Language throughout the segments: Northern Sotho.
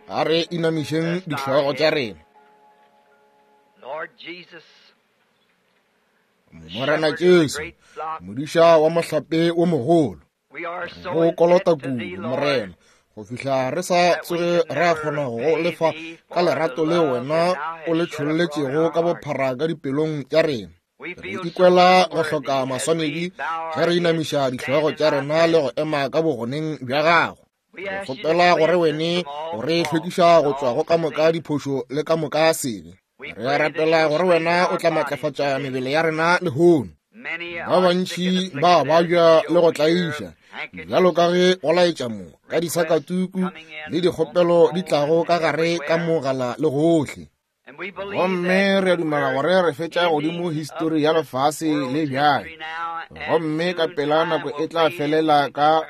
A re inamišeng dihlogo tša rena. Morena Jesu, modiša wa mohlape wo mogolo, go kolota kudu, Morena, go fihla re sa tsoge ra kgona go lefa ka lerato leo wena o le tšholletšego ka bophara ka dipelong tša rena. Re ikwela go hloka maswanedi ge re inamiša dihlogo tša rena le go ema ka bogoneng bja gago. Re kgopela gore wene o re hlwekiša go tšwa go ka moka diphošo le ka moka sebe. Re a rapela gore wena o tla matlafatša mebele ya rena lehono. Ba bantši ba babja le go tlaiša, bjalo ka ge go laetša mo ka disakatuku le dikgopelo di tlago ka gare ka mogala le gohle. Gomme re a dumela gore re fetša godimo histori ya lefase le bjale, gomme ka pela nako e tla felela ka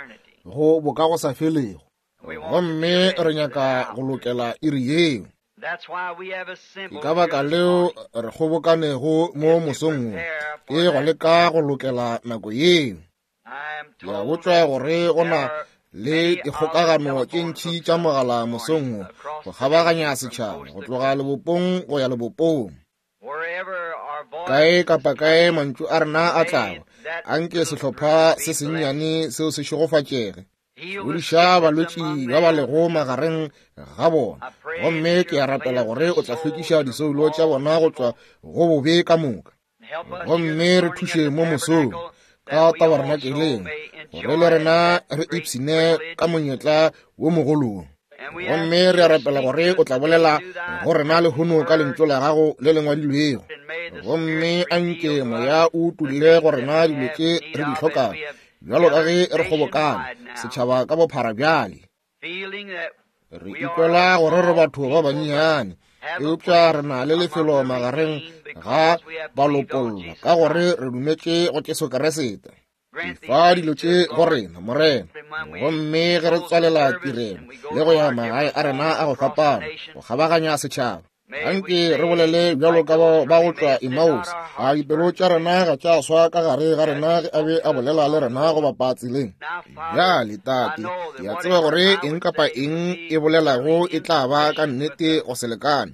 go bokagosafelego. Gomme re nyaka go lokela iri yeo. Ke ka baka leo re kgobokanego mo mosong wo, ke go leka go lokela nako yeo. Ke a botšwa gore go na le dikgokagano tše ntši tša mogala mosong wo go kgabaganya setšhaba go tloga lebopong go ya lebopong. Kae kapa kae mantšu a rena a tlago, anke sehlopha se sennyane seo se šegofatšege. Fodiša balwetši ba ba lego magareng ga bona, gomme ke a rapela gore o tla hlwekiša disoulo tša bona go tšwa go bobe ka moka. Gomme re thuše mo mosong ka tabernakeleng gore le rena re ipshine ka monyetla wo mogolo wo. Gomme re a rapela gore o tla bolela go rena lehono ka lentšu la gago le le ngwadilwego. Gomme a nke moya o utolle go rena dilo tše re di hlokago bjalo ka ge re kgobokane setšhaba ka bophara bjale. Re ikwela gore re batho ba bannyane, eupša re na le lefelo magareng ga balopollwa ka gore re dumetše go Jesu Kriste. Efa dilo tše go rena, Morena. Gomme ge re tswalela tirelo le go ya magae a rena a go fapana go kgabaganya setšhaba, anke re bolele bjalo ka bao ba go tšwa Emmaus, a dipelo tša rena ga tša swa ka gare ga rena ge a be a bolela le rena go bapa tseleng. Bjale, Tate, ke a tseba gore eng kapa eng e bolelago e tla ba ka nnete go se lekane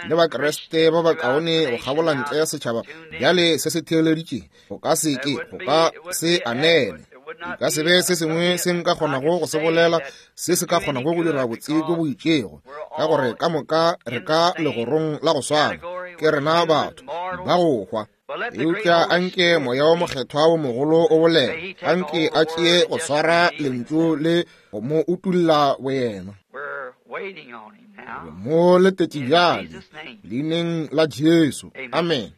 le Bakriste ba bakaone go kgabola ntle setšhaba bjale se se theeleditše go ka se ke go ka se anele e ka se be se sengwe se nka kgonago go se bolela se se ka kgonago go dira botse bjo bo itšego, ka gore ka moka re ka legorong la go swana, ke rena batho ba go hwa. Eupša anke Moya wo Mokgethwa wo mogolo o bolele, anke a tšee go swara Lentšu le go mo utulla boyena. Re mo letetše bjale, Leineng la Jesu. Amen.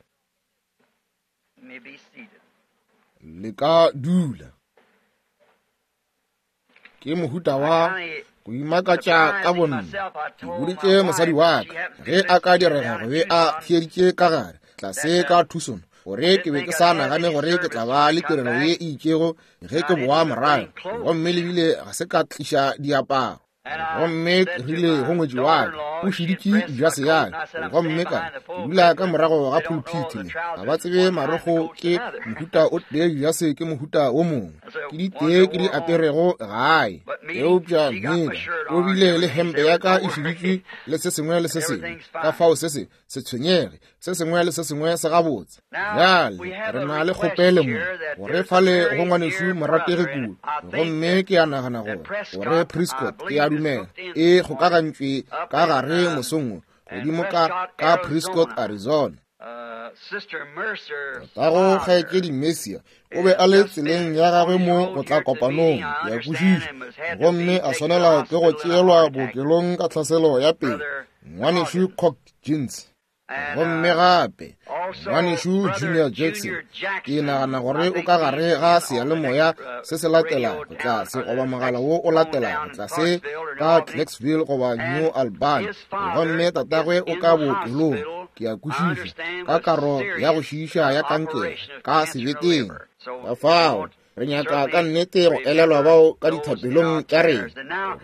Le ka dula. Ke mohuta wa go imakatša ka bonna. Ke boditše mosadi wa ka ge a ka direga go be a theeditše ka gare tlase ka Tucson gore ke be ke sa nagane gore ke tla ba le tirelo ye e itšego ge ke boa morago, gomme le bile ga se ka tliša diaparo. Gomme ke rile go ngwetši wa ka, o šeditše dijase ya ka, gomme ka re, ke dula ka morago ga pulpiti le, ga ba tsebe marokgo ke mohuta o tee, dijase ke mohuta wo mongwe, ke di tee ke di aperego gae. Eupša Meda o bile le hempe ya ka e šeditšwe le se sengwe le se sengwe, ka fao se se se tshwenyege, se sengwe le se sengwe se gabotse. Bjale re na le kgopelo mo gore fale go ngwanešu morategi kudu, gomme ke a nagana gore gore Prescott, ke a dumela, e kgokagantšwe ka gare mosong wo godimo ka ka Prescott, Arizona. Tatago kgaetšedi Mercier o be a le tseleng ya gagwe mo go tla kopanong, ke a kwešiša, gomme a swanela ke go tšeelwa bookelong ka tlhaselo ya pelo. Ngwanešu Cox Jeans. Gomme gape ngwanešu Junior Jackson, ke nagana gore o ka gare ga seyalemoya se se latelago tlase, goba mogala wo o latelago tlase ka Clarksville goba New Albany. Gomme tatagwe o ka bookelong, ke a kwešiša, ka karo ya go šiiša ya kankere ka sebeteng. Ka fao re nyaka ka nnete go elelwa bao ka dithapelong tša rena.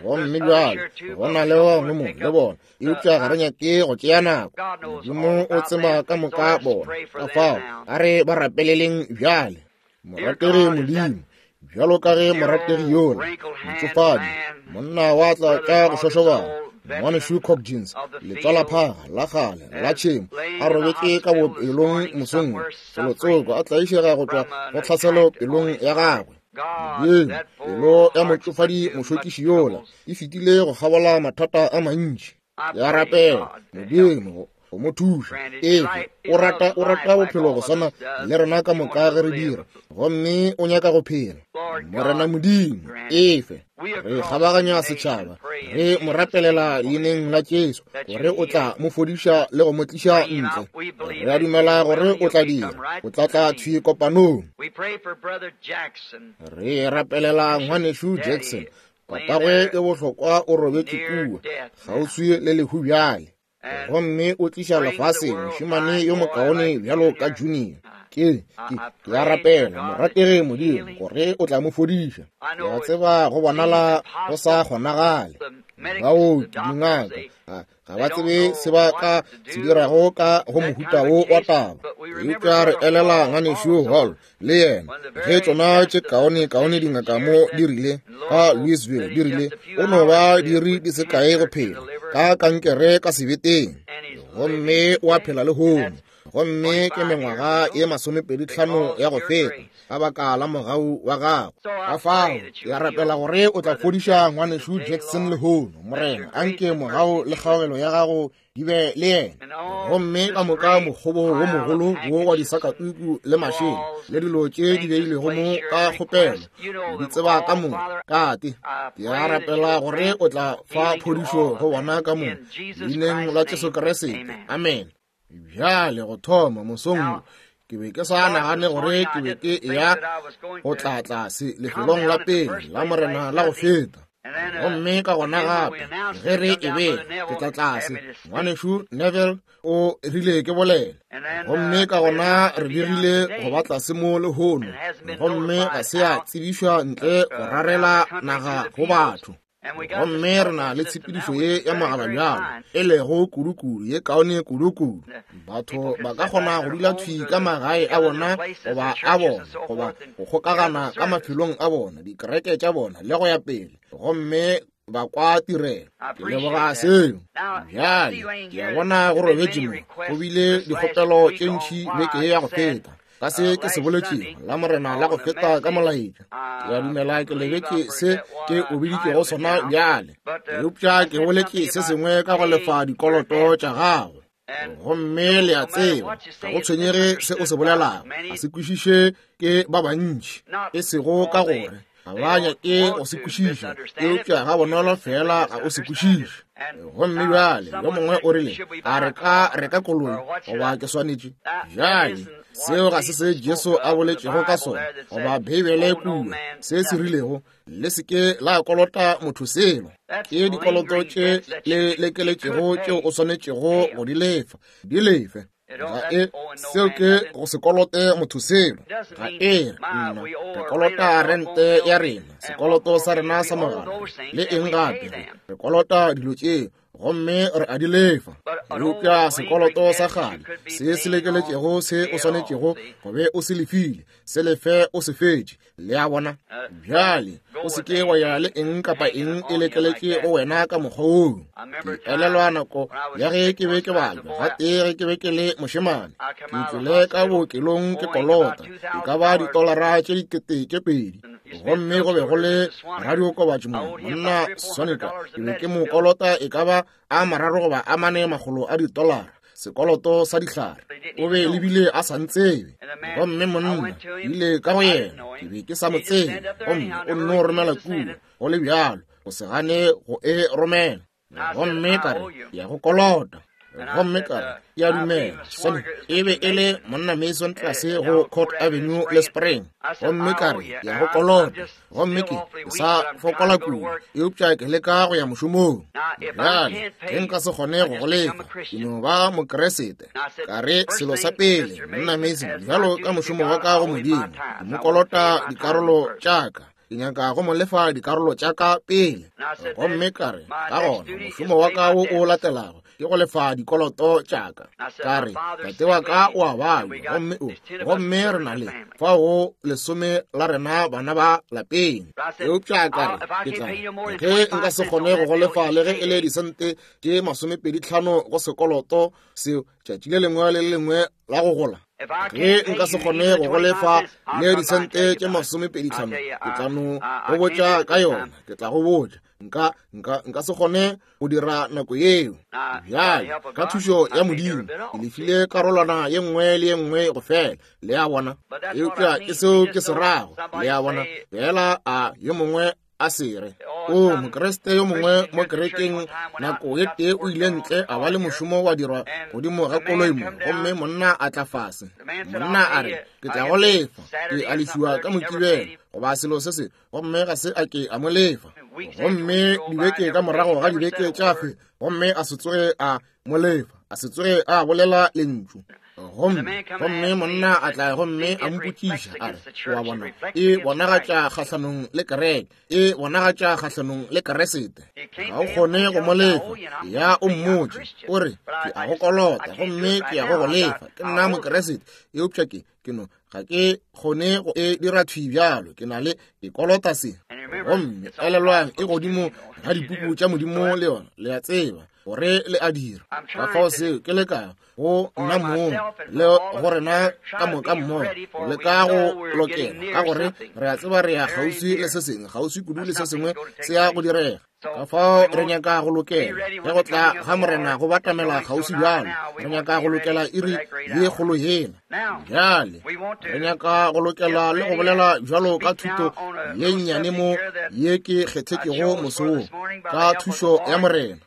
Gomme bjale go na le ba bangwe mo le bona, eupša ga re nyake go tšea nako. Modimo o tseba ka moka bona, ka fao a re ba rapeleleng bjale. Morategi Modimo, bjalo ka ge morategi yola, motšofadi, monna wa tla ka go šošobana, Ngwanešu Coggins, letswalaphaga la kgale la tšhemo, a robetše ka bookelong mosong wo, felotsoko a tlaišega go tšwa go tlhaselo pelong ya gagwe. Modimo, pelo ya motšofadi mošokiši yola e fetile go kgabola mathata a mantši. Ke a rapela, Modimo, go mo thuša. Efe, o rata, o rata bophelo go swana le rena ka moka ge re dira, gomme o nyaka go phela. Morena Modimo, efe, re kgabaganya setšhaba, re mo rapelela leineng la Jesu, gore o tla mo fodiša le go mo tliša ntle. Re a dumela gore o tla dira, o tla tla thwi kopanong. Re rapelela ngwanešu Jackson, papagwe ke bohlokwa o robetše kua, kgauswi le lehu bjale. Gomme o tliša lefaseng mošemane yo mokaone bjalo ka Junior. Ke, ke, ke a rapela, morategi Modimo, gore o tla mo fodiša. Ke a tseba go bonala go sa kgonagale. Baoki, dingaka, ga, ga ba tsebe se ba ka se dirago ka go mohuta wo wa taba. Eupša re elela Ngwanešu Hall le yena, ge tšona tše kaone kaone dingaka mo di rile ka Louisville, di rile o no ba diri di se kae go phela ka kankere ka sebeteng, gomme o a phela lehono, gomme ke mengwaga ye 25 ya go feta ka baka la mogau wa gago. Ka fao ke a rapela gore o tla fodiša Ngwanešu Jackson lehono, Morena, anke mogau le kgaogelo ya gago di be le yena. Gomme ka moka mokgobo wo mogolo wo wa disakatuku le mašela le dilo tše di beilwego mo ka kgopelo, di tseba ka moka. Tate, ke a rapela gore o tla fa phodišo go bona ka moka, leineng la Jesu Kriste. Amen. Bjale go thoma mosong wo, ke be ke sa nagane gore ke be ke eya go tla tlase lefelong la pele la Morena la go feta. Gomme ka gona gape ge re e be ke tla tlase, Ngwanešu Neville o rile ke bolele. Gomme ka gona re dirile go ba tlase mo lehono, gomme ga se ya tsebišwa ntle go rarela naga go batho. Gomme re na le tshepedišo ye ya mogala bjalo, e lego kudukudu ye kaone kudukudu. Batho ba ka kgona go dula thwi ka magae a bona goba a bona, goba go kgokagana ka mafelong a bona, dikereke tša bona le go ya pele, gomme ba kwa tirelo. Ke leboga seo. Bjale ke a bona go robetše mo, go bile dikgopelo tše ntši beke ya go feta ka se ke se boletšego la Morena la go feta ka molaetša. Ke a dumela ke lebetše se ke o biditšego sona bjale, eupša ke boletše se sengwe ka go lefa dikoloto tša gago. Gomme le a tseba, ga go tshwenyege se o se bolelago, ga se kwešiše ke ba bantši, e sego ka gore ga ba nyake go se kwešiša, eupša ga bonolo fela ga o se kwešiše. Gomme bjale yo mongwe o rile, a re ka reka koloi goba ke swanetše? Bjale seo ga se se Jesu a boletšego ka sona, goba Beibele kua se se rilego, le se ke la kolota motho selo. Ke dikoloto tše le lekeletšego tšeo o swanetšego go di lefa, di lefe. Ga e, seo ke go se kolote motho selo. Ga e re nna re kolota rente ya rena, sekoloto sa rena sa mogala le eng gape, re kolota dilo tšeo gomme re a di lefa. Eupša sekoloto sa kgale se se lekeletšego se o swanetšego go be o se lefile, se lefe o se fetše. Le a bona? Bjale o se ke wa ya le eng kapa eng e lekeletše go wena ka mokgwa woo. Ke elelwa nako ya ge ke be ke balwa gatee ge ke be ke le mošemane, ke tlile ka bookelong ke kolota e ka ba ditolara tše 2000, gomme go be go le radiokobatši mo, monna Sonica, ke be ke mo kolota e ka ba a 3 goba a 4 makgolo a ditolara, sekoloto sa dihlare. O be lebile a sa ntsebe. Gomme monna, ke ile ka go yena, ke be ke sa mo tsebe, gomme o nno romela kua, go le bjalo, go se gane go e romela. Gomme ka re, ke ya go kolota. Gomme ka re, ke a dumela, Sonny, e be e le monna Mason tlase go Court Avenue le Spring. Gomme ka re, ke ya go kolota. Gomme ke sa fokola kudu, eupša ke leka go ya mošomong. Bjale, ge nka se kgone go go lefa, ke no ba Mokeresete. Ka re, selo sa pele, monna Mason, bjalo ka mošomo wa ka go Modimo, ke mo kolota dikarolo tša ka. Ke nyaka go mo lefa dikarolo tša ka pele. Gomme ka re, Ka gona, mošomo wa ka wo o latelago ke go lefa dikoloto tša ka. Ka re, Tate wa ka o a babja, gomme o, gomme re na le fao 10 la rena bana ba lapeng. Eupša ka re, Ke tla, ge nka se kgone go go lefa le ge e le disente tše 25 go sekoloto seo tšatši le lengwe le le lengwe la go gola, ge nka se kgone go go lefa le disente tše 25, ke tla no go botša ka yona. Ke tla go botša. Nka, nka, nka se kgone go dira nako yeo. Bjale, ka thušo ya Modimo, ke lefile karolwana ye nngwe le ye nngwe go fela. Le a bona? Eupša ke seo ke se rago. Le a bona? Fela a yo mongwe a se re, O Mokriste yo mongwe mo kerekeng nako ye tee o ile ntle a ba le mošomo wa dirwa godimo ga koloi mo, gomme monna a tla fase. Monna a re, Ke tla go lefa. Ke a lefiwa ka Mokibelo, goba selo se se, gomme ga se a ke a mo lefa. Gomme dibeke ka morago ga dibeke tša fe, gomme a se tsoge a mo lefa, a se tsoge a bolela lentšu. Gomme, gomme monna a tla gomme a mpotšiša, a re, O a bona, e bonagatša kgahlanong le kereke, e bonagatša kgahlanong le Keresete. Ga o kgone go mo lefa. Ya o mmotše, o re, Ke a go kolota, gomme ke ya go go lefa. Ke nna Mokeresete, eupša ke, ke no, ga ke kgone go e dira thwi bjalo. Ke na le, ke kolota se. Gomme elelwang, e godimo ga dipuku tša Modimo le yona, le a tseba gore le a dira. Ka fao seo ke lekago go nna mong le go rena ka moka mmogo le ka go lokela, ka gore re a tseba re ya kgauswi le se sengwe, kgauswi kudu le se sengwe se ya go direga. Ka fao re nyaka go lokela ge go tla ga Morena go batamela kgauswi bjalo. Re nyaka go lokela iri ye kgolo yela. Bjale re nyaka go lokela le go bolela bjalo ka thuto ye nnyane mo ye ke kgethetšego moso wo, ka thušo ya Morena.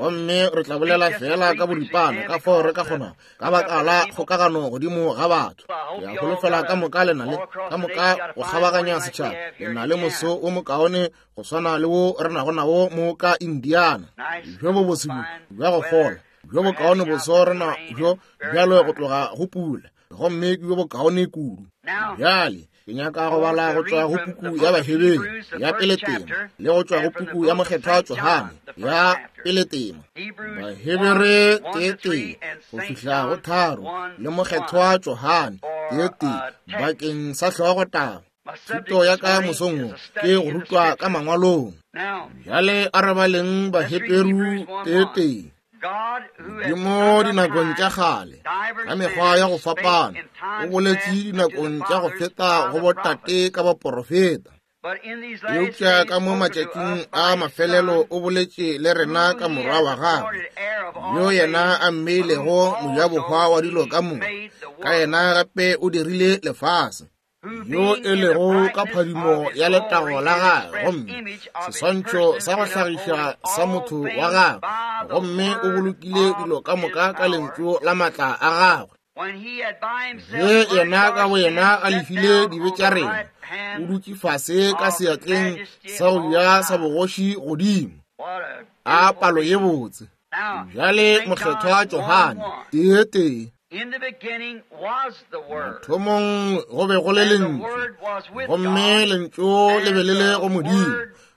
Gomme re tla bolela fela ka boripana ka fao re ka kgonago, ka baka la kgokagano godimo ga batho. Ke a holofela ka moka le na le, ka moka go kgabaganya setšhaba, le na le moso wo mokaone go swana le wo re nago nawo mo ka Indiana. Bjo bo bose bjo, bja go fola, bjo bokaone boso re na bjo bjalo go tloga go pula, gomme ke bjo bokaone kudu. Bjale ke nyaka go bala go tšwa go puku ya Baheberu ya pele tema, le go tšwa go puku ya Mokgethwa Johane ya pele tema. Bahebere 1:1 go fihla go 3, le Mokgethwa Johane 1:1 bakeng sa hlogotaba. Thuto ya ka mosong wo ke go rutwa ka mangwalong. Bjale a re baleng Baheberu 1:1. Modimo dinakong tša kgale ka mekgwa ya go fapana o boletše dinakong tša go feta go botate ka baporofeta, eupša ka mo matšatšing a mafelelo o boletše le rena ka Morwa wa gagwe, yo yena a mmeilego mojabohwa wa dilo ka moka, ka yena gape o dirile lefase. yo e lego ka phadimo ya letago la gagwe, gomme seswantšho sa go hlagiša sa motho wa gagwe, gomme o bolokile dilo ka moka ka lentšu la maatla a gagwe. Ge yena ka boyena a lefile dibe tša rena, o dutše fase ka seatleng sa go ja sa bogoši godimo. A palo ye botse! Bjale Mokgethwa Johane 1:1. Mathomong go be go le Lentšu, gomme Lentšu le be le le go Modimo,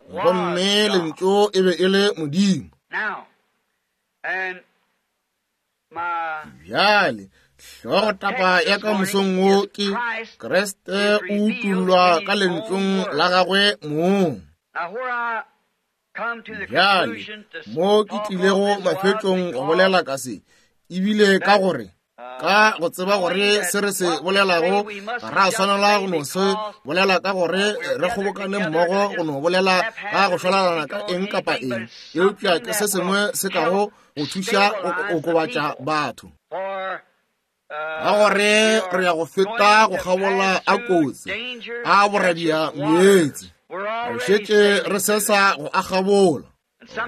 gomme Lentšu e be e le Modimo. Bjale hlogotaba ya ka mosong wo ke Kriste o utollwa ka Lentšung la gagwe mong. Bjale, mo ke tlilego mafetšong go bolela ka se, ebile ka gore ka go tseba gore se re se bolelago ga ra swanela go no se bolela ka gore re kgobokane mmogo go no bolela ka go šwalalana ka eng kapa eng, eupša ke se sengwe se kago go thuša go okobatša batho. Ka gore re ya go feta go kgabola a kotsi a boradia meetse, re šetše re sesa go a kgabola.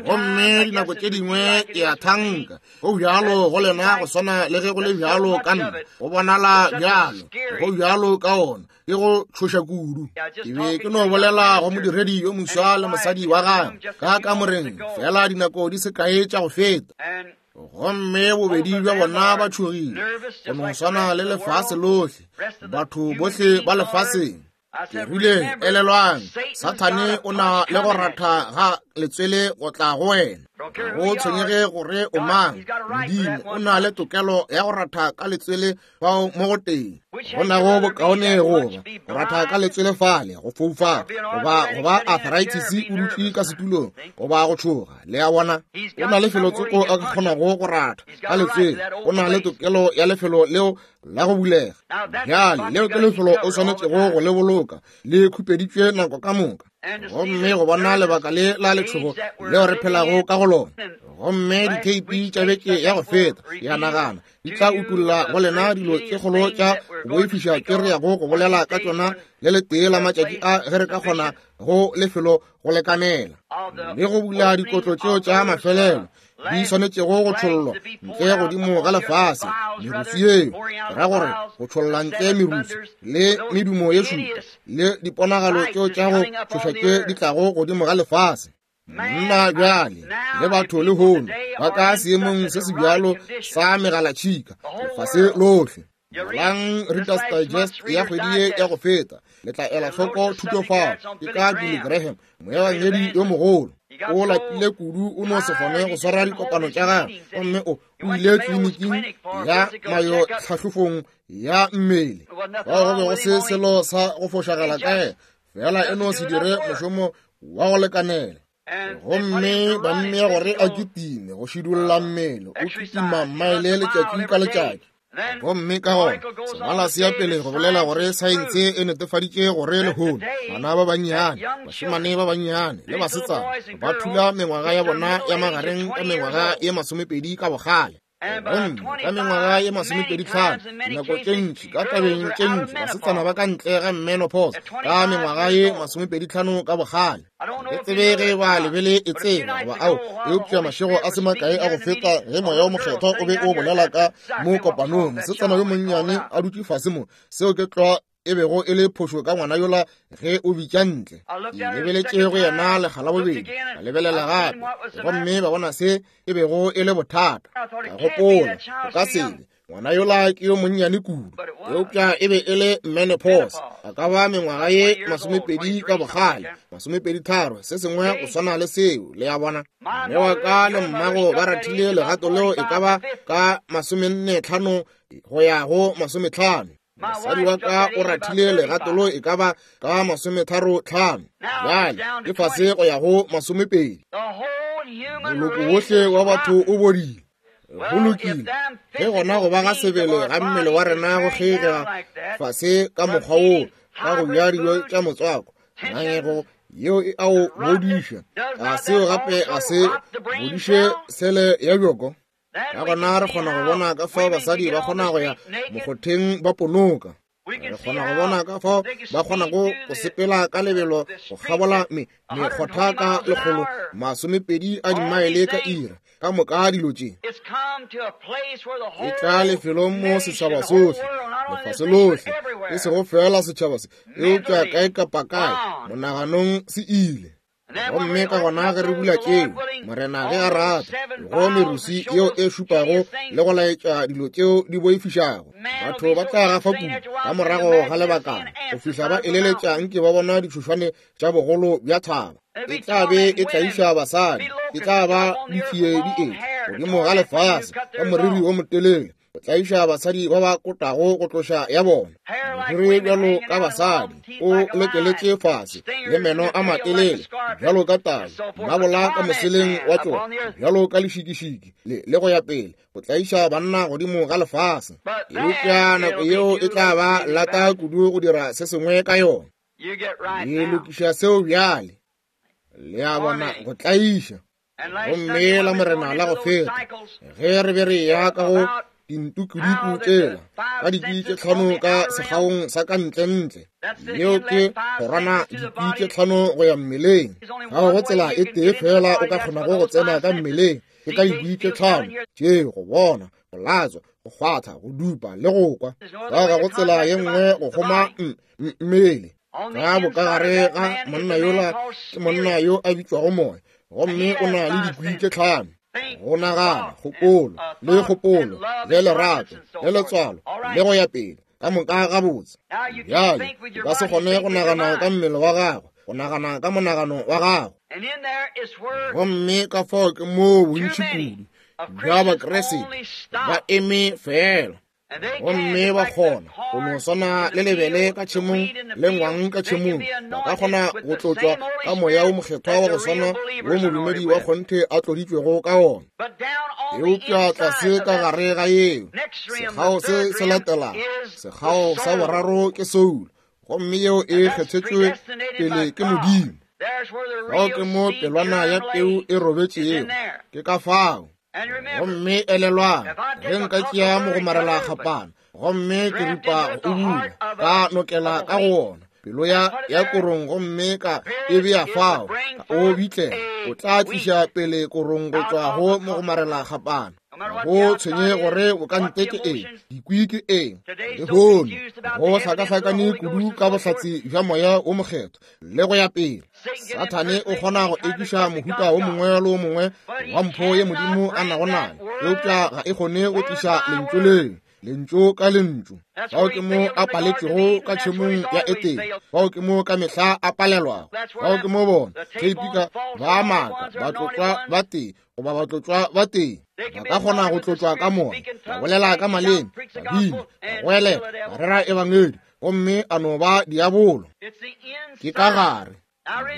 Gomme dinako tše dingwe ke a thanka go bjalo go lena go swana le ge go le bjalo ka nna, go bonala bjalo, go bjalo ka ona, ke go tšhoša kudu. Ke be ke no bolela go modiredi yo moswa le mosadi wa gagwe ka kamoreng fela dinako di se kae tša go feta. Gomme bobedi bja bona ba tšhogile go no swana le lefase lohle, batho bohle ba lefaseng. Ke rile, Elelwang, Sathane o na le go ratha ga letswele go tla go wena. Ga go tshwenyege gore o mang, Modimo o na le tokelo ya go ratha ka letswele fao mo go teng. Go nago bokaone go ba go ratha ka letswele fale, go foufala, goba go ba arthritis o dutše ka setulong, goba go tšhoga. Le a bona? O na le felotsoko a ka kgonago go ratha ka letswele. O na le tokelo ya lefelo leo la go bulega. Bjale, leo ke lefelo o swanetšego go le boloka le khupeditšwe nako ka moka. Gomme go bona lebaka le la letšhogo leo re phelago ka go lona, gomme ditheipi tša beke ya go feta, ya nagana, di tla utolla go lena dilo tše kgolo tša go boifiša tše re yago go bolela ka tšona le letee la matšatši a ge re ka kgona go lefelo go lekanela le go bula dikotlo tšeo tša mafelelo di swanetšego go tšhollwa ntle godimo ga lefase. Merusu yeo ke ra gore go tšholla ntle merusu le medumo ye šupa le diponagalo tšeo tša go tšhoša tše di tlago godimo ga lefase. Monna bjale le batho lehono ba ka seemong se se bjalo sa megalatšhika lefase lohle. Balang Reader's Digest ya kgwedi ye ya go feta, le tla ela hloko thuto fao. Ke ka Billy Graham, moebangedi yo mogolo. O lapile kudu o no se kgone go swara dikopano tša gagwe, gomme o o ile tleliniking ya mayo tlhahlofong ya mmele. Fao go be go se selo sa go fošagala ka yena, fela e no se dire mošomo wa go lekanela. Gomme ba mmea gore a kitime go šidulla mmele, o kitima mmaele letšatši ka letšatši. Gomme ka gona sengwala se ya pele go bolela gore saense e netefaditše gore lehono bana ba bannyane, bašemane ba bannyane le basetsana ba thula mengwaga ya bona ya magareng ka mengwaga ye 20 ka bogale. Gomme ka mengwaga ye 25, dinako tše ntši ka tabeng tše ntši basetsana ba ka ntle ga menopause ka mengwaga ye 25 ka bogale. Ke tsebe ge ba lebele e tseba goba ao, eupša mašego a se makae a go feta ge Moya wo Mokgethwa o be o bolela ka mo kopanong, mosetsana yo monnyane a dutše fase mo, seo ke tlwa e bego e le phošo ka ngwana yola ge o bitša ntle. Ke lebeletše go yena lekga la bobedi, ka lebelela gape, gomme ba bona se e bego e le bothata. Ka gopola, o ka se be ngwana yola ke yo monnyane kudu, eupša e be e le menopause, a ka ba mengwaga ye 20 ka bogale, 23, se sengwe go swana le seo, le a bona. Mme wa ka le mmago ba rathile legato leo e ka ba ka 45 go ya go 50. Mosadi wa ka o rathile legato leo e ka ba ka 35, bjale ke fase go ya go 20. Moloko wohle wa batho o bodile. Go lokile, ge gona go ba ga sebele ga mmele wa rena go kgeigega fase ka mokgwa woo ka go ja dijo tša motswako, ngangego yeo e a o bodiša, a seo gape ga se bodiše sele ya bjoko? Ka gona re kgona go bona ka fao basadi ba kgona go ya mokgotheng ba ponoka. Re kgona go bona ka fao ba kgonago go sepela ka lebelo go kgabola mekgotha ka 120 a dimaele ka ira, ka moka dilo tše. E tla lefelong mo setšhaba sohle, lefase lohle, e sego feela setšhaba se, eupša kae kapa kae, monaganong se ile. Gomme ka gona ge re bula tšeo, Morena ge a rata, go merusi yeo e šupago le go laetša dilo tšeo di boifišago, batho ba tla gafa kudu ka morago ga lebakana go fihla ba eleletša nke ba bona ditšhošwane tša bogolo bja thaba. E tla be e tlaiša basadi, e tla ba ditšie di etla godimo ga lefase ka moriri wo motelele, go tlaiša basadi ba ba kotago go tloša ya bona moriri bjalo ka basadi o lekeletše fase le meno a matelele bjalo ka tau, mabola ka moseleng wa tšona bjalo ka lešikišiki le go ya pele, go tlaiša banna godimo ga lefase. Eupša nako yeo e tla ba lata kudu go dira se sengwe ka yona. Le lokiša seo bjale, le a bona, go tlaiša. Gomme la Morena la go feta, ge re be re ya ka go dintukuduku tšela ka dikwi tše tlhano ka sekgaong sa ka ntlentle, yeo ke kgorwana dikwi tše tlhano go ya mmeleng. Ga go tsela e tee fela o ka kgonago go tsena ka mmeleng, ke ka dikwi tše tlhano tše, go bona, go latswa, go kgwatha, go dupa le go kwa. Ga go tsela ye nngwe go kgoma mmele. Ka bokagare ga monna yola ke monna yo a bitšwago moya, gomme o na le dikwi tše tlhano, go nagana, kgopolo, le kgopolo, le lerato, le letswalo, le go ya pele. Ka moka gabotse. Bjale, o ka se kgone go nagana ka mmele wa gago, go nagana ka monagano wa gago. Gomme ka fao ke moo bontši kudu bja Bakriste ba eme feela. Gomme ba kgona go no swana le lebele ka tšhemong le ngwang ka tšhemong, ba ka kgona go tlotšwa ka moya o mokgethwa wa go swana wo modumedi wa kgonthe a tloditšwego ka wona. Eupša tlase ka gare ga yeo, sekgao se se latelago, sekgao sa boraro ke soulo, gomme yeo e kgethetšwe pele ke Modimo. Fao ke mo pelwana ya peu e robetšego, ke ka fao. Gomme elelwang, ge nka tšea mogomarela kgapana gomme ke ripa go ubula, ka nokela ka go wona pelo ya ya korong gomme ka e bea fao, ka o bitlela, o tla tliša pele korong go tšwa go mogomarela kgapana. Go tshwenye gore o ka nte ke eng, dikwi ke eng. Lehono go hlakahlakane kudu ka bohlatse bja moya wo mokgethwa le go ya pele. Sathane o kgona go ekiša mohuta wo mongwe le wo mongwe wa mpho ye Modimo a nago nayo, eupša ga e kgone go tliša lentšu leo, lentšu ka lentšu. Fao ke mo a paletšego ka tšhemong ya Etene, fao ke mo ka mehla a palelwago, fao ke mo bona theipika ba maaka batlotšwa ba tee goba batlotšwa ba tee ba ka kgona go tlotšwa ka moya, ba bolela ka maleme, ba bina, ba goelela, ba rera ebangedi, gomme a no ba diabolo. Ke ka gare.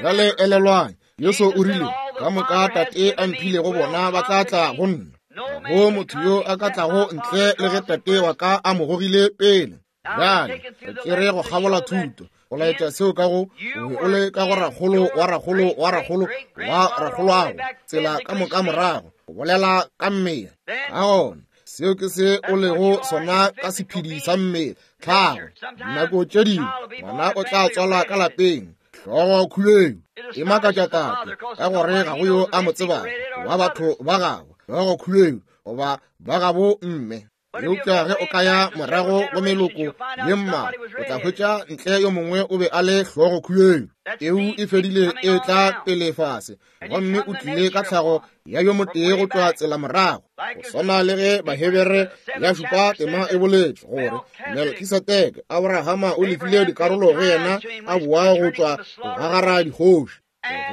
Bjale elelwang, Jesu o rile, ka moka Tate a mphilego bona ba tla tla go nna. Ga go motho yo a ka tlago ntle le ge Tate wa ka a mo gogile pele. Bjale re tšere go kgabola thuto go laetša seo ka go o be o le ka go rakgolo wa rakgolo wa rakgolo wa rakgoloago, tsela ka moka morago, go bolela ka mmele. Ka gona seo ke se o lego sona ka sephedi sa mmele, tlhago. Dinako tše dingwe ngwana o tla tswalwa ka lapeng, hlogo khubedu, e makatša tate ka gore ga go yo a mo tsebago wa batho ba gabo, hlogo khubedu goba ba gabo mme. Eupša ge o ka ya morago go meloko ye mmalwa, o tla hwetša ntle yo mongwe o be a le hlogo khubedu. Peu e fedile e tla pele fase, gomme o tlile ka tlhago ya yo motee go tšwa tsela morago. Go swana le ge Bahebere ya šupa tema e boletše gore Melkisedeke, Abrahama o lefile dikarolo go yena a boa go tšwa go gagara dikgoši.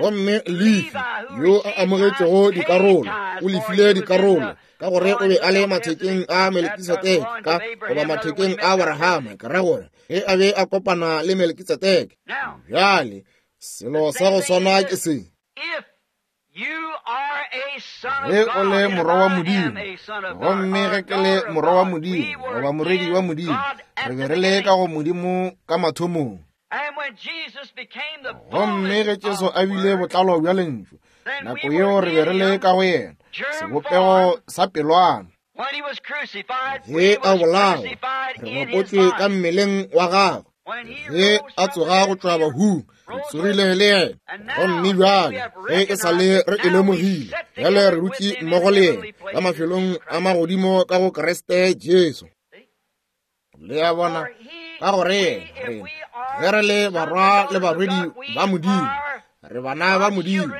Gomme Lefi yo a amogetšego dikarolo o lefile dikarolo ka gore o be a le mathekeng a Melkisedeke ka goba mathekeng a Abrahama, ke ra gore ge a be a kopana le Melkisedeke. Bjale selo sa go swana ke se. Ge o le morwa wa Modimo, gomme ge ke le morwa wa Modimo goba morwedi wa Modimo, re be re le ka go Modimo ka mathomong. Gomme ge Jesu a bile botlalo bja lentšu, nako yeo re be re le ka go yena, sebopego sa pelwana. Ge a bolawa, re bapotšwe ka mmeleng wa gagwe. Ge a tsoga go tšwa bahung, re tsogile le yena. Gomme bjale ge e sa le re e lemogile, bjale re dutše mmogo le yena ka mafelong a magodimo ka go Kriste Jesu. Le a bona, ka gore re ge re le barwa le barwedi ba Modimo, re bana ba Modimo,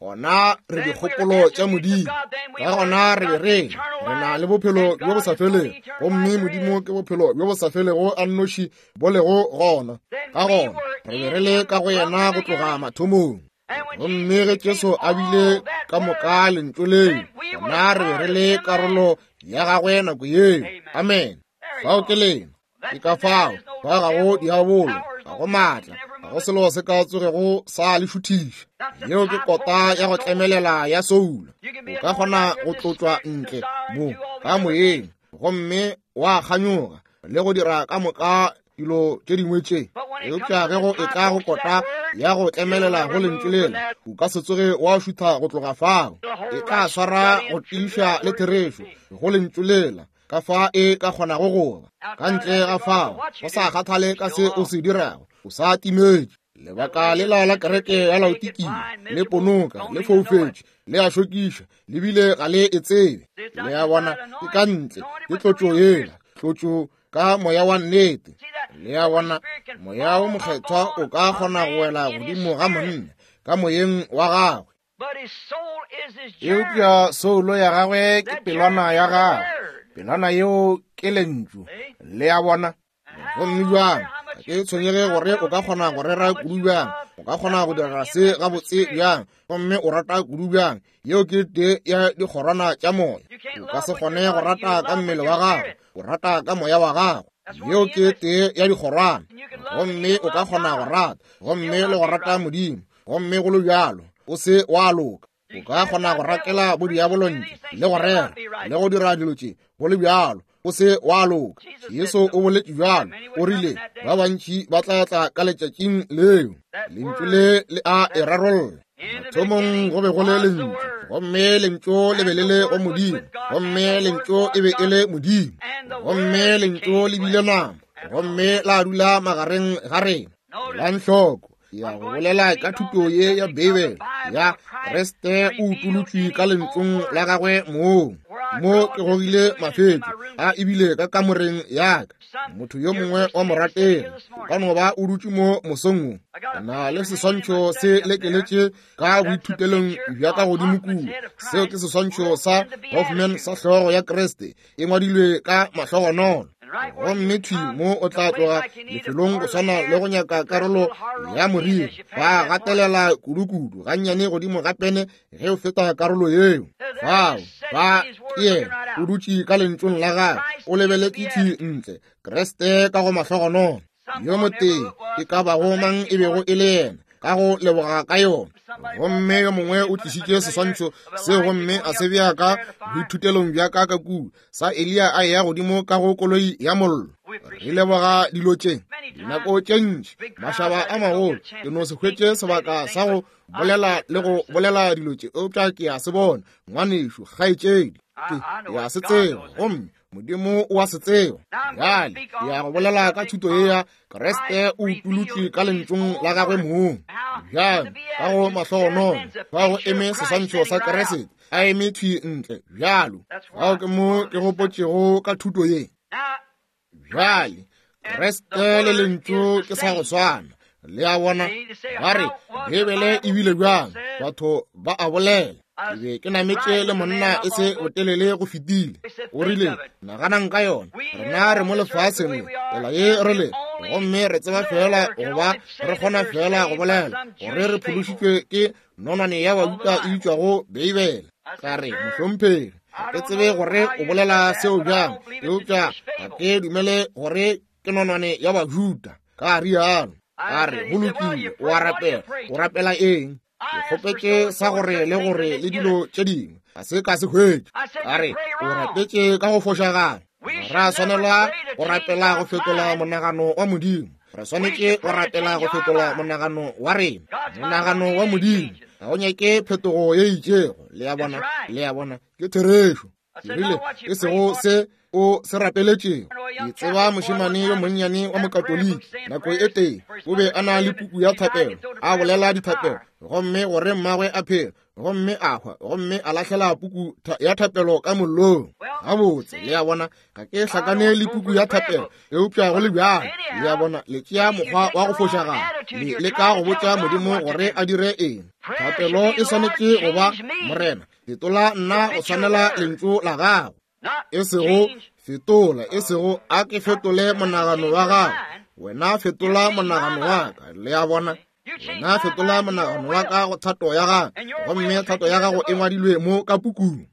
gona re dikgopolo tša Modimo. Ka gona re be re re na le bophelo bjo bo sa felego, gomme Modimo ke bophelo bjo bo sa felego a nnoši bo lego gona. Ka gona re be re le ka go yena go tloga mathomong. Gomme ge Jesu a bile ka moka lentšu leo, gona re be re le karolo ya gagwe nako yeo. Amen. Fao ke lena. Ke ka fao ba ga go diabolo, ga go maatla, ga go selo se ka tsogego sa le šuthiša. Yeo ke kota ya go tlemelela ya soulo. O ka kgona go tlotšwa ntle mo ka moyeng gomme wa kganyoga le go dira ka moka dilo tše dingwe tše, eupša ge go etla go kota ya go tlemelela go lentšu lela, o ka se tsoge wa šutha go tloga fao. E tla swara go tiiša le therešo go lentšu lela ka fa e ka kgonago go ba. Ka ntle ga fao, go sa kgathale ka se o se dirago, o sa timetše. Lebaka lela la kereke ya Laodikia le ponoka, le foufetše, le a šokiša, le bile ga le e tsebe. Le a bona, ke ka ntle, ke tlotšo yela, tlotšo ka moya wa nnete. Le a bona, moya wo mokgethwa o ka kgona go wela godimo ga monna ka moyeng wa gagwe, eupša soulo ya gagwe ke pelwana ya gagwe, pelwana yeo ke lentšu. Le a bona? Gomme bjang, ga ke tshwenyege gore o ka kgona go rera kudu bjang, o ka kgona go dira se gabotse bjang, gomme o rata kudu bjang, yeo ke tee ya dikgorwana tša moya. O ka se kgone go rata ka mmele wa gago, o rata ka moya wa gago. Yeo ke tee ya dikgorwana. Gomme o ka kgona go rata, gomme le go rata Modimo, gomme go le bjalo o se wa loka. O ka kgona go rakela bodiabolo ntle, le go rera, le go dira dilo tše, go le bjalo o se wa loka. Jesu o boletše bjalo, o rile ba bantši ba tla tla ka letšatšing leo. Lentšu le le a e rarolla. Mathomong go be go le Lentšu, gomme Lentšu le be le le go Modimo, gomme Lentšu e be e le Modimo, gomme Lentšu le bile nama, gomme la dula magareng ga rena. Elang hloko, ya go bolela ka thuto ye ya Beibele ya Kriste o utolotšwe ka lentšung la gagwe mong. Mo ke gogile mafetšo a ebile ka kamoreng ya ka. Motho yo mongwe wa morategi o ka no ba o dutše mo mosong wo. Na le seswantšho se lekeletše ka boithutelong bja ka godimo kua. Seo ke seswantšho sa Hoffman sa hlogo ya Kriste e ngwadilwe ka mahlogonolo. Gomme thwi mo o tla tloga lefelong go swana le go nyaka karolo ya moriri, ba gatelela kudukudu gannyane godimo ga pene ge o feta karolo yeo. Fao ba ke yena o dutše ka lentšong la gagwe, o lebeletše thwi ntle, Kriste ka go mahlogonolo. Yo motee e ka bago mang e bego e le yena, ka go leboga ka yona. Gomme yo mongwe o tlišitše seswantšho seo gomme a se bea ka boithutelong bja ka ka kua, sa Eliya a eya godimo ka go koloi ya mollo. Re leboga dilo tše dinako tše ntši, mašaba a magolo. Ke no se hwetše sebaka sa go bolela le go bolela dilo tše, eupša ke a se bona, ngwanešu, kgaetšedi, ke a se tseba, gomme Modimo o a se tseba. Bjale ke ya go bolela ka thuto ye ya Kriste o utolotšwe ka lentšung la gagwe mong. Bjale ka go mahlogonolo fa go eme seswantšho sa Kriste a eme thwi ntle bjalo. Fao ke mo ke gopotšego ka thuto ye. Bjale Kriste le lentšu ke sa go swana. Le a bona, ba re Beibele e bile bjang, batho ba a bolela. Ke be ke nametše le monna e se botelele go fetile. O rile, naganang ka yona, rena re mo lefaseng le, tsela ye re le, gomme re tseba feela go ba re kgona feela go bolela gore re phološitšwe ke nonwane ya bajuda e bitšwago Beibele. Ka re, mohlomphegi, ga ke tsebe gore o bolela seo bjang, eupša ga ke dumele gore ke nonwane ya Bajuda. Ka rialo. A re, go lokile, o a rapela. O rapela eng? Ke kgopetše sa gore le gore le dilo tše dingwe, ga se ka se hwetše. A re, o rapetše ka go fošagala. Ra swanelwa go rapela go fetola monagano wa Modimo. Re swanetše go rapela go fetola monagano wa rena. Monagano wa Modimo ga o nyake phetogo ye itšego. Le a bona? Le a bona? Ke therešo. Ke rile, e sego se o se rapeletšego. Ke tseba mošemane yo monnyane wa Mokatoliki, nako e tee o be a na le puku ya thapelo, a bolela dithapelo, gomme gore mmagwe a phele, gomme a hwa, gomme a lahlela puku ya thapelo ka mollong. Gabotse, le a bona, ga ke hlakane le puku ya thapelo, eupša go le bjalo, le a bona, le tšea mokgwa wa go fošagala, le leka go botša Modimo gore a dire eng. Thapelo e swanetše go ba, Morena, fetola nna go swanela lentšu la gago, e sego fetola, e sego a ke fetole monagano wa gago, wena fetola monagano wa ka. Le a bona? Wena fetola monagano wa ka go thato ya gago, gomme thato ya gago e ngwadilwe mo ka pukung.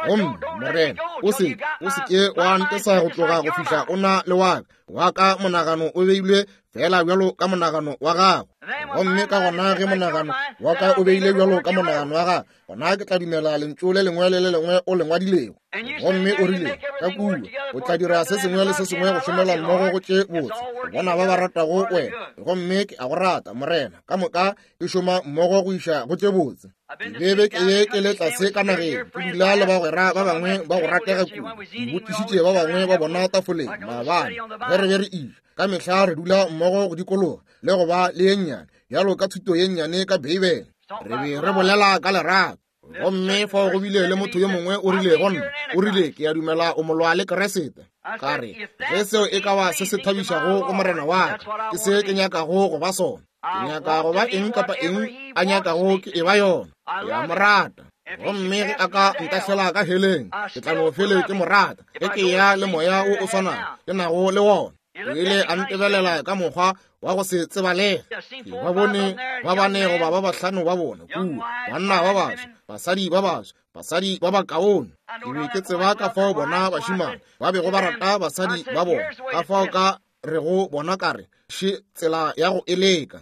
Gomme Morena, o se o se ke wa ntesa go tloga go fihla o na le wa ka, wa ka monagano o beilwe fela bjalo ka monagano wa gago. Gomme ka gona ge monagano wa ka o beile bjalo ka monagano wa gago, gona ke tla dumela lentšu le lengwe le le lengwe o le ngwadilego. Gomme o rile, ka kua o tla dira se sengwe le se sengwe go šomela mmogo go tše botse bona ba ba ratago wena. Gomme ke a go rata, Morena, ka moka e šoma mmogo go iša go tše botse. Ke be ke ye ke le tlase ka nageng, ke dula le bagwera ba bangwe ba go ratega kudu. Ke botšišitše ba bangwe ba bona tafoleng maabane ge re be re eja. Ka mehla re dula mmogo go dikologa le go ba le ye nnyane bjalo ka thuto ye nnyane ka Beibele. Re be re bolela ka lerato. Gomme fao go bile le motho yo mongwe o rile go nna, o rile, ke a dumela o molwa le Keresete. Ka re, ge seo e ka ba se se thabišago go Morena wa ka, ke se ke nyakago go ba sona. Ke nyaka go ba eng kapa eng a nyakago ke e ba yona. Ke a mo rata. Gomme ge a ka ntahlela ka heleng, ke tla no fele ke mo rata, ge ke ya le moya wo o swanago ke nago le wona. O ile a ntebelela ka mokgwa wa go se tsebalege. Ke ba bone ba bane goba ba bahlano ba bona kua, banna ba baswa, basadi ba baswa, basadi ba bakaone. Ke be ke tseba ka fao bona bašemane ba bego ba rata basadi ba bona, ka fao ka rego bona ka re, Še tsela ya go e leka.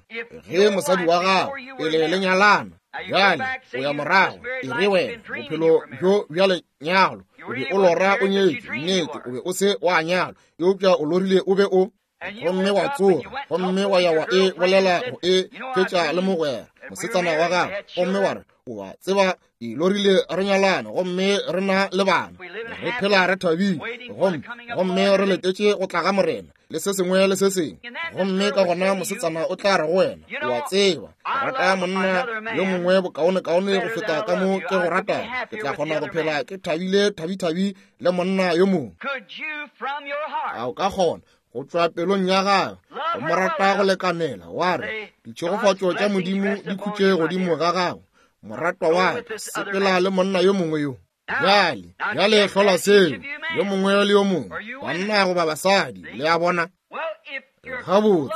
Ge mosadi wa gago pele le nyalana, bjale o ya morago, e re wena bophelo bjo bja lenyalo o be o lora o nyetšwe, nnete o be o se wa nyalwa, eupša o lorile o be o gomme wa tsoga gomme wa ya wa e bolela go e fetša le mogwera mosetsana wa gago, gomme wa re, o a tseba ke lorile re nyalana gomme re na le bana, re phela re thabile, gomme gomme re letetše go tla ga Morena le se sengwe le se sengwe. Gomme ka gona mosetsana o tla re go wena, o a tseba, ke rata monna yo mongwe bokaonekaone go feta ka mo ke go ratago, ke tla kgona go phela ke thabile thabithabi le monna yo mongwe. A o ka kgona go tšwa pelong ya gago go mo rata go lekanela wa re, ditšhegofatšo tša Modimo di khutše godimo ga gago, moratwa wa ka, sepela le monna yo mongwe yo. Bjale, bjale hlola seo, yo mongwe le yo mongwe, banna goba basadi, le a bona. Gabotse,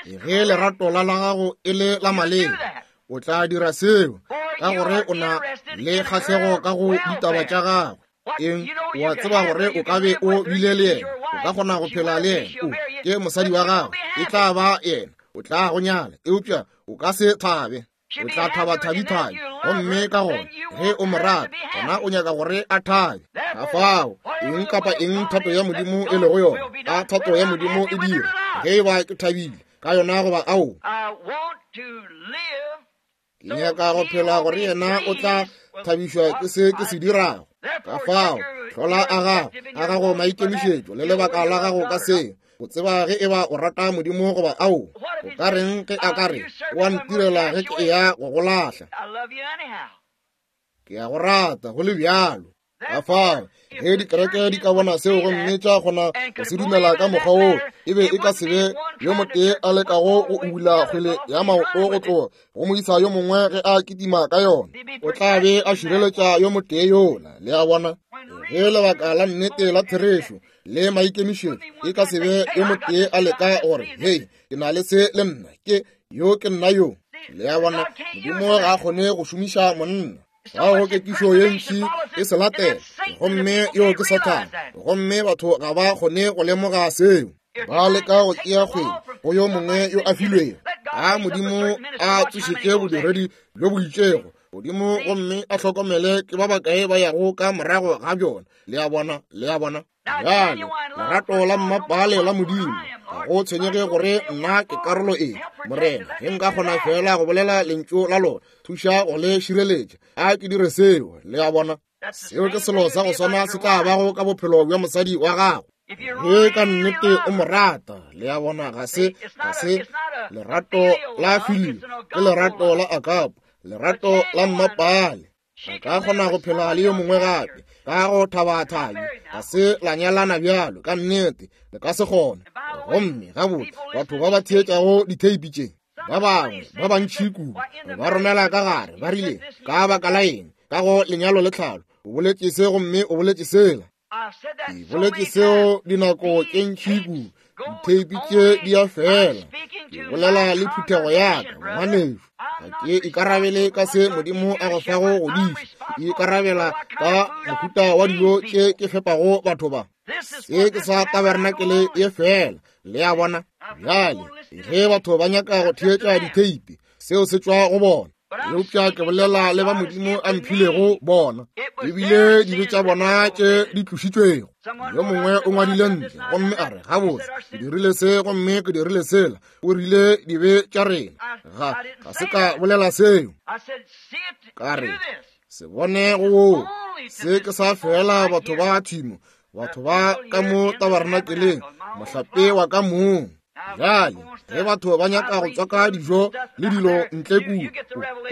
ge lerato la la gago e le la maleba, o tla dira seo, ka gore o na le kgahlego ka go ditaba tša gagwe. Eng, o a tseba gore o ka be o bile le yena, o ka kgona go phela le yena, o ke mosadi wa gago, e tla ba yena, o tla go nyala, eupša o ka se thabe. O tla thaba thabithabi, gomme ka gona ge o mo rata, gona o nyaka gore a thabe. Ka fao eng kapa eng thato ya Modimo e lego yona, a thato ya Modimo e dire, ge e ba ke thabile ka yona goba ao. Ke nyaka go phela gore yena o tla thabišwa ke se ke se dirago. Ka fao hlola a gago, a gago maikemišetšo le lebaka la gago ka seo. O tseba ge e ba o rata Modimo goba ao. O ka reng ge a ka re, o a ntirela ge ke eya go go lahla? Ke a go rata go le bjalo. Ka fao ge dikereke di ka bona seo gomme tša kgona go se dumela ka mokgwa woo, e be e ka se be yo motee a lekago go ubula kgwele ya maoto go tloga go moisa yo mongwe ge a kitima ka yona, o tla be a šireletša yo motee yola. Le a bona? Ge lebaka la nnete la therešo le maikemišetšo e ka se be yo motee a leka gore, hei, ke na le se le nna, ke yo, ke nna yo. Le a bona? Modimo ga a kgone go šomiša monna. Ga go kekišo ye ntši e se latela, gomme yo ke Sathane, gomme batho ga ba kgone go lemoga seo. Ba leka go tšea kgwele go yo mongwe yo a filwego. A Modimo a tsošetše bodiredi bjo bo itšego godimo gomme a hlokomele ke ba bakae ba yago ka morago ga bjona. Le a bona? Le a bona? Bjale, lerato la mmapale la Modimo, ga go tshwenyege gore nna ke karolo efe, Morena, ge nka kgona feela go bolela lentšu la lona, thuša go le šireletša, a ke dire seo. Le a bona? Seo ke selo sa go swana se tla bago ka bophelo bja mosadi wa gago. Ge ka nnete o mo rata, le a bona, ga se, ga se lerato la filio, ke lerato la agape, lerato la mmapale. A ka kgona go phela le yo mongwe gape ka go thabathabi, ga se la nyalana bjalo, ka nnete le ka se kgone. Gomme gabotse batho ba ba theetšago ditheipi tše, ba bangwe ba bantši kudu ba romela ka gare, ba rile, ka baka la eng ka go lenyalo le tlhalo o boletše se gomme o boletše sela. Ke boletše seo dinako tše ntši kudu, ditheipi tše di a fela. Ke bolela le phuthego ya ka, ngwanešu, ga ke ikarabele ka se Modimo a go fago go diša, ke ikarabela ka mohuta wa dijo tše ke fepago batho ba. Se ke sa tabernakele ye fela, le a bona. Bjale ge batho ba nyaka go theetša ditheipi, seo se tšwa go bona. Eupša ke bolela le ba Modimo a mphilego bona, ebile dibe tša bona tše di tlošitšwego. Yo mongwe o ngwadile ntle gomme a re, gabotse ke dirile se gomme ke dirile sela, o rile dibe tša rena. Ga, ga se ka bolela seo. Ka re, se bone go woo, se ke sa fela batho ba thimo, batho ba ka mo tabernakeleng, mohlape wa ka mong. Bjale ge batho ba nyaka go tswaka dijo le dilo ntle kua,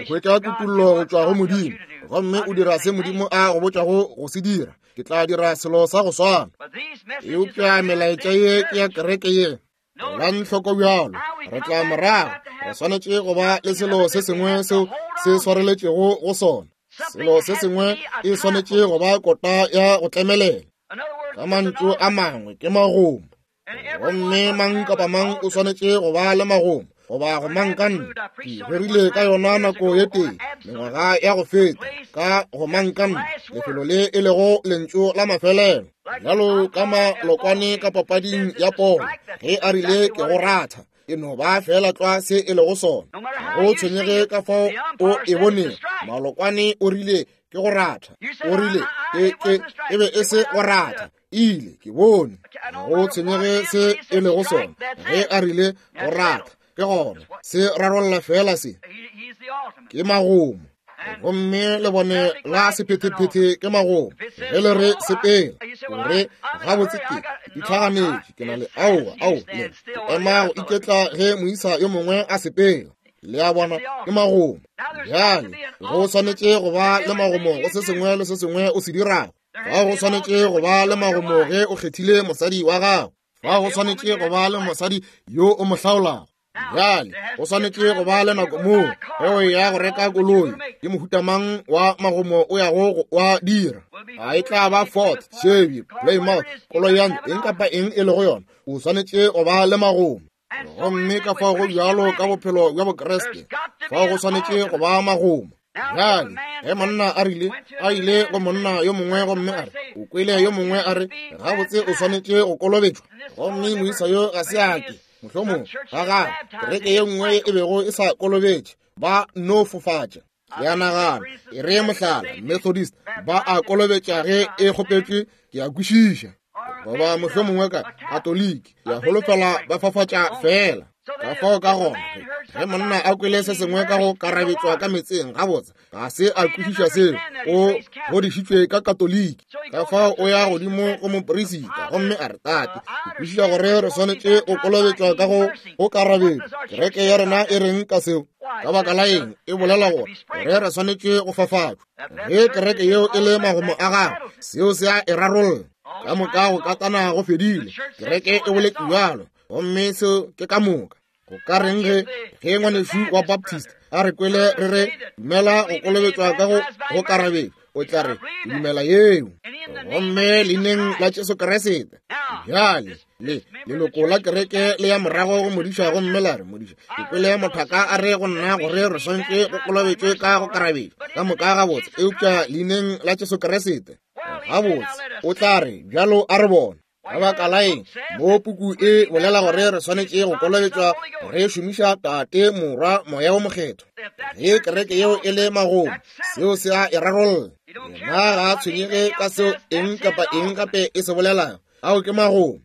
o hwetša kutollo go tšwa go Modimo, gomme o dira se Modimo a go botšago go se dira. Ke tla dira selo sa go swana. Eupša melaetša ye ke ya kereke ye. Elang hloko bjalo, re tla morago, re swanetše go ba le selo se sengwe seo se swareletšego go sona. Selo se sengwe e swanetše go ba kota ya go tlemelela. Ka mantšu a mangwe ke magomo. Gomme mang kapa mang o swanetše go ba le magomo goba go mang ka nna. Ke rerile ka yona nako ye tee mengwaga ya go feta ka go mang ka nna, lefelo le e lego lentšu la mafelelo, bjalo ka malokwane ka papading ya polo, ge a rile ke go ratha, e no ba fela tlwa se e lego sona. Ga go tshwenyege ka fao o e bonego, malokwane o rile ke go ratha, o rile e be e se go ratha, ile ke bone. Ga go tshwenyege se e lego sona, ge a rile go ratha, ke gona se rarolla fela se ke magomo. Gomme le bone la sephethephethe ke magomo. Ge le re sepela, o re gabotse ke itlhaganetše, ke na le aowa, ao, le ema go iketla ge moisa yo mongwe a sepela. Le a bona, ke magomo. Bjale go swanetše go ba le magomo go se sengwe le se sengwe o se dirago. Fa go swanetše go ba le magomo ge o kgethile mosadi wa gago. Fa go swanetše go ba le mosadi yo o mo hlaolago. Bjale go swanetše go ba le nako moo ge o ya go reka koloi, ke mohuta mang wa magomo o yago wa dira. A e tla ba Ford, Chevy, Plymouth, koloi ya eng kapa eng e lego yona, o swanetše go ba le magomo. Gomme ka fao go bjalo ka bophelo bja Bokriste, fao go swanetše go ba magomo. Bjale ge monna a rile a ile go monna yo mongwe gomme a re o kwele yo mongwe a re gabotse o swanetše go kolobetšwa, gomme moisa yo ga se a ke mohlomong ga gagwe kereke ye nngwe e bego e sa kolobetše, ba no fofatša. Le a nagana, e re mohlala, Methodist ba a kolobetša ge e kgopetšwe, ke a kwešiša, goba mohlomongwe ka Katoliki, ke a holofela ba fafatša fela. Ka fao ka gona ge monna a kwele se sengwe ka go karabetšwa ka metseng, gabotse ga se a kwešiša seo, o godišitšwe ka Katoliki. Ka fao o ya godimo go moperisita gomme a re, tate, ke kwešiša gore re swanetše go kolobetšwa ka go karabetšwa. Kereke ya rena e reng ka seo? Ka baka la eng e bolela gore re swanetše go fafatšwa? Ge kereke yeo e le magomo a gagwe, seo se a e rarolla. Ka moka go katana go fedile, kereke e boletše bjalo, gomme seo ke ka moka. Go ka reng ge ngwanešu wa Baptist a re kwele re re dumela go kolobetšwa ka go karabetšwa, o tla re dumela yeo, gomme leineng la Jesu Kriste. Bjale le leloko la kereke le ya morago go modiša gomme la re, modiša, ke kwele mothaka a re go nna gore re swanetše go kolobetšwe ka go karabetšwa ka moka gabotse, eupša leineng la Jesu Kriste. Gabotse, o tla re bjalo a re bone. Ka baka la eng mo puku e bolela gore re swanetše go kolobetšwa re šomiša Tate, Morwa, Moya wo Mokgethwa? Ge kereke yeo e le magomo, seo se a e rarolla. Yena ga a tshwenyege ka seo eng kapa eng gape e se bolelago. Ao ke magomo.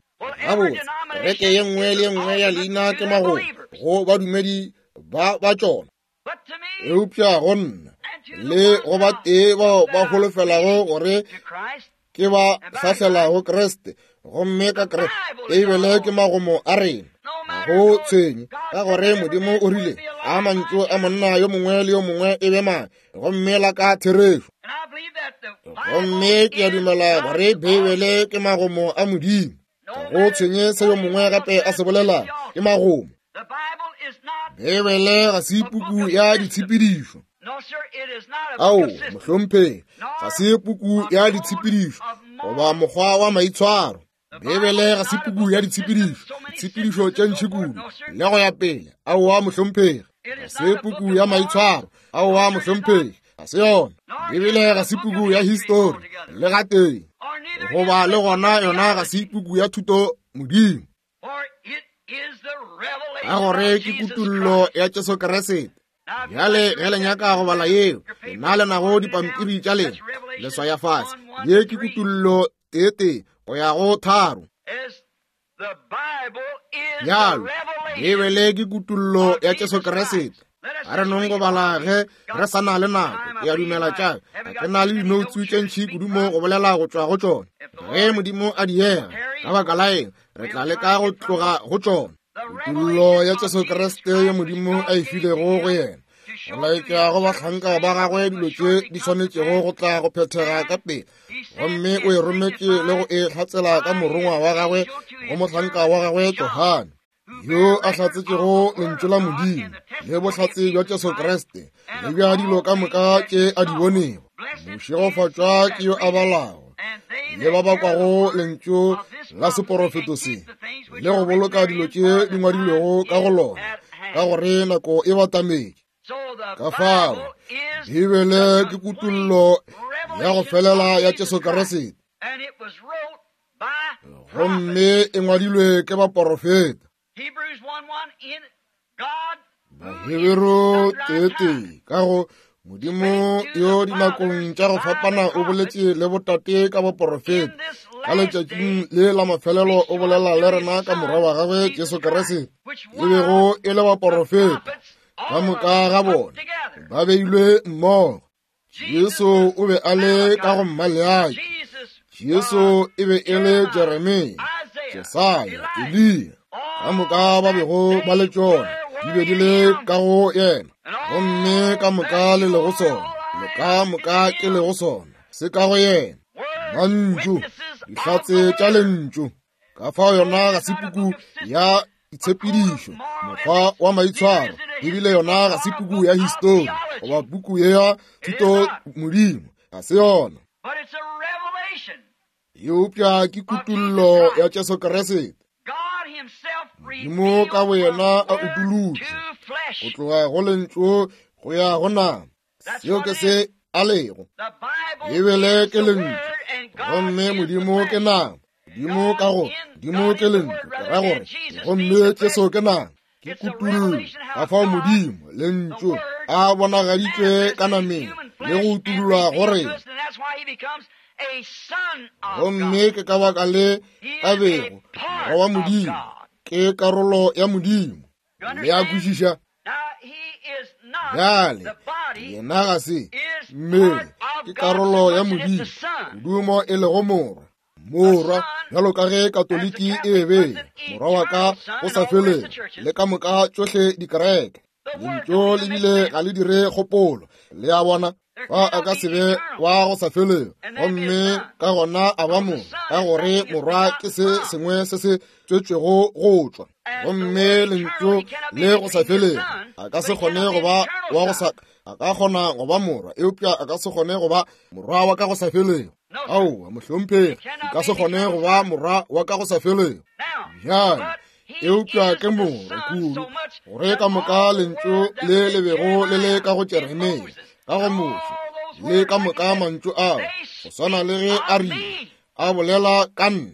Gabotse, kereke ye nngwe le ye nngwe ya leina ke magomo go badumedi ba ba tšona. Eupša go nna le go ba tee bao ba holofelago gore ke ba hlahlelago Kriste, gomme ka Kriste, Beibele ke magomo a rena. Ga go tshwenye ka gore Modimo o rile a mantšu a monna yo mongwe le yo mongwe e be mang, gomme la ka therešo. Gomme ke a dumela gore Beibele ke magomo a Modimo. Ga go tshwenye se yo mongwe gape a se bolelago, ke magomo. Beibele ga se puku ya ditshepedišo. Ao, mohlomphegi, ga se puku ya ditshepedišo goba mokgwa wa maitshwaro. Beibele ga se puku ya ditshepedišo, ditshepedišo tše ntši kudu le go ya pele. Aowa, mohlomphegi, ga se puku ya maitshwaro. Aowa, mohlomphegi, ga se yona. Beibele ga se puku ya histori le gatee, goba le gona yona ga se puku ya thuto Modimo, ka gore ke kutullo ya Jesu Kriste. Bjale ge le nyaka go bala yeo, lena le nago dipampiri tša lena, le swaya fase. Ye ke kutullo 1 go ya go 3. Bjalo, Beibele ke kutullo ya Jesu Kriste. A re nong go bala ge re sa na le nako. Ke a dumela tša ga ke na le dinoutsu tše ntši kudu mo go bolela go tšwa go tšona. Ge Modimo a diega, ka baka la eng re tla leka go tloga go tšona. Kutullo ya Jesu Kriste ye Modimo a e filego go yena, go laetša go bahlanka ba gagwe dilo tše di swanetšego go tla go phethega ka pele, gomme o e rometše le go e hlatsela ka morongwa wa gagwe go mohlanka wa gagwe Johane, yo a hlatsetšego lentšu la Modimo le bohlatse bja Jesu Kriste le bja dilo ka moka tše a di bonego. Mošegofatšwa ke yo a balago Le ba ba kwago lentšu la seporofeto se le go boloka dilo tše di ngwadilwego ka go lona, ka gore nako e batametše. Ka fao Bibele ke kutollo ya go felela ya Jesu Kriste, gomme e ngwadilwe ke baporofeta. Baheberu 1:1 ka go Modimo yo dinakong tša go fapana o boletše le botate ka boporofeta, ka letšatšing le la mafelelo o bolela le rena ka morwa wa gagwe Jesu Kriste, e bego e le baporofeta ka moka ga bona ba beilwe mmogo. Jesu o be a le ka go Mmaleaki, Jesu e be e le Jeremia, Jesaya, Eliya, ka moka ba bego ba le tšona di be di le ka go yena, gomme ka moka le lego sona, le ka moka ke lego sona, se ka go yena. Mantšu, dihlatse tša lentšu. Ka fao yona ga se puku ya ditshepedišo, mokgwa wa maitshwaro, ebile yona ga se puku ya histori goba puku ya thuto modimo, ga se yona. Eupša ke kutollo ya Jesu Kriste. Modimo ka boyena a utolotše go tloga go lentšu go ya go nama. Seo ke se a lego. Bibele ke lentšu, gomme Modimo ke nama. Modimo ka go Modimo ke lentšu, ke ra gore, gomme Jesu ke nama. Ke kutollo ka fao Modimo, lentšu, a bonagaditšwe ka nameng le go utollwa go rena. Gomme ke ka baka le a bego Morwa wa Modimo, ke karolo ya Modimo. Le a kwešiša? Bjale, yena ga se mmele, ke karolo ya Modimo, kudu mo e lego Morwa. Morwa, bjalo ka ge Katoliki e be morwa wa ka go sa feleng, le ka moka tšohle dikereke. Lentšu le bile ga le dire kgopolo, le a bona, fa a ka se be wa go sa feleng, gomme ka gona a ba morwa, ka gore morwa ke se sengwe se se tswetšwego go tšwa. Gomme lentšu le go sa feleng a ka se kgone go ba wa go sa, a ka kgona go ba morwa, eupša a ka se kgone go ba morwa wa ka go sa feleng. Aowa, mohlomphegi, e ka se kgone go ba morwa wa ka go sa feleng. Bjale, eupša ke morwa kudu, gore ka moka lentšu le le bego le le ka go Jeremia, ka go Moshe, le ka moka mantšu ao, go swana le ge a rile, a bolela ka nna.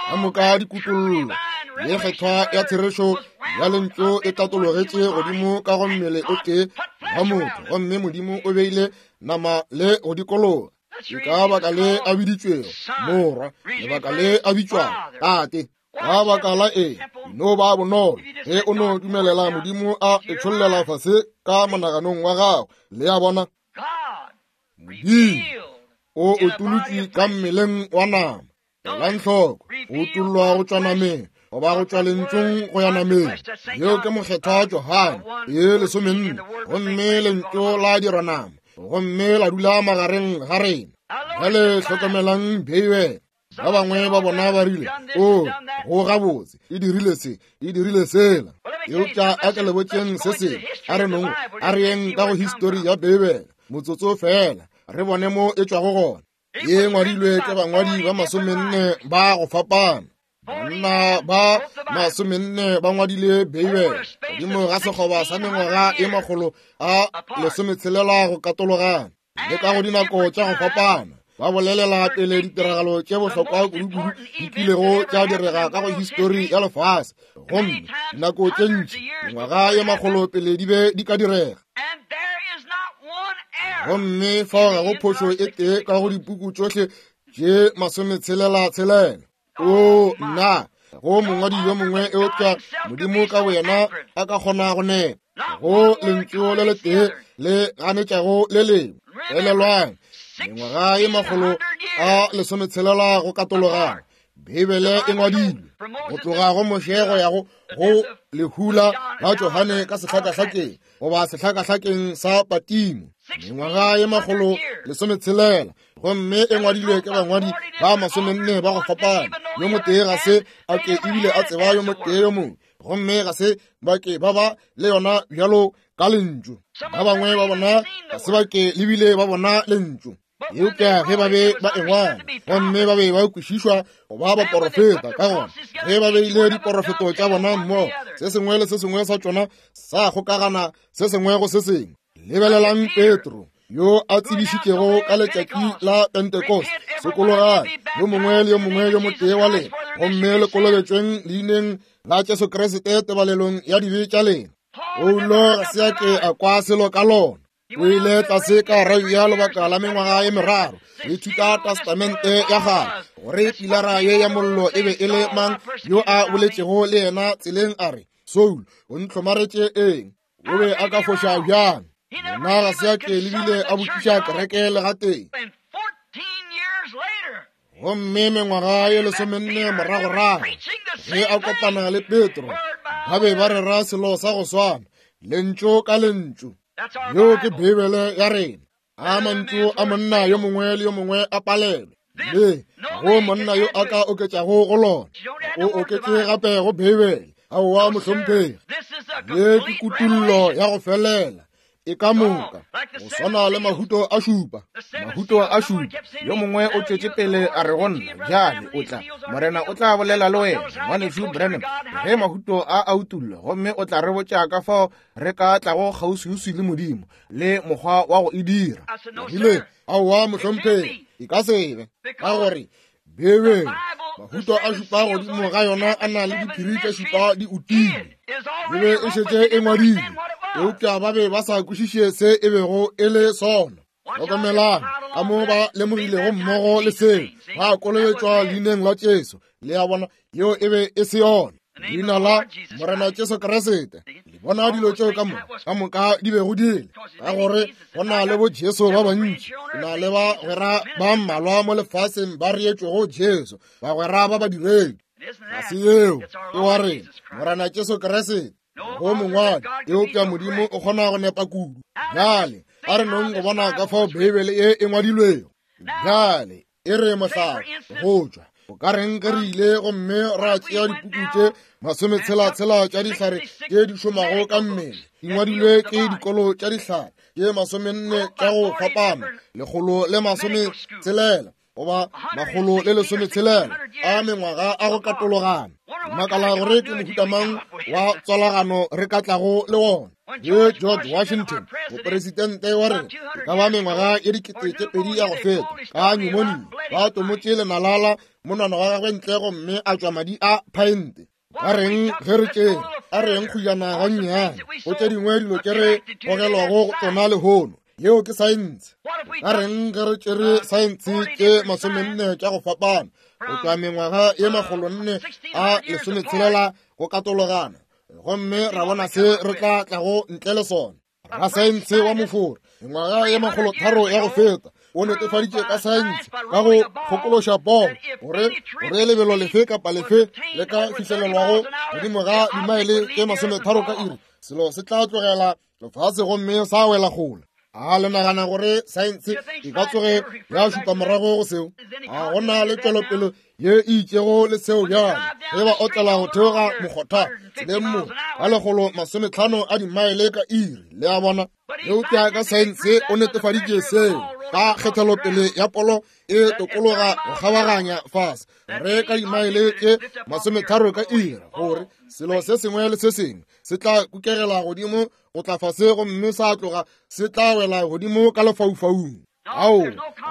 Ka moka dikutollo ye kgethwa ya therešo ya lentšu e tatologetše godimo ka go mmele o tee wa motho, gomme Modimo o beile nama le go dikologa. Ke ka baka le a biditšwego morwa, lebaka le a bitšwago tate. Ka baka la eng? No ba bonolo ge o no dumelela Modimo a e tšhollela fase ka monaganong wa gago. Le a bona? Modimo o utolotše ka mmeleng wa nama. Elang hloko, o utollwa go tšwa nameng goba go tšwa lentšung go ya nameng. Yeo ke mokgethwa Johane e 14, gomme lentšu la dirwa nama gomme la dula magareng ga rena. Bjale hlokomelang Beibele. Ba bangwe ba bona ba rile, O, go gabotse, e dirile se, e dirile sela. Eupša a ke le botšeng se sengwe, a re nong, a re yeng ka go histori ya Beibele motsotso fela, re bone mo e tšwago gona. Ye ngwadilwe ke bangwadi ba 40 ba go fapana. Banna ba 40 ba ngwadile Beibele godimo ga sekgoba sa mengwaga e 160 go katologana, le ka go dinako tša go fapana. Ba bolelela pele ditiragalo tše bohlokwa kudu-kudu di kilego tša direga ka go histori ya lefase, gomme dinako tše ntši mengwaga ye 100 pele di be di ka direga. Gomme fao ga go phošo e tee ka go dipuku tšohle tše 66. O nna, go mongwadi yo mongwe eupša Modimo ka boyena a ka kgona go nepa go lentšu le letee le ganetšago le lengwe. Elelwang, mengwaga ye 160 go katologana, Beibele e ngwadilwe go tloga go Moshe go ya go lehula la Johane ka sehlakahlakeng goba sehlakahlakeng sa Patimo, mengwaga ye 160, gomme e ngwadilwe ke bangwadi ba 40 ba go fapana. Yo motee ga se a ke ebile a tseba yo motee yo mongwe, gomme ga se ba ke ba ba le yona bjalo ka lentšu. Ba bangwe ba bona ga se ba ke lebile ba bona lentšu. Eupša ge ba be ba engwala gomme ba be ba kwešišwa go ba baporofeta, ka gona ge ba beile diporofeto tša bona mmogo, se sengwe le se sengwe sa tšona sa kgokagana se sengwe go se sengwe. Lebelelang Petro yo a tsebišitšego ka letšatši la Pentecost, sokologang yo mongwe le yo mongwe yo motee wa lena gomme le kolobetšweng leineng la Jesu Kriste tebalelong ya dibe tša lena. Paulo ga se a ke a kwa selo ka lona. O ile tlase ka Arabia lobaka la mengwaga e meraro go ithuta testamente ya gagwe gore pilara ye ya mollo e be e le mang yo a boletšego le yena tseleng a re, Saul, o ntlhomaretše eng? O be a ka foša bjang? Yena ga se a ke lebile a botšiša kereke le gatee. Gomme mengwaga ye lesomenne moragorago ge a kopana le Petro, ba be ba rera selo sa go swana, lentšu ka lentšu. Yeo ke Beibele ya rena. A mantšu a monna yo mongwe le yo mongwe a palelwe, le go monna yo a ka oketšago go lona, o oketše gape go Beibele. Aowa, mohlomphegi, ye ke kutullo ya go felela e ka moka, go swana le mahuto a šupa. Mahuto a šupa. Yo mongwe o tšwetše pele a re go nna, bjale o tla, Morena o tla bolela le wena, Ngwanešu Branham, ge mahuto a a utollwa, gomme o tla re botša ka fao re ka tlago kgauswiuswi le Modimo le mokgwa wa go e dira. Rile, aowa, mohlomphegi, e ka se be, ka gore Beibele, mahuto a šupa godimo ga yona a na le diphiri tše šupa di utilwe. E be e šetše e ngwadilwe, eupša ba be ba sa kwešiše se e bego e le sona. Hlokomelang ka mo ba lemogilego mmogo le seo, ba kolobetšwa leineng la Jesu. Le a bona, yeo e be e se yona, leina la Morena Jesu Kriste. Le bona dilo tšeo ka moka, ka moka di bego di le, ka gore go na le bo Jesu ba bantši, go na le bagwera ba mmalwa mo lefaseng ba reetšwego Jesu, bagwera ba badiredi. Ga se yeo, ke wa rena, Morena Jesu Kriste. Go mongwadi, eupša Modimo o kgona go nepa kudu. Bjale, a re nong go bona ka fao Beibele ye e ngwadilwego. Bjale, e re mohlala go tšwa o ka reng ge re ile gomme ra tšea dipuku tše masometshela-tshela tša dihlare tše di šomago ka mmele, di ngwadilwe ke dikolo tša dihlare tše masomenne tša go fapana, lekgolo le masometshelela goba makgolo le lesometshelela a mengwaga a go katologana. Makala gore ke mohuta mang wa tswalagano re ka tlago le wona. Ye George Washington, mopresidente wa rena, e ka ba mengwaga ye 2000 ya go feta, ka pneumonia, ba tomotše lenalala monwana wa gagwe ntle gomme a tšwa madi a phaente. Ba reng ge re tšere, a reng kgujana gannyane go tše dingwe dilo tše re gogelwago go tsona lehono, yeo ke saense. Ba reng ge re tšere saense tše masomenne tša go fapana go tšwa mengwaga ye makgolonne a lesometshelela go katologana, gomme ra bona se re tla tlago ntle le sona. Rasaense wa mofora mengwaga ye makgolotharo ya go feta o netefaditše ka saense ka go kgokološa poo gore gore lebelo lefe kapa lefe le ka fihlelelwago godimo ga dimaele tše masometharo ka iri, selo se tla tlogela lefase gomme sa wela kgole. A le nagana gore saense e ka tsoge ya šupa morago go seo? A go na le tšwelopele ye e itšego le seo bjale ge ba otlela go theoga mokgotha tseleng mo ka lekgolo masometlhano a dimaele ka iri? Le a bona? Eupša ka saense o netefaditše seo ka kgethelopele ya polo e tokologa go kgabaganya fase gore ka dimaele tše masometharo ka iri, gore selo se sengwe le se sengwe se tla kukegela godimo go tla fase gomme sa tloga se tla wela godimo ka lefaufaung. Ao,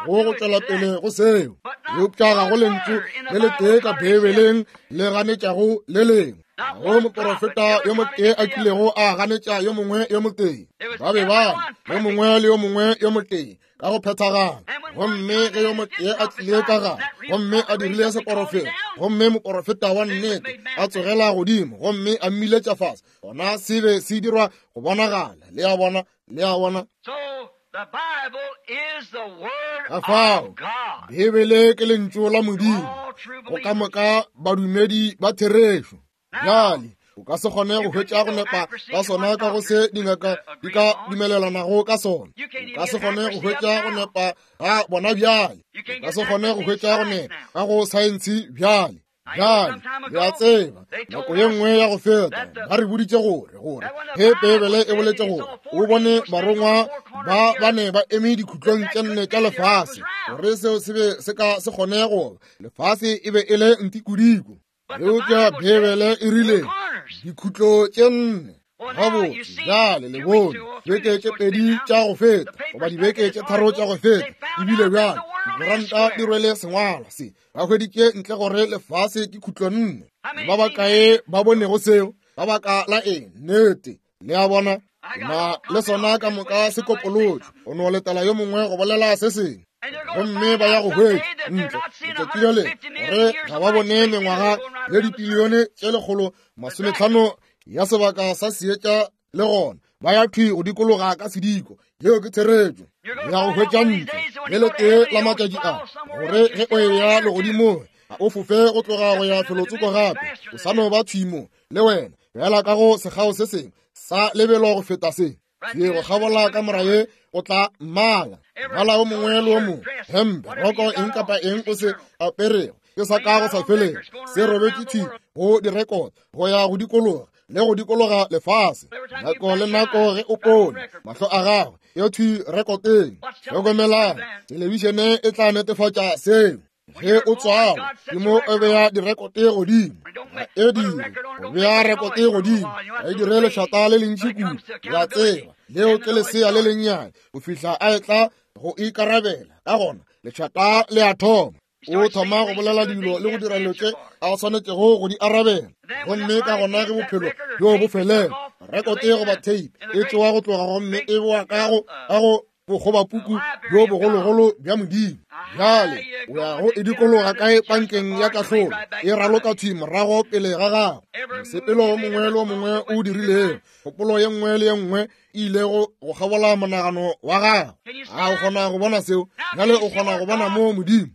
go go tšwela pele go seo, eupša ga go lentšu le letee ka Beibeleng le ganetšago le lengwe. Ga go moporofeta yo motee a kilego a ganetša yo mongwe yo motee. Ba be ba yo mongwe le yo mongwe yo motee ka go phethagala. Gomme ge yo motee a tlile ka gare gomme a dirile seporofeta, gomme moporofeta wa nnete a tsogela godimo gomme a mmiletša fase, gona se be se dirwa go bonagala. Le a bona? Le a bona? Ka fao Beibele ke lentšu la Modimo go ka moka badumedi ba therešo. Bjale o ka se kgone go hwetša go nepa ka sona ka go se dingaka di ka dumelelanago ka sona. O ka se kgone go hwetša go nepa ga bona bjale. O ka se kgone go hwetša go nepa ka go saense bjale. Bjale, le a tseba, nako ye nngwe ya go feta ba re boditše gore gore ge Beibele e boletše gore o bone barongwa ba ba ne ba eme dikhutlong tše nne tša lefase, gore seo se be se ka se kgone go lefase e be e le ntikodiko. Eupša Beibele e rile dikhutlo tše nne. Gabotse, bjale le bone beke tše pedi tša go feta goba dibeke tše tharo tša go feta, ebile bjale dikoranta di rwele sengwalwa se, ba hweditše ntle gore lefase ke khutlo nne. Ba bakae ba bonego seo? Ka baka la eng? Nnete. Le a bona? Na le sona ka moka se kopolotšwe, o no letela yo mongwe go bolela se sengwe, gomme ba ya go hwetša ntle letšatši le lengwe gore ga ba bone mengwaga ye dipilione tše 150 ya sebaka sa seetša, le gona ba ya thwi go dikologa ka sediko. Yeo ke therešo. Ya go hwetša ntle le letee la matšatši a, gore ge o eya legodimong ga o fofe go tloga go ya felotsoko gape, o sa no ba thwi mo le wena, bjala ka go sekgao se sengwe sa lebelo go feta se. Ye go kgabola ka mora ye o tla mmala mmala o mongwe le o mongwe, hempe, roko, eng kapa eng o se aperego ke sa ka go sa felego, se robetše thwi go direkoto go ya go dikologa le go dikologa lefase. Nako le nako ge o pone mahlo a gagwe e thwi rekoteng. Hlokomelang, thelebišene e tla netefatša seo. Ge o tswalwa ke mo o beya direkote godimo, ga e dire go bea rekote godimo, ga e dire lešata le lentši kudu, le a tseba, leo ke lesea le lennyane go fihla a etla go ikarabela. Ka gona lešata le a thoma, o thoma go bolela dilo le go dira dilo tše a swanetšego go di arabela. Gomme ka gona ge bophelo bjo bo felela, rekote goba tape e tšewa go tloga gomme e boa ka go bokgobapuku bjo bogologolo bja Modimo. Bjale o ya go e dikologa kae pankeng ya kahlolo, e raloka thwi morago pele ga gago. Mosepelo o mongwe le o mongwe o dirilego, kgopolo ye nngwe le ye nngwe e ilego go kgabola monagano wa gago. A o kgona go bona seo? Bjale o kgona go bona mo Modimo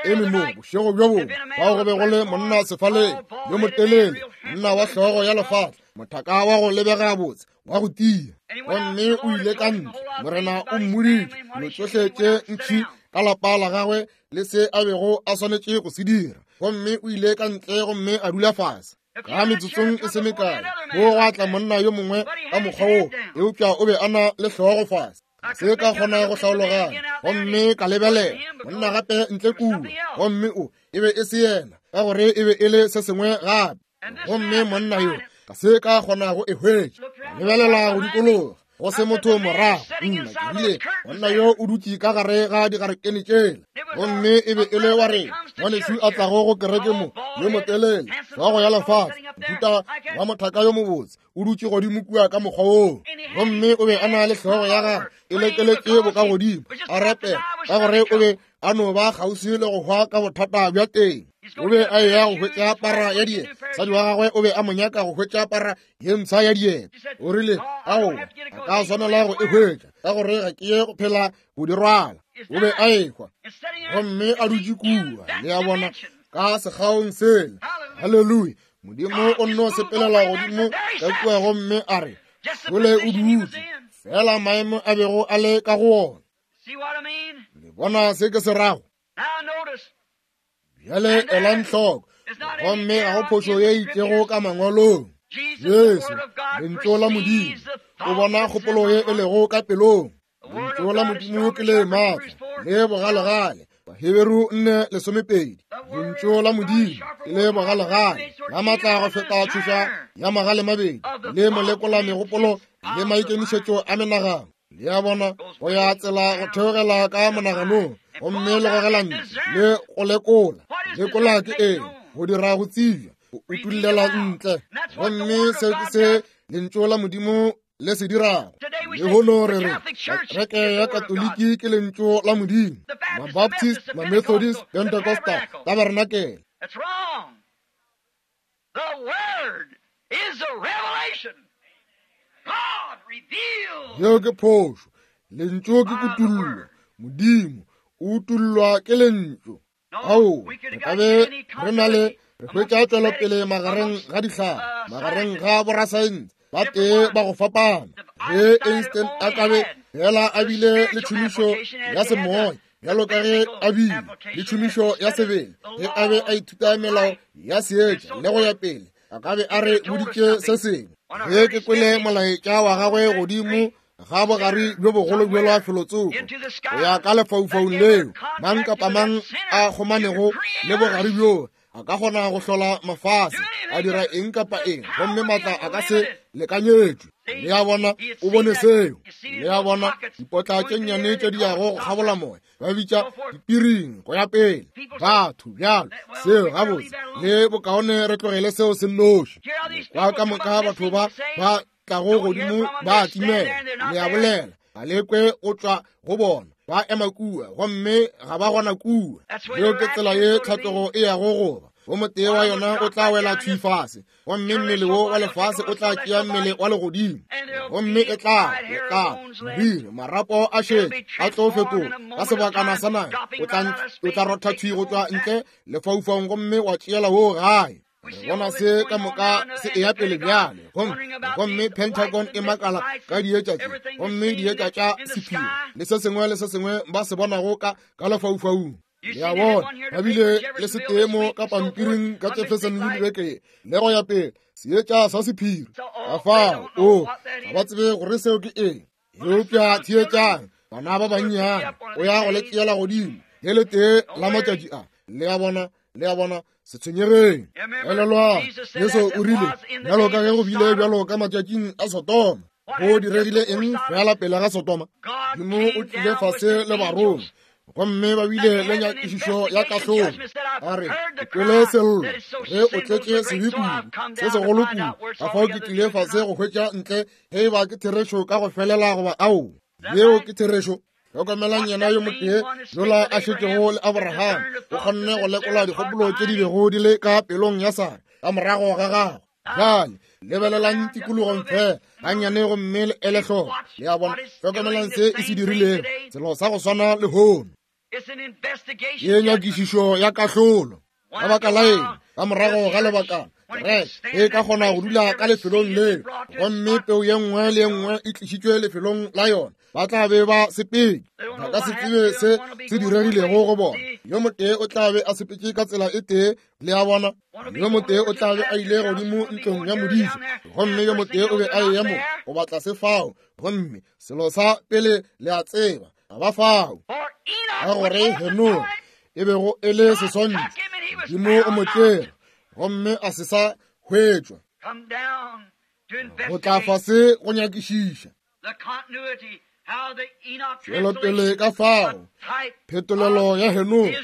eme mo bošego bjo bongwe, fao go be go le monna sefaleng yo motelele, monna wa hlogo ya lefatla, mothaka wa go lebega botse, wa go tia. Gomme o ile ka ntle, Morena o mmoditše dilo tšohle tše ntši ka lapa la gagwe le se a bego a swanetše go se dira. Gomme o ile ka ntle gomme a dula fase. Ka metsotsong e se mekae go gwa tla monna yo mongwe ka mokgwa wo, eupša o be a na le hlogo fase. Se ka kgona go hlaologanya. Gomme ka lebelela monna gape ntle kua, gomme o e be e se yena, ka gore e be e le se sengwe gape. Gomme monna yo ka se ka kgona go e hwetša. Ka lebelela go dikologa, go se motho morago. Nna ke rile, monna yo o dutše ka gare ga digarekene tšela. Gomme e be e le wa rena ngwanešu a tlago go kereke mo, yo motelele, hlogo ya lefase, mohuta wa mothaka yo mobotse, o dutše godimo kua ka mokgwa woo. Gomme o be a na le hlogo ya gagwe e lekeletše bokagodimo, a rapela, ka gore o be a no ba kgauswi le go hwa ka bothata bja teng. O be a eya go hwetša para ya dieta, mosadi wa gagwe o be a mo nyaka go hwetša para ye mpsha ya dieta. O rile, aowa, ga ka swanela go e hwetša, ka gore ga ke ye go phela go di rwala. O be a ehwa, gomme a dutše kua, le a bona, ka sekgaong sela. Haleluya! Modimo o nno sepelela godimo ka kua gomme a re, Šole o dutše, fela maemo a bego a le ka go wona. Le bona se ke se rago? Bjale elang hloko, gomme ga go phošo ye itšego ka mangwalong. Jesu, Lentšu la Modimo, o bona kgopolo ye e lego ka pelong. Lentšu la Modimo ke le maatla le bogalegale. Baheberu 4:12. Lentšu la Modimo ke le bogalegale, la maatla go feta tšhoša ya magale mabedi, le molekola megopolo le maikemišetšo a menagano. Le a bona, go ya tsela go theogela ka monaganong, gomme le gogela ntle le go lekola. Lekola ke eng? Go dira go tsebja, go utullela ntle. Gomme seo ke se Lentšu la Modimo le se dirago. Lehono re re kereke ya Katoliki ke Lentšu la Modimo, Mabaptist, Mamethodist, Pentecostal, Tabernakele. Yeo ke phošo. Lentšu ke kutullo. Modimo o utullwa ke Lentšu. Ao, re ka be re na le re hwetša tšwelopele magareng ga dihlare, magareng ga borasaense. Ba tee ba go fapana. Ge Einstein a ka be fela a bile le tšhomišo ya semoya bjalo ka ge a bile le tšhomišo ya sebele ge a be a ithuta melao ya seetša le go ya pele, a ka be a re boditše se sengwe. Ge ke kwele molaetša wa gagwe godimo ga bogare bjo bogolo bjola felotsoko go ya ka lefaufaung leo mang kapa mang a kgomanego le bogare bjoo a ka kgona go hlola mafase a dira eng kapa eng, gomme maatla a ka se lekanyetšwe. Le a bona, o bone seo. Le a bona, dipotla tše nnyane tše di yago go kgabola moya, ba bitša dipiring go ya pele, batho bjalo seo gabotse le bokaone re tlogele seo se nnoši. Kwa ka moka batho ba ba tlago godimo ba timela, le a bolela, ga le kwe go tšwa go bona, ba ema kua gomme ga ba gona kua. Yeo ke tsela ye tlhatlogo e yago goba. Wo motee wa yona o tla wela thwi fase, gomme mmele wo wa lefase o tla tšea mmele wa legodimo, gomme e tla e tla modiri marapo a šetše a tlo fetoga ka sebakana sa naga, o tla rotha thwi go tšwa ntle lefaufaung gomme wa tšeela wo gae. Re bona se ka moka se eya pele bjale, gomme Pentagon e makala ka dietša tše, gomme dietša tša sephiri le se sengwe le se sengwe ba se bonago ka lefaufaung. Le a bona, ba bile le setee mo ka pampiring ka Jeffersonville beke le go ya pele, seetša sa sephiri. Ka fao, o, ga ba tsebe gore seo ke eng. Eupša theetšang, bana ba bannyane, o ya go le tšeela godimo le letee la matšatši a. Le a bona, le a bona, se tshwenyegeng. Elelwang, Jesu o rile, bjalo ka ge go bile bjalo ka matšatšing a Sodoma. Go diregile eng fela pele ga Sodoma? Modimo o tlile fase le barongwa, gomme ba bile le nyakišišo ya kahlolo. A re, ke kwele sello ge o tletše sebe kudu, se segolo kudu, ka fao ke tlile fase go hwetša ntle ge e ba ke therešo ka go felela goba ao. Yeo ke therešo. Hlokomelang yena yo motee yola a šetšego le Abraham, o kgonne go lekola dikgopolo tše di bego di le ka pelong ya Sara ka morago ga gagwe. Bjale lebelelang tikologong fela gannyane gomme le ele hloko. Le a bona, hlokomelang se e se dirilego, selo sa go swana lehono. Ke nyakišišo ya kahlolo. Ka baka la eng? Ka morago ga lebakana kereke e ka kgona go dula ka lefelong leo, gomme peu ye nngwe le ye nngwe e tlišitšwe lefelong la yona, ba tla be ba sepetše. Ba ka se tsebe se se diregilego go bona. Yo motee o tla be a sepetše ka tsela e tee, le a bona, yo motee o tla be a ile godimo ntlong ya modiša, gomme yo motee o be a eya mo goba tlase fao, gomme selo sa pele le a tseba, ga ba fao. Ka gore Henoge e bego e le seswantšho, Modimo o mo tšere gomme a se sa hwetšwa. Go tla fase go nyakišiša tšwelopele ka fao phetolelo ya Henoge,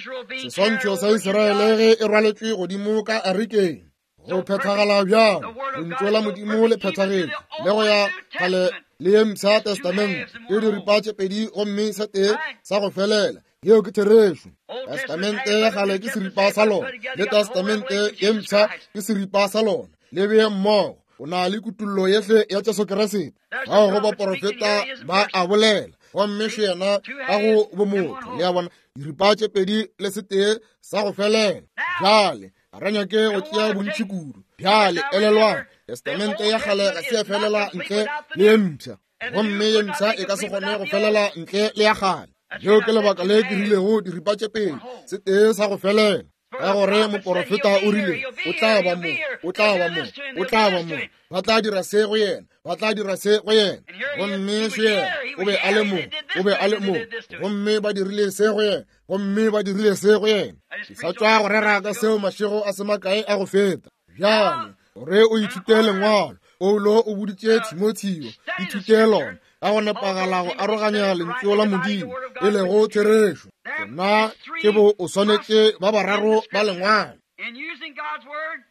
seswantšho sa Israele ge e rwaletšwe godimo ka arikeng, go phethagala bjang lentšu la Modimo le phethagetše le go ya kgale le ye mpsha testamente e diripa tše pedi gomme se tee sa go felela. Yeo ke therešo. Testamente ya kgale ke seripa sa lona, le testamente ye mpsha ke seripa sa lona. Le bee mmogo, o na le kutullo yehle ya Jesu Kriste. Bao go baporofeta ba a bolela, gomme še yena ka go bomotho. Le a bona, diripa tše pedi le setee sa go felela. Bjale ga re nyake go tšea bontši kudu. Bjale elelwang, testamente ya kgale ga se ya felela ntle le ye mpsha, gomme ye mpsha e ka se kgone go felela ntle le ya kgale. Leo ke lebaka le ke rilego diripa tše pedi, setee sa go felela, ka gore moporofeta o rile o tla ba mo, o tla ba mo, o tla ba mo, ba tla dira se go yena, ba tla dira se go yena, gomme še yena o be a le mo, o be a le mo, gomme ba dirile se go yena, gomme ba dirile se go yena. Ke sa tšwa go rera ka seo mašego a se makae a go feta. Bjale gore o ithute lengwalo, Paulo o boditše Timotheo, ithute lona ka go nepagala go aroganya lentšu la Modimo e lego therešo. Nna ke bo o swanetše ba bararo ba lengwalo.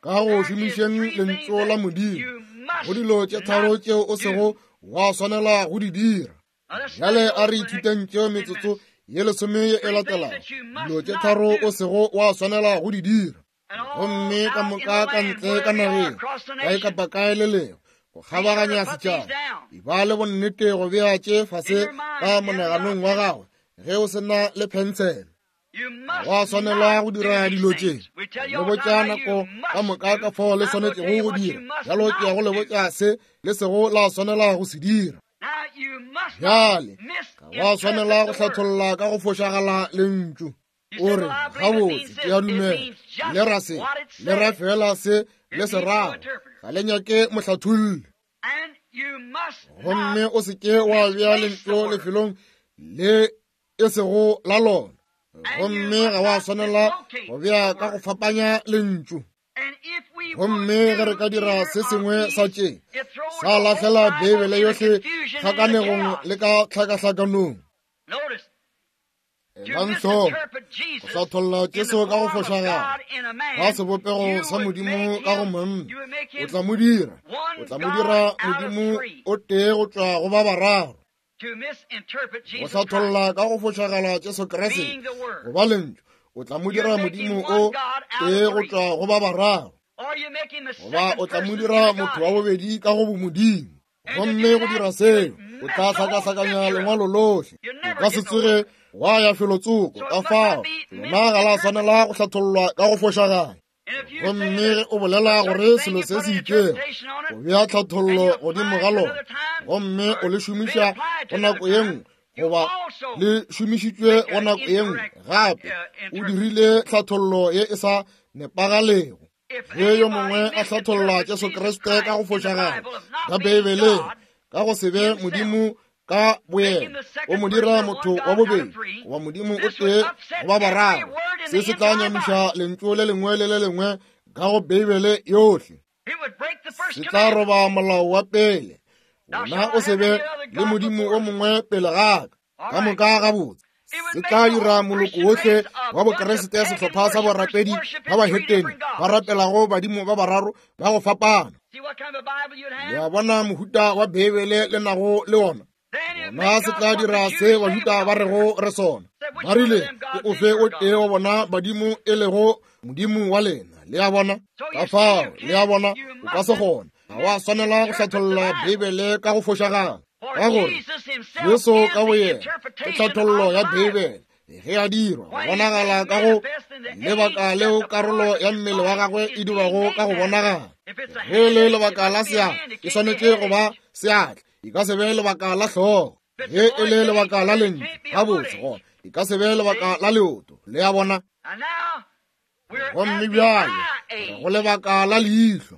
Ka go šomišeng lentšu la Modimo go dilo tše tharo tšeo o sego wa swanela go di dira. Bjale a re ithuteng tšeo metsotso ye lesome ye e latelago, dilo tše tharo o sego wa swanela go di dira. Gomme ka moka ka ntle ka nageng, kae kapa kae le lego, go kgabaganya setšhaba, e ba le bonnete go bea tše fase ka monaganong wa gagwe ge o se na le phensele. Wa swanela go dira dilo tše. Le botša nako ka moka ka fao le swanetšego go dira. Bjalo ke ya go le botša se le sego la swanela go se dira. Bjale, ga wa swanela go hlatholla ka go fošagala lentšu. O re, gabotse, ke a dumela. Le ra se, le ra fela se le se rago. Ga le nyake mohlatholli. Gomme o se ke wa bea lentšu lefelong le e sego la lona. Gomme ga wa swanela go bea ka go fapanya lentšu. Gomme ge re ka dira se sengwe sa tše, sa lahlela Beibele yohle tlhakanegong le ka tlhakahlakanong. Elang hloko, go hlatholla Jesu ka go fošagala ka sebopego sa Modimo ka go monna, o tla mo dira, o tla mo dira Modimo o tee go tšwa go ba bararo. Go hlatholla ka go fošagala Jesu Kriste go ba Lentšu, o tla mo dira Modimo o tee go tšwa go ba bararo, goba o tla mo dira motho wa bobedi ka go bomodimo. Gomme go dira seo, o tla hlakahlakanya lengwalo lohle. O ka se tsoge wa ya felotsoko. Ka fao lona ga la swanela go hlathollwa ka go fošagala. Gomme ge o bolela gore selo se se itšego, o bea tlhathollo godimo ga lona, gomme o le šomiša go nako ye nngwe, goba le šomišitšwe go nako ye nngwe gape, o dirile tlhathollo ye e sa nepagalego. Ge yo mongwe a hlatholla Jesu Kriste ka go fošagala ka Beibeleng, ka go se be Modimo ka boyena, o mo dira motho wa bobedi goba Modimo o tee goba bararo, se se tla nyamiša lentšu le lengwe le le lengwe ka go Beibele yohle. Se tla roba molao wa pele, wena o se be le Modimo o mongwe pele ga ka. Ka moka gabotse. Se tla dira moloko wohle wa Bokriste sehlopha sa borapedi ba bahetene ba rapelago badimo ba bararo ba go fapana. Le a bona mohuta wa Beibele le nago le wona? Gona se tla dira se Bajuda ba rego re sona. Ba rile, ke ofe o tee wa bona badimo e lego Modimo wa lena? Le a bona? Ka fao, le a bona, o ka se kgone. Ga wa swanela go hlatholla Beibele ka go fošagala, ka gore Jesu ka boyena ke tlhathollo ya Beibele ge a dirwa go bonagala ka go lebaka leo karolo ya mmele wa gagwe e dirwago ka go bonagala. Ge le lebaka la seatla, e swanetše go ba seatla, e ka se be lebaka la hlogo. Ge e le lebaka la lentšu, gabotse gona e ka se be lebaka la leoto. Le a bona? Gomme bjale re go lebaka la leihlo.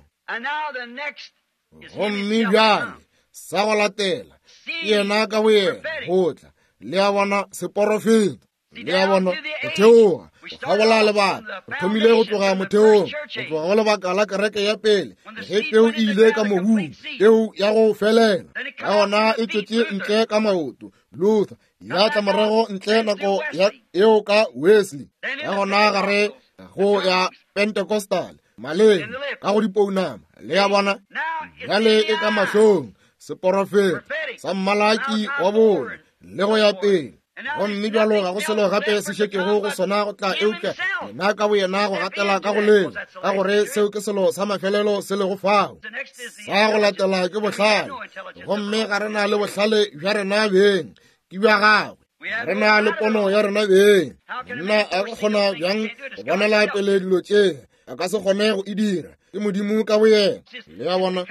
Gomme bjale sa go latela ke yena ka boyena go tla. Le a bona, seporofeto. Le a bona, go theoga go kgabola lebaka. Re thomile go tloga motheong, go tloga go lebaka la kereke ya pele, ge peu e ile ka mobung, peu ya go felela, ka gona e tšwetše ntle ka maoto, Luther, ya tla morago ntle nako ya eo ka Wesley, ka gona gare go ya Pentecostal, maleng, ka go dipounama. Le a bona, bjale e ka mahlong, seporofeto sa mmalaki wa bone le go ya pele. Gomme bjalo ga go selo gape se šetšego go sona go tla eupša yena ka boyena go gatela ka go leo, ka gore seo ke selo sa mafelelo se lego fao. Sa go latela ke bohlale, gomme ga re na le bohlale bja rena beng, ke bja gagwe. Ga re na le pono ya rena beng. Monna a ka kgona bjang go bonela pele dilo tše? A ka se kgone go e dira. Ke Modimo ka boyena. Le a bona,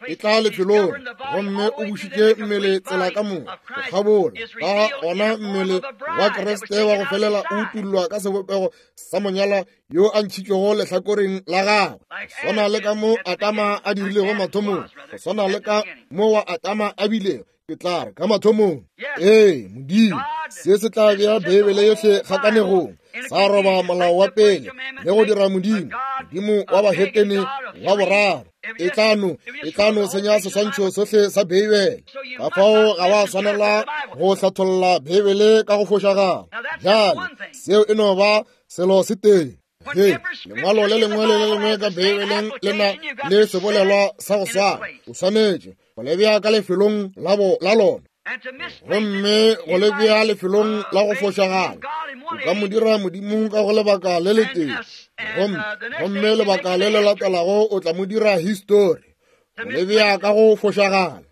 e tla lefelong, gomme o bušitše mmele tsela ka moka go kgabola. Ka gona mmele wa Kriste wa go felela o utullwa ka sebopego sa monyalwa yo a ntšhitšwego lehlakoreng la gagwe, go swana le ka mo Adama a dirilego mathomong, go swana le ka mo wa Adama a bilego, ke tla re ka mathomong. Ee, Modimo, se se tla bea Beibele yohle kgakanegong, sa roba molao wa pele le go dira Modimo, Modimo wa bahetene wa boraro. E tla no, e tla no senya seswantšho sohle sa Beibele. Ka fao ga wa swanela go hlatholla Beibele ka go fošagala. Bjale, seo e no ba selo se tee. Ge lengwalo le lengwe le le lengwe ka Beibeleng le na le sebolelwa sa go swana, o swanetše go le bea ka lefelong la lona. Gomme go le bea lefelong la go fošagala, o ka mo dira Modimo ka go lebaka le letee, gomme lebaka le le latelago o tla mo dira histori, go le bea ka go fošagala.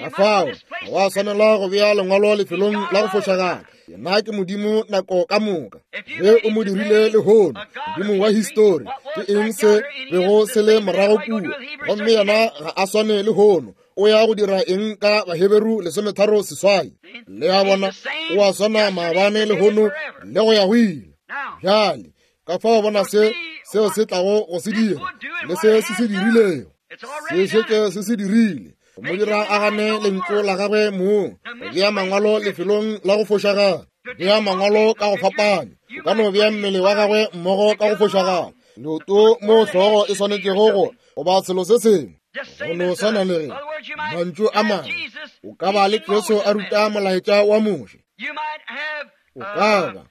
Ka fao ga wa swanela go bea lengwalo lefelong la go fošagala. Yena ke Modimo nako ka moka. Ge o mo dirile lehono, Modimo wa histori, ke eng se bego se le morago kua? Gomme yena ga a swane lehono. O ya go dira eng ka Baheberu 38? Le a bona, o a swana maabane, lehono, le go ya go ile. Bjale, ka fao bona se seo se tlago go se dira le se se se dirilego. Se šetše se se dirile. Go mo dira a gane lentšu la gagwe mong, go bea mangwalo lefelong la go fošagala, bea mangwalo ka go fapana. O ka no bea mmele wa gagwe mmogo ka go fošagala, leoto mo hlogo e swanetšego go goba selo se sengwe. Go no swana le ge mantšu a mangwe, o ka ba le Jesu a ruta molaetša wa Moshe, o ka ba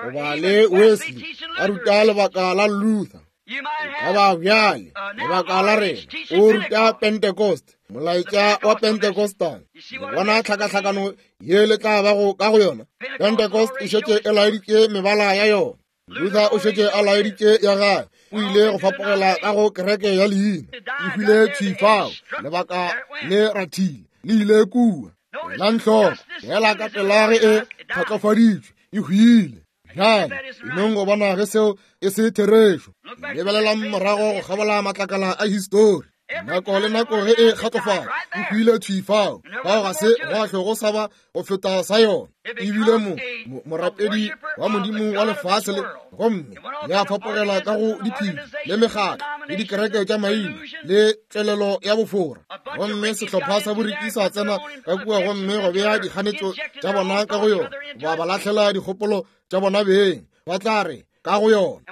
goba le Wesley a ruta lebaka la Luther, o ka ba bjale lebaka la rena o ruta Pentecost, molaetša wa Pentecostal. Le bona tlhakatlhakano ye le tla bago ka go yona? Pentecost e šetše e laeditše mebala ya yona. Luther o šetše a laeditše ya gagwe, o ile go fapogela ka go kereke ya leina, e hwile thwi fao, lebaka le rathile, le ile kua. Elang hloko, fela ka pela ge e kgatlofaditšwe, e hwile. Bjale, enong go bona ge seo e se therešo. Lebelelang morago go kgabola matlakala a histori. Nako le nako ge e kgatlofala, e hwile thwi fao. Fao ga se gwa hlwe go sa ba go feta sa yona. E bile morapedi wa Modimo wa lefase le, gomme ya fapogela ka go diphedi le mekgatlo le dikereke tša maina le tšwelelo ya bofora. Gomme sehlopha sa boriki sa tsena ka kua gomme go bea dikganetšo tša bona ka go yona, ba ba lahlela dikgopolo tša bona beng, ba tla re ka go yona.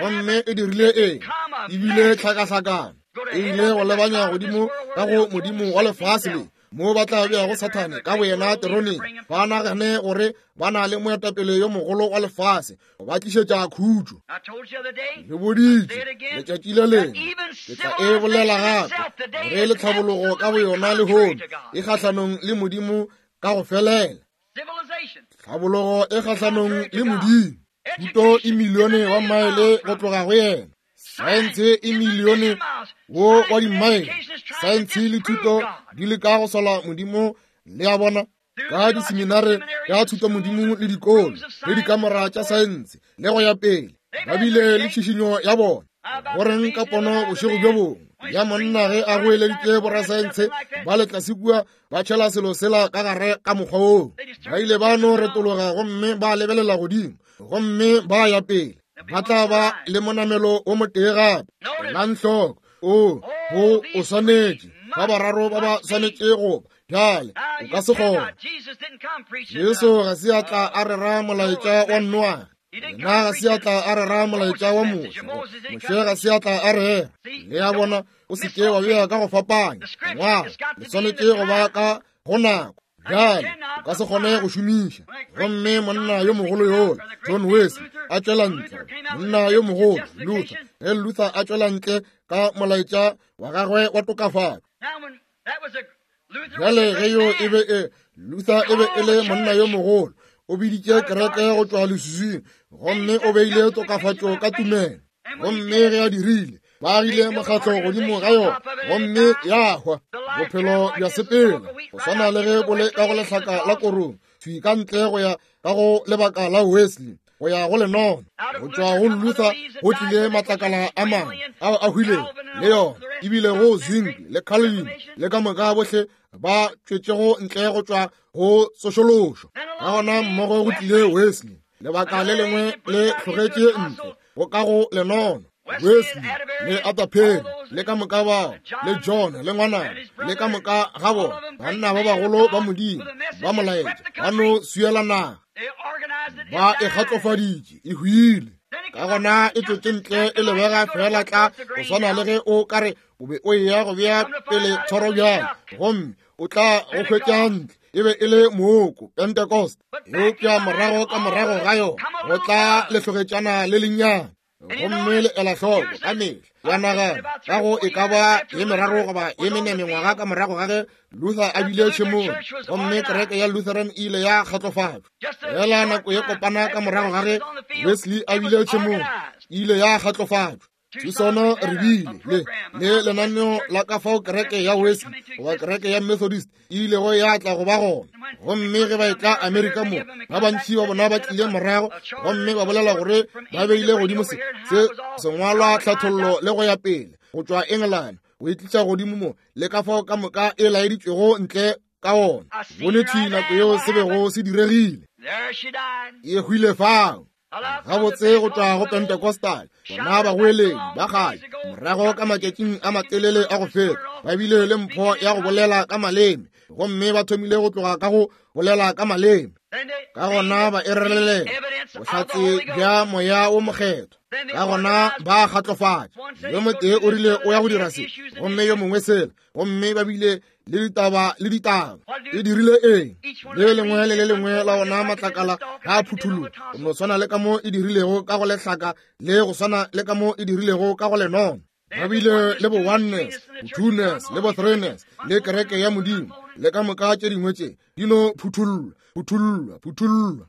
Gomme e dirile eng? E bile tlhakahlakano. E ile go lebanya godimo ka go modimo wa lefase le, mo ba tla beago Sathane ka boyena teroneng, ba nagane gore ba na le moetapele yo mogolo wa lefase go ba tlišetša khutšo. Le boditše letšatši le lengwe, ke tla e bolela gape, gore le tlhabologo ka boyona lehono e kgahlanong le Modimo ka go felela. Tlhabologo e kgahlanong le Modimo. Thuto e milione wa maele go tloga go yena. Saense e milione wo wa dimaele. Saense le thuto di leka go sola Modimo, le a bona, ka diseminare tša thuto Modimo le dikolo le dikamora tša saense le go ya pele. Ba bile le tšhišinyo ya bona. Go reng ka pono bošego bjo bongwe ya monna ge a goeleditše borasaense ba le tlase kua ba tšhela selo sela ka gare ka mokgwa woo? Ba ile ba no retologa gomme ba lebelela godimo gomme ba ya pele. Ba tla ba le monamelo o motee gape. Elang hloko, o bo o swanetše, ba bararo ba ba swanetše go ba. Bjale o ka se kgone. Jesu ga se a tla a rera molaetša wa Noage. Yena ga se a tla a rera molaetša wa Moshe. Moshe ga se a tla a rera. Le a bona, o se ke wa bea ka go fapanya. Ngwaga le swanetše go ba ka go nako. Bjale o ka se kgone go šomiša. Gomme monna yo mogolo yola, John Wesley, a tšwela ntle. Monna yo mogolo, Luther, ge Luther a tšwela ntle ka molaetša wa gagwe wa tokafatšo. Bjale ge yo e be e Luther e be e le monna yo mogolo, o biditše kereke go tšwa leswiswing, gomme o beile tokafatšo ka tumelo. Gomme ge a dirile, ba agile mokgatlo godimo ga yona, gomme ya hwa. Bophelo bja sepela go swana le ge bo le ka go lehlaka la korong, thwi ka ntle go ya ka go lebaka la Wesley, go ya go lenono. Go tšwa go Luther go tlile matlakala a mangwe ao a hwilego le yona, ebile go Zwingli le Calvin le ka moka bohle ba tšwetšego ntle go tšwa go tsošološo. Ka gona mmogo go tlile Wesley, lebaka le lengwe le hlogetše ntle go ka go lenono. Wesley le Arthur le ka moka bao, le John le ngwanana le ka moka ga bona, banna ba bagolo ba Modimo ba molaetša, ba no swiela naga, ba e kgatlofaditše, e hwile. Ka gona e tšwetše ntle e lebega fela tla go swana le ge o ka re o be o eya go bea pele thoro bjale, gomme o tla go hwetša ntle e be e le mooko Pentecost. Eupša morago ka morago ga yona go tla lehlogetšana le lennyane, gomme le ela hloko ka mehla ya nagana ka go e ka ba ye meraro goba ye mene mengwaga ka morago ga ge Luther a bile tšhemong, gomme kereke ya Lutheran e ile ya kgatlofatšwa. Fela nako ye kopana ka morago ga ge Wesley a bile tšhemong, e ile ya kgatlofatšwa. Tucson re bile le lenaneo la ka fao kereke ya Wesley goba kereke ya Methodist e ilego ya tla go ba gona. Gomme ge ba etla Amerika mo, ba bantši ba bona ba tlile morago gomme ba bolela gore ba beile godimo se sengwalwa tlhathollo le go ya pele go tšwa England go e tliša godimo mo, le ka fao ka moka e laeditšwego ntle ka ona. Bone thwi nako yeo se bego se diregile. E hwile fao. Gabotse go tšwa go Pentecostal, bona bagoeledi ba kgale morago ka matšatšing a matelele a go feta ba bile le mpho ya go bolela ka maleme, gomme ba thomile go tloga ka go bolela ka maleme. Ka gona ba erelelela bohlatse bja Moya wo Mokgethwa. Ka gona ba kgatlofatša. Yo motee o rile o ya go dira se, gomme yo mongwe sela, gomme ba bile le ditaba le ditaba. E dirile eng? Le lengwe le le lengwe la ona matlakala ga a phuthologa, go no swana le ka mo e dirilego ka go lehlaka, le go swana le ka mo e dirilego ka go lenono. Ba bile le bo oneness, bo twoness, le bo threeness, le kereke ya Modimo, le ka moka tše dingwe tše di no phuthullwa, phuthullwa, phuthullwa.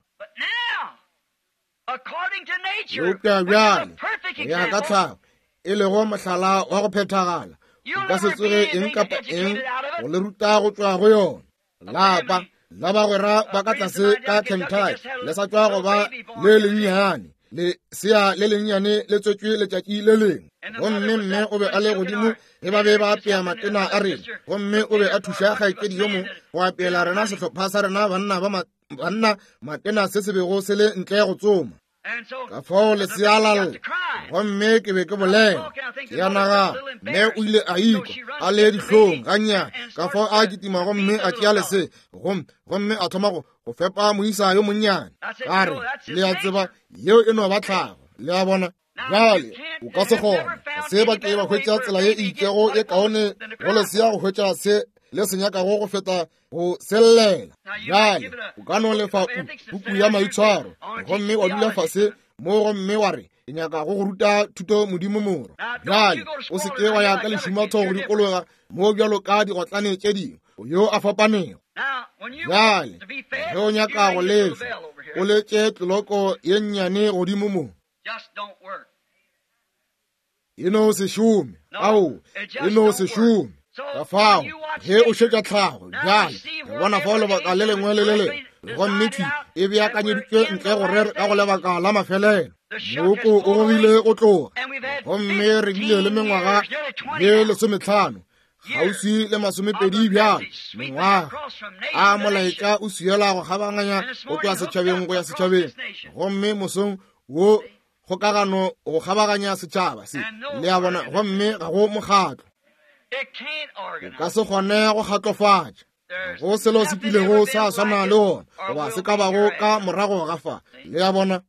Eupša bjale, go ya ka tlhago, e lego mohlala wa go phethagala, o ka se tsoge eng kapa eng go le ruta go tšwa go yona. Lapa la bagwera ba ka tlase ka Kentucky le sa tšwa go ba le lennyane, lesea le lennyane le tswetšwe letšatši le lengwe, gomme mme o be a le godimo ge ba be ba apea matena a rena, gomme o be a thuša kgaetšedi yo mongwe go apeela rena sehlopha sa rena banna ba banna matena se se bego se le ntle go tsoma. Ka fao lesea la lla, gomme ke be ke bolela, ke ya nagana mme o ile a ikwa a le dihlong gannyane, ka fao a kitima gomme a tšea lese gomme a thoma go fepa moisa yo monnyane. Ka re, le a tseba, yeo e no ba tlhago, le a bona. Bjale o ka se kgone se ba ke ba hwetša tsela ye e itšego e kaone go lesea go hwetša se le se nyakago go feta go sellela. Bjale o ka no lefa puku ya maitshwaro gomme wa dula fase mo gomme wa re ke nyaka go go ruta thuto modimo morwa. Bjale o se ke wa ya ka lešumatho go dikologa mo bjalo ka digotlane tše dingwe, yo a fapanego. Bjale ge o nyaka go lefa, o letše tleloko ye nnyane godimo mo. E no se šome. Ao, e no se šome. Ka fao ge o šetša tlhago bjale, re bona fao lebaka le lengwe le le lengwe, gomme thwi e beakanyeditšwe ntle gore ka go lebaka la mafelelo. Mooko o gogile go tloga, gomme re bile le mengwaga ye 15, kgauswi le 20 bjale, mengwaga a molaetša o swiela go kgabaganya go tloga setšhabeng go ya setšhabeng, gomme mosong wo kgokagano go kgabaganya setšhaba se, le a bona, gomme ga go mokgatlo. O ka se kgone go kgatlofatša go selo se kilego sa swana le ona goba se ka bago ka morago ga fa, le a bona.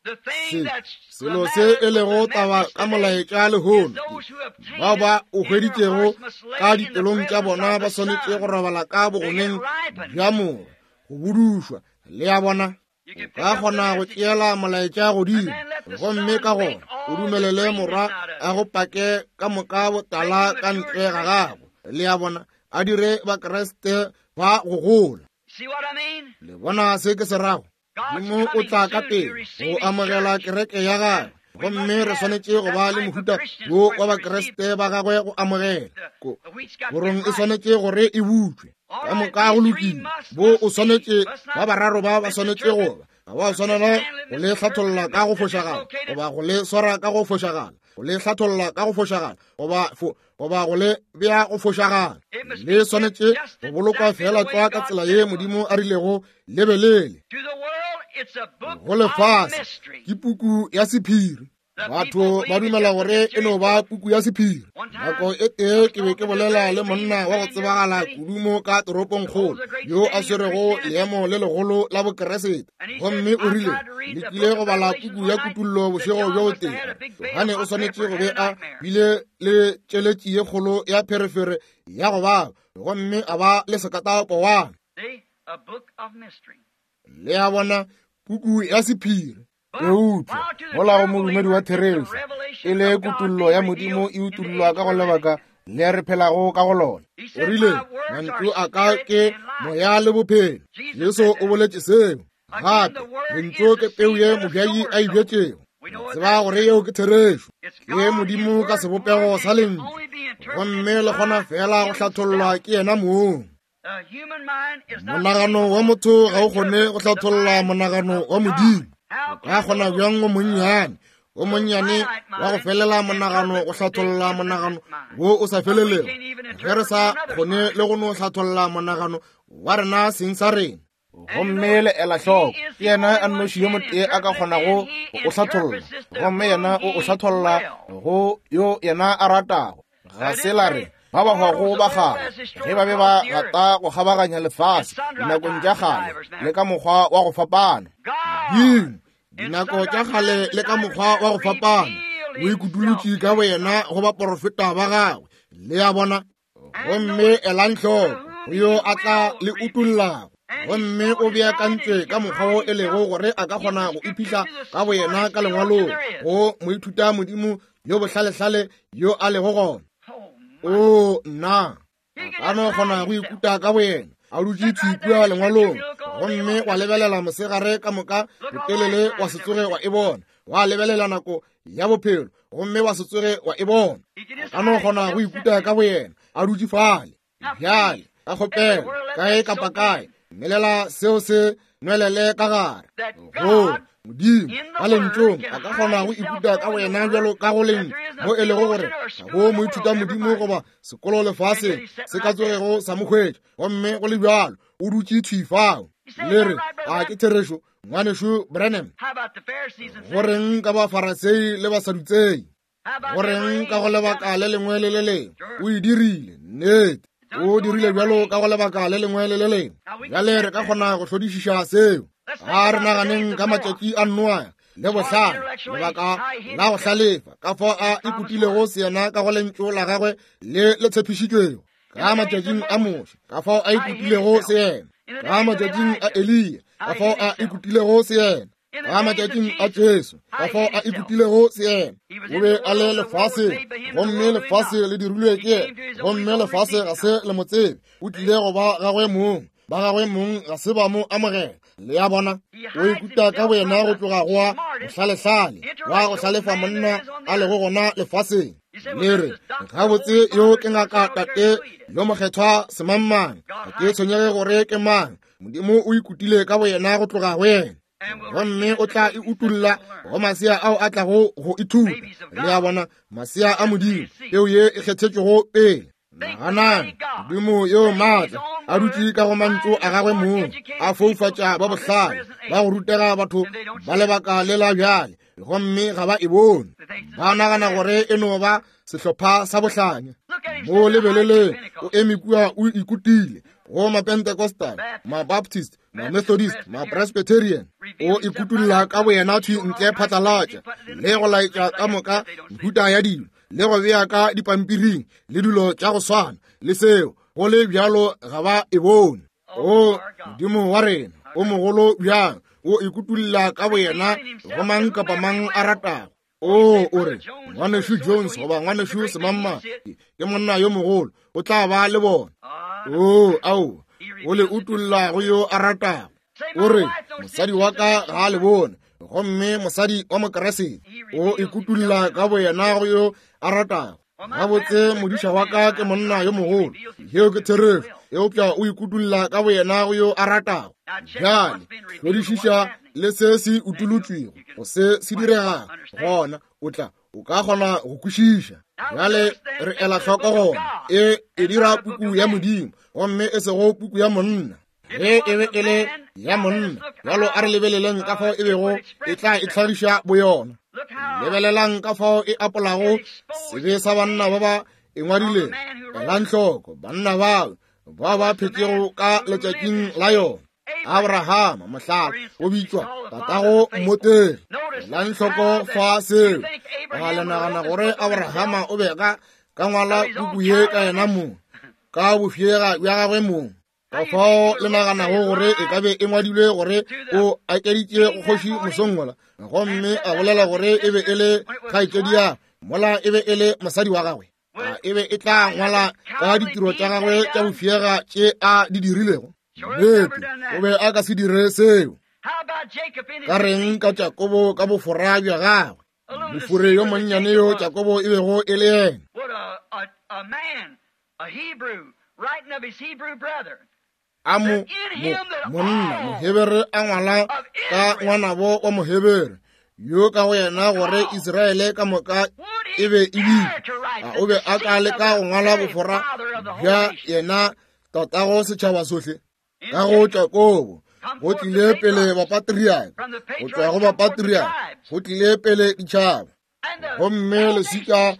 Se selo se e lego taba ka molaetša lehono, bao ba o hweditšego ka dipelong tša bona ba swanetše go robala ka bogoneng bja morwa go budušwa, le a bona. O ka kgona go tšeela molaetša godimo, gomme ka gona o dumelele morwa a go pake ka moka botala ka ntle ga gago, le a bona, a dire Bakriste ba go gola. Le bona se ke se rago? Modimo o tla ka pele go amogela kereke ya gagwe, gomme re swanetše go ba le mohuta wo wa Bakriste ba gagwe go amogela. Korong e swanetše gore e butšwe ka moka go lokile. Bo o swanetše ba bararo ba ba swanetše go ba, ga ba swanela go le hlatholla ka go fošagala goba go le swara ka go fošagala, go le hlatholla ka go fošagala goba go le bea go fošagala. Le swanetše go bolokwa fela tlwa ka tsela ye Modimo a rilego le be lele. Go lefase ke puku ya sephiri. Batho ba dumela gore e no ba puku ya sephiri. Nako e tee ke be ke bolela le monna wa go tsebagala kudu mo ka toropongkgolo yo a swerego leemo le legolo la Bokeresete, gomme o rile le kile go bala puku ya Kutullo bošego bjo botee. Johane o swanetše go be a bile le tšeletši ye kgolo ya pherefere ya go baba, gomme a ba le sekatapowana. Le a bona, puku ya sephiri. Eupša mola go modumedi wa therešo e le kutollo ya Modimo e utollwa ka go lebaka le re phelago ka go lona. O rile, mantšu a ka ke moya le bophelo. Jesu o boletše seo. Gape lentšu ke peu ye mobjai a e bjetšego. Tseba gore yeo ke therešo. Ke Modimo ka sebopego sa lentšu, gomme le kgona fela go hlathollwa ke yena mong. Monagano wa motho ga o kgone go hlatholla monagano wa Modimo. O ka kgona bjang o monnyane, o monnyane wa go felela monagano go hlatholla monagano wo o sa felelego, ge re sa kgone le go no hlatholla monagano wa rena seng sa rena? Gomme le ela hloko, ke yena a nnoši yo motee a ka kgonago go o hlatholla, gomme yena o o hlatholla go yo yena a ratago. Ga se la re ba ba hwago ba kgale ge ba be ba gata go kgabaganya lefase dinakong tša kgale le ka mokgwa wa go fapana. Modimo, dinako tša kgale le ka mokgwa wa go fapana, o ikutulotše ka boyena go baporofeta ba gagwe. Le a bona? Gomme elang hloko go yo a tla le utullago, gomme o beakantšwe ka mokgwa wo e lego gore a ka kgona go iphihla ka boyena ka lengwalong go moithuta modimo yo bohlalehlale yo a lego gona. O nna, a ka no kgona go ikuta ka boyena a dutše thwi kua lengwalong, gomme wa lebelela mosegare ka moka botelele wa se tsoge wa e bona, wa lebelela nako ya bophelo gomme wa se tsoge wa e bona. A ka no kgona go ikuta ka boyena a dutše fale. Bjale ka kgopelo kae kapa kae melela seo se nwelele ka gare go Modimo ka lentšong a ka kgona go ikuta ka boyena bjalo ka go lentšu, mo e lego gore ga go moithuta modimo goba sekolo lefaseng se ka tsogego sa mo hwetša, gomme go le bjalo o dutše thwi fao. Le re, a ke therešo, ngwanešu Branham? Go reng ka Bafarasei le Basadutsei? Go reng ka go lebaka le lengwe le le lengwe? O e dirile, nnete. O dirile bjalo ka go lebaka le lengwe le le lengwe. Bjale re ka kgona go hlodišiša seo. A re naganeng ka matšatši a Noa le bohlale, lebaka la go hlalefa, ka fao a ikutilego seyena ka go lentšu la gagwe le le tshepišitšwego. Ka matšatšing a Moshe, ka fao a ikutilego seyena. Ka matšatšing a Eliya, ka fao a ikutilego seyena. Ka matšatšing a Jesu, ka fao a ikutilego seyena. O be a le lefaseng, gomme lefase le dirilwe ke yena, gomme lefase ga se le mo tsebe. O tlile go ba gagwe mong, ba gagwe mong ga se ba mo amogela. Le a bona, o ikuta ka boyena go tloga go wa bohlalehlale, wa go hlalefa monna a lego gona lefaseng. Le re, gabotse yo ke ngaka tate yo mokgethwa semangmang, ga ke tshwenyege gore ke mang. Modimo o ikutile ka boyena go tloga go yena, gomme o tla e utulla go masea ao a tlago go ithuta. Le a bona, masea a Modimo, peo ye e kgethetšwego pele. Naganang, Modimo yo maatla a dutše ka go mantšu a gagwe mong, a foufatša ba bohlale ba go rutega batho ba lebaka le la bjale, gomme ga ba e bone. Ba nagana gore e no ba sehlopha sa bohlanya. Mo lebeleleng, o eme kua o ikutile go Mapentecostal, Mabaptist, Mamethodist, Mapresbyterian. O ikutulla ka boyena thwi ntle phatlalatša le go laetša ka moka mehuta ya dilo, le go bea ka dipampiring le dilo tša go swana le seo, go le bjalo ga ba e bone. O Modimo wa rena o mogolo bjang, o ikutulla ka boyena go mang kapa mang a ratago. O, o re, Ngwanešu Jones goba Ngwanešu Semamma ke monna yo mogolo, o tla ba le bona. O, ao, o le utulla go yo a ratago. O re, mosadi wa ka ga a le bone, gomme mosadi wa Mokeresete o ikutulla ka boyena go yo a ratago. Gabotse modiša wa ka ke monna yo mogolo, yeo ke therešo, eupša o ikutulla ka boyena go yo a ratago. Bjale hlodišiša le se se utolotšwego go se se diregago, gona o tla o ka kgona go kwešiša. Bjale re ela hloko gona e e dira puku ya Modimo, gomme e sego puku ya monna. Ge e be e le ya monna, bjalo a re lebeleleng ka fao e bego e tla e hlagiša boyona. Lebelelang ka fao e apolago sebe sa banna ba ba e ngwadilego. Elang hloko banna bao ba ba phetšego ka letšatšing la yona. Abrahama, mohlala, o bitšwa tatago mmotegi. Elang hloko fa seo. A le nagana gore Abrahama o be ka ngwala puku ye ka yena mong, ka bofyega bja gagwe mong? Ka fao le naganago gore e ka be e ngwadilwe gore o akeditše go kgoši mosong wola, gomme a bolela gore e be e le kgaetšedi ya mola e be e le mosadi wa gagwe? A e be e tla ngwala ka ditiro tša gagwe tša bofyega tše a di dirilego? Nnete, o be a ka se dire seo. Ka reng ka Jakobo ka bofora bja gagwe? Mofure yo monnyane yo Jakobo e bego e le yena. A mo, monna Mohebere a ngwala ka ngwanabo wa Mohebere yo ka go yena gore Israele ka moka e be e bitšwa. A o be a ka leka go ngwala bofora bja yena tatago setšhaba sohle? Ka go Jakobo go tlile pele bapatriaka, go tšwa go bapatriaka go tlile pele ditšhaba, gomme leswika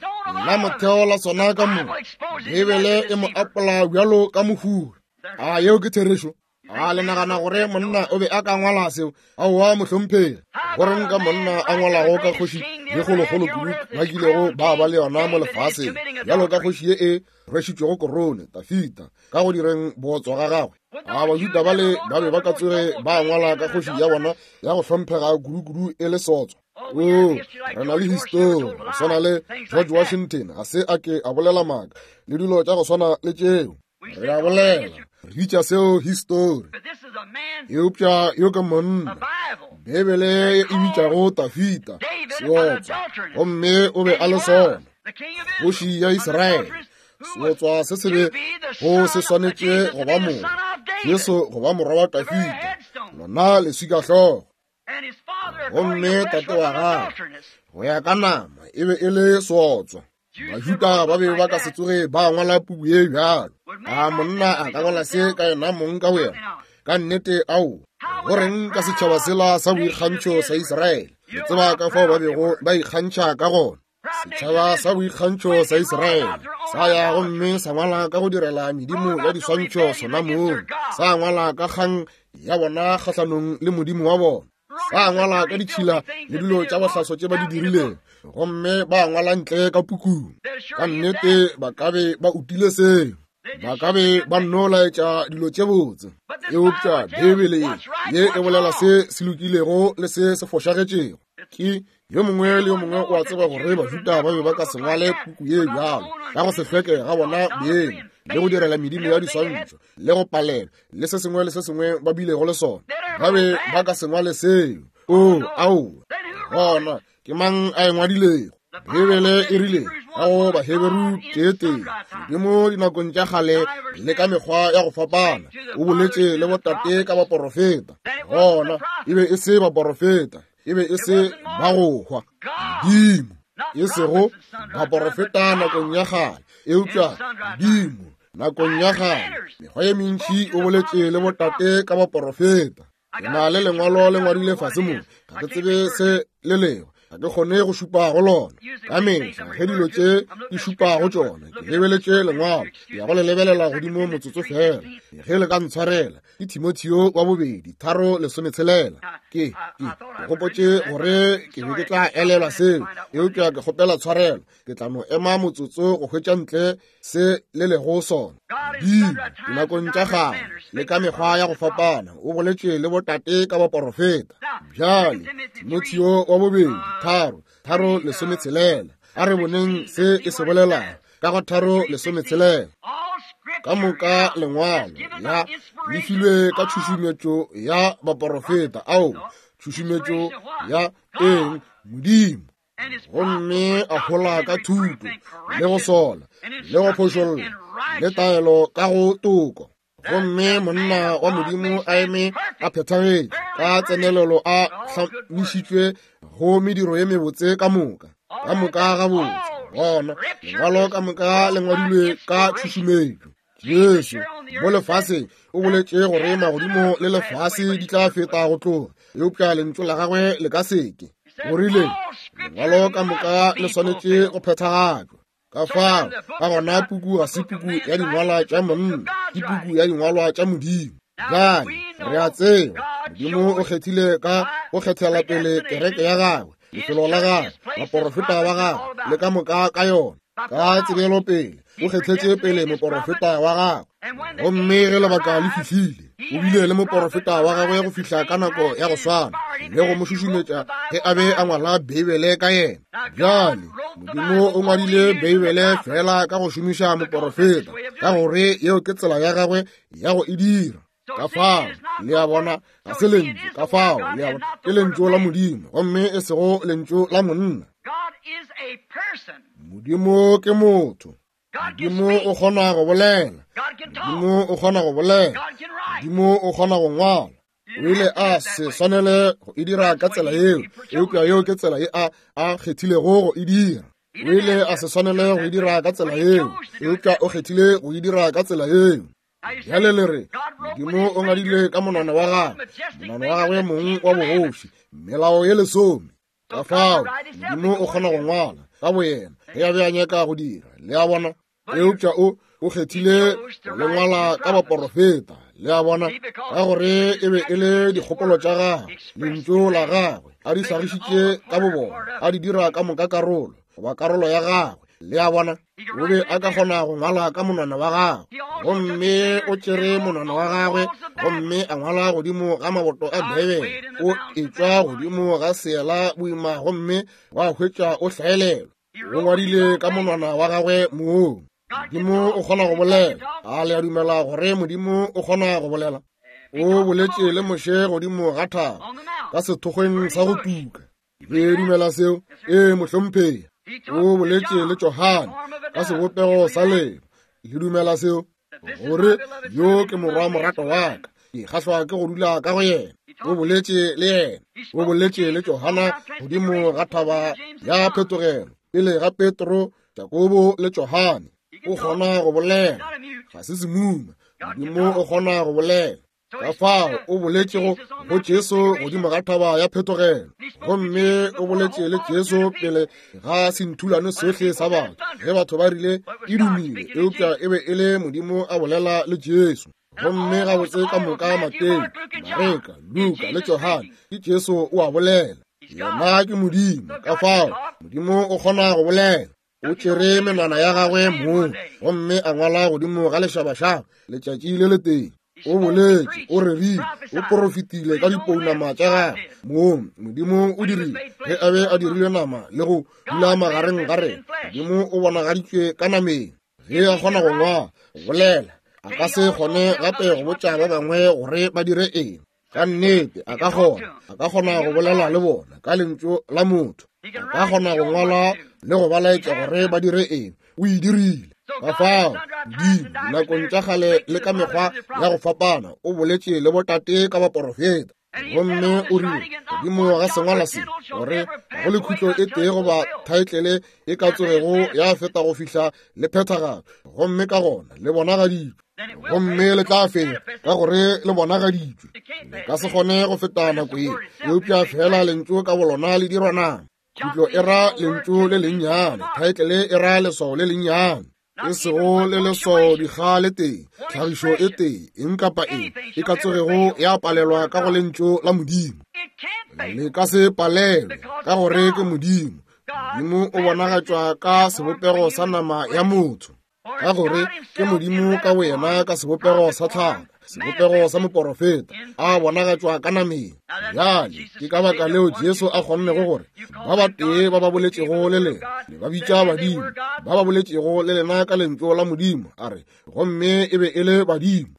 la motheo la sona ka moka Beibele e mo apola bjalo ka mohuri. A yeo ke therešo? A le nagana gore monna o be a ka ngwala seo? Aowa, mohlomphegi. Go reng ka monna a ngwalago ka kgoši ye kgolokgolo kudu ba kilego ba ba le yona mo lefaseng, bjalo ka kgoši ye e rwešitšwego korone, Dafida, ka go direng bootswa ga gagwe? A Bajuda bale ba be ba ka tsoge ba ngwala ka kgoši ya bona ya go hlomphega kudu-kudu e le sotswa? O, re na le histori go swana le George Washington ga se a ke a bolela maaka le dilo tša go swana le tšeo. Re a bolela, re bitša seo histori. Eupša yo ke monna Beibele e bitšago Dafida seotswa, gomme o be a le sona, kgoši ya Israele. Seotswa se se be go se swanetše go ba morwa, Jesu go ba morwa wa Dafida, lona leswikahlogo. Gomme tate wa gagwe go ya ka nama e be e le seotswa. Bajuda ba be ba ka se tsoge ba ngwala puku ye bjalo. A monna a ka ngwala se ka yena mong ka boyena? Ka nnete, ao. Go reng ka setšhaba sela sa boikgantšho sa Israele? Le tseba ka fao ba bego ba ikgantšha ka gona. Setšhaba sa boikgantšho sa Israele sa ya gomme sa ngwala ka go direla medimo ya diswantšho sona mong, sa ngwala ka kgang ya bona kgahlanong le Modimo wa bona, sa ngwala ka ditšhila le dilo tša bohlaso tše ba di dirilego, gomme ba ngwala ntle ka pukung. Ka nnete ba ka be ba utile seo, ba ka be ba nno laetša dilo tše botse. Eupša Beibele ye e bolela se se lokilego le se se fošagetšego. Ke yo mongwe le yo mongwe o a tseba gore Bajuda ba be ba ka se ngwale puku ye bjalo ka go se hlweke ga bona beng le go direla medimo ya diswantšho le go palelwa le se sengwe le se sengwe ba bilego le sona. Ba be ba ka se ngwale seo. O, aowa. Gona ke mang a e ngwadilego? Beibele e rile ka go Baheberu tee-tee, Modimo dinakong tša kgale le ka mekgwa ya go fapana o boletše le botate ka baporofeta. Gona e be e se baporofeta, e be e se ba go hwa. Modimo, e sego baporofeta nakong ya kgale, eupša Modimo nakong ya kgale mekgwa ye mentši o boletše le botate ka baporofeta. Ke na le lengwalo le ngwadile fase mo, ga ke tsebe se le lego, ga ke kgone go šupa go lona. Ka mehla ge dilo tše di šupa go tšona, ke lebeletše lengwalo, ke ya go le lebelela godimo motsotso fela, ge le ka ntshwarela. Ke Timotheo wa bobedi 3:16. Ke gopotše gore ke be ke tla elelwa seo, eupša ke kgopela tshwarelo, ke tla no ema motsotso go hwetša ntle se le lego sona. Modimo dinakong tša kgale le ka mekgwa ya go fapana o boletše le botate ka baporofeta. Bjale Timotheo wa bobedi 3:16, a re boneng se e se bolelago ka go 3:16. Ka moka lengwalo ya le filwe ka tšhušumetšo ya baporofeta, ao tšhušumetšo ya eng? Modimo. Gomme a hola ka thuto le go sola le go phošolla le taelo ka go toko. Gomme monna wa Modimo a eme a phethagetše ka tsenelelo, a hlamišitšwe go mediro ye mebotse ka moka, ka moka gabotse. Gona lengwalo ka moka le ngwadilwe ka tšhušumetšo. Jesu mo lefaseng o boletše gore magodimo le lefase di tla feta go tloga, eupša lentšu la gagwe le ka seke. O rile lengwalo ka moka le swanetše go phethagatšwa. Ka fao ka gona puku ga se puku ya dingwalwa tša monna, ke puku ya dingwalwa tša Modimo. Bjale re a tseba Modimo o kgethile ka go kgethela pele kereke ya gagwe, lefelo la gagwe, baporofeta ba gagwe le ka moka ka yona. Ka tsebelopele o kgethetše pele moporofeta wa gagwe, gomme ge lebaka le fihlile o bile le moporofeta wa gagwe go fihla ka nako ya go swana le go mo šušumetša ge a be a ngwala Beibele ka yena. Bjale Modimo o ngwadile Beibele fela ka go šomiša moporofeta, ka gore yeo ke tsela ya gagwe ya go e dira. Ka fao le a bona, ga se lentšu. Ka fao le a bona, ke lentšu la Modimo gomme e sego lentšu la monna. Modimo ke motho. Modimo o kgona go bolela. Modimo o kgona go bolela. Modimo o kgona go ngwala. O ile a se swanele go e dira ka tsela yeo, eupša yeo ke tsela ye a a kgethilego go e dira. O ile a se swanele go e dira ka tsela yeo, eupša o kgethile go e dira ka tsela yeo. Bjale le re, Modimo o ngadile ka monwana wa gagwe, monwana wa gagwe mong wa bogoši, melao ye lesome. Ka fao Modimo o kgona go ngwala ka boyena ge a be a nyaka go dira, le a bona. Eupša o o kgethile go le ngwala ka baporofeta, le a bona, ka gore e be e le dikgopolo tša gagwe, lentšu la gagwe, a di hlagišitše ka bobona, a di dira ka moka karolo goba karolo ya gagwe, le a bona. O be a ka kgona go ngwala ka monwana wa gagwe, gomme o tšere monwana wa gagwe gomme a ngwala godimo ga maboto a Beibele, o etšwa godimo ga seela boima gomme wa hwetša o hlaelelwa. O ngwadile ka monwana wa gagwe mong. Modimo o kgona go bolela. A le a dumela gore Modimo o kgona go bolela? O boletše le Moshe godimo ga thaba ka sethokgweng sa go tuka. Le dumela seo? Ee, mohlomphegi. O boletše le Johane ka sebopego sa lebo. Le dumela seo? Gore yo ke morwa morato wa ka, ke kgahlwa ke go dula ka go yena. O boletše le yena. O boletše le Johana godimo ga thaba ya phetogelo pele ga Petro, Jakobo le Johane. O kgona go bolela, ga se semuma. Modimo o kgona go bolela. Ka fao o boletšego go Jesu godimo ga thaba ya phetogelo, gomme o boletše le Jesu pele ga senthulano sohle sa batho, ge batho ba rile e dumile, eupša e be e le Modimo a bolela le Jesu. Gomme gabotse ka moka Mateo, Mareka, Luka le Johane, ke Jesu o a bolela. Yena ke Modimo, ka fao Modimo o kgona go bolela. O tšere menwana ya gagwe mong gomme a ngwala godimo ga lešabašaba letšatši le letee. O boletše, o rerile, o porofetile ka dipounama tša gagwe mong. Modimo o dirile ge a be a dirile nama le go dula magareng ga rena. Modimo o bonagaditšwe ka nameng. Ge a kgona go ngwala, go bolela, a ka se kgone gape go botša ba bangwe gore ba dire eng. Ka nnete a ka kgona, a ka kgona go bolela le bona ka lentšu la motho, a ka kgona go ngwala le go ba laetša gore ba dire eng. O e dirile. Ka fao Modimo dinakong tša kgale le ka mekgwa ya go fapana o boletše le botate ka baporofeta, gomme o rile godimo ga sengwala se gore ga go le khutlo e tee goba thaetlele e ka tsogego ya feta go fihla le phethagalo, gomme ka gona le bonagaditšwe, gomme le tla feta ka gore le bonagaditšwe. Le ka se kgone go feta nako ye, eupša fela lentšu ka bolona le dirwa nama. Khutlo e ra lentšu le lennyane, thaetlele e ra leswao le lennyane, e sego le leswao dikga le tee, tlhagišo e tee, eng kapa eng e ka tsogego ya palelwa ka go lentšu la Modimo. Le ka se palelwe ka gore ke Modimo. Modimo o bonagatšwa ka sebopego sa nama ya motho, ka gore ke Modimo ka boyena ka sebopego sa tlhago, sebopego sa moporofeta, a bonagatšwa ka nameng. Bjale ke ka baka leo Jesu a kgonnego gore ba batee ba ba boletšego le lena le ba bitša badimo, ba ba boletšego le lena ka lentšu la Modimo, a re, gomme e be e le badimo.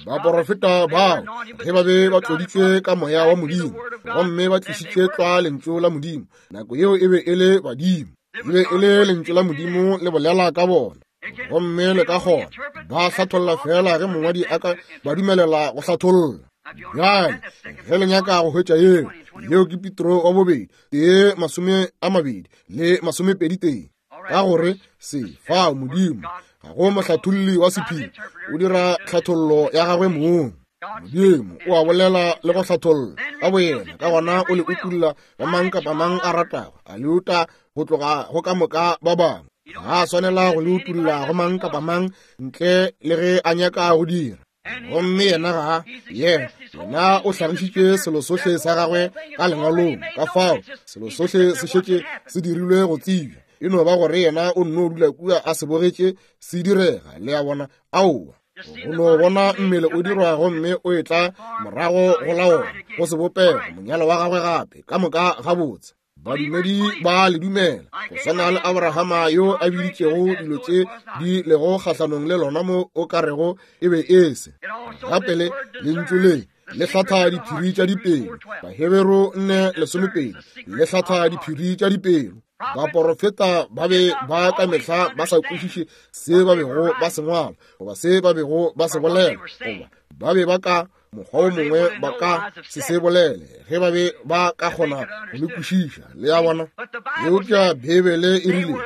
Baporofeta bao ge ba be ba tloditšwe ka moya wa Modimo gomme ba tlišitše tlwa lentšu la Modimo, nako yeo e be e le badimo, e be e le lentšu la Modimo le bolela ka bona, gomme le ka kgona ba hlatholla fela ge mongwadi a ka ba dumelela go hlatholla. Bjale ge le nyaka go hwetša yeo, yeo ke Petro wa bobedi 1:21 le 21. Ka gore se fao Modimo ga go mohlatholli wa sephiri, o dira tlhathollo ya gagwe mong. Modimo o a bolela le go hlatholla ka boyena, ka gona o le utulla go mang kapa mang a ratago, a le uta go tloga go ka moka ba bangwe. Ga a swanela go le utulla go mang kapa mang ntle le ge a nyaka go dira. Gomme yena ga yena, yena o hlagišitše selo sohle sa gagwe ka lengwalong, ka fao selo sohle se šetše se dirilwe go tsebja. E no ba gore yena o nno dula kua a se bogetše se direga, le a bona. Aowa, o no bona mmele o dirwa gomme o etla morago go laola go sebopego monyalo wa gagwe gape ka moka gabotse. Badumedi ba le dumela, go swana le Abrahama yo a biditšego dilo tše di lego kgahlanong le lona mo o ka rego e be e se. Gape le lentšu le le hlatha diphiri tša dipelo. Baheberu 4:12 le hlatha diphiri tša dipelo. Baporofeta ba be ba ka mehla ba sa kwešiše se ba bego ba se ngwala goba se ba bego ba se bolela, goba ba be ba ka mokgwa wo mongwe ba ka se se bolele ge ba be ba ka kgona go le kwešiša. Le a bona? Eupša Beibele e rile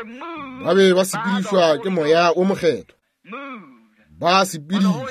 ba be ba sepedišwa ke Moya wo Mokgethwa. Ba sepedišwa.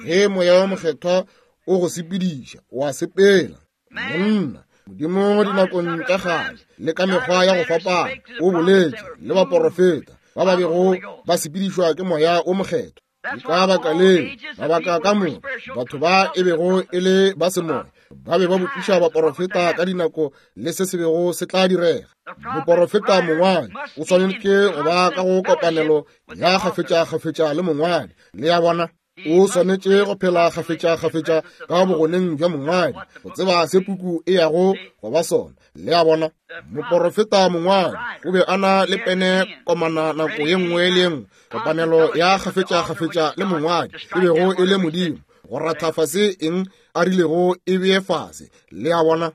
Ge Moya wo Mokgethwa o go sepediša, o a sepela. Monna, Modimo dinakong tša kgale le ka mekgwa ya go fapana o boletše le baporofeta ba ba bego ba sepedišwa ke Moya wo Mokgethwa. Ke ka baka leo mabaka ka moka batho ba e bego e le ba semoya ba be ba botšiša baporofeta ka dinako le se se bego se tla direga. Moporofeta mongwadi o swanetše go ba ka go kopanelo ya kgafetša-kgafetša le mongwadi. Le a bona? O swanetše go phela kgafetša-kgafetša ka bogoneng bja mongwadi go tseba se puku e yago go ba sona. Le a bona? Moporofeta mongwadi o be a na le pene komana nako ye nngwe le ye nngwe, kopanelo ya kgafetša-kgafetša le mongwadi e bego e le Modimo, go ratha fase eng a rilego e bee fase. Le a bona?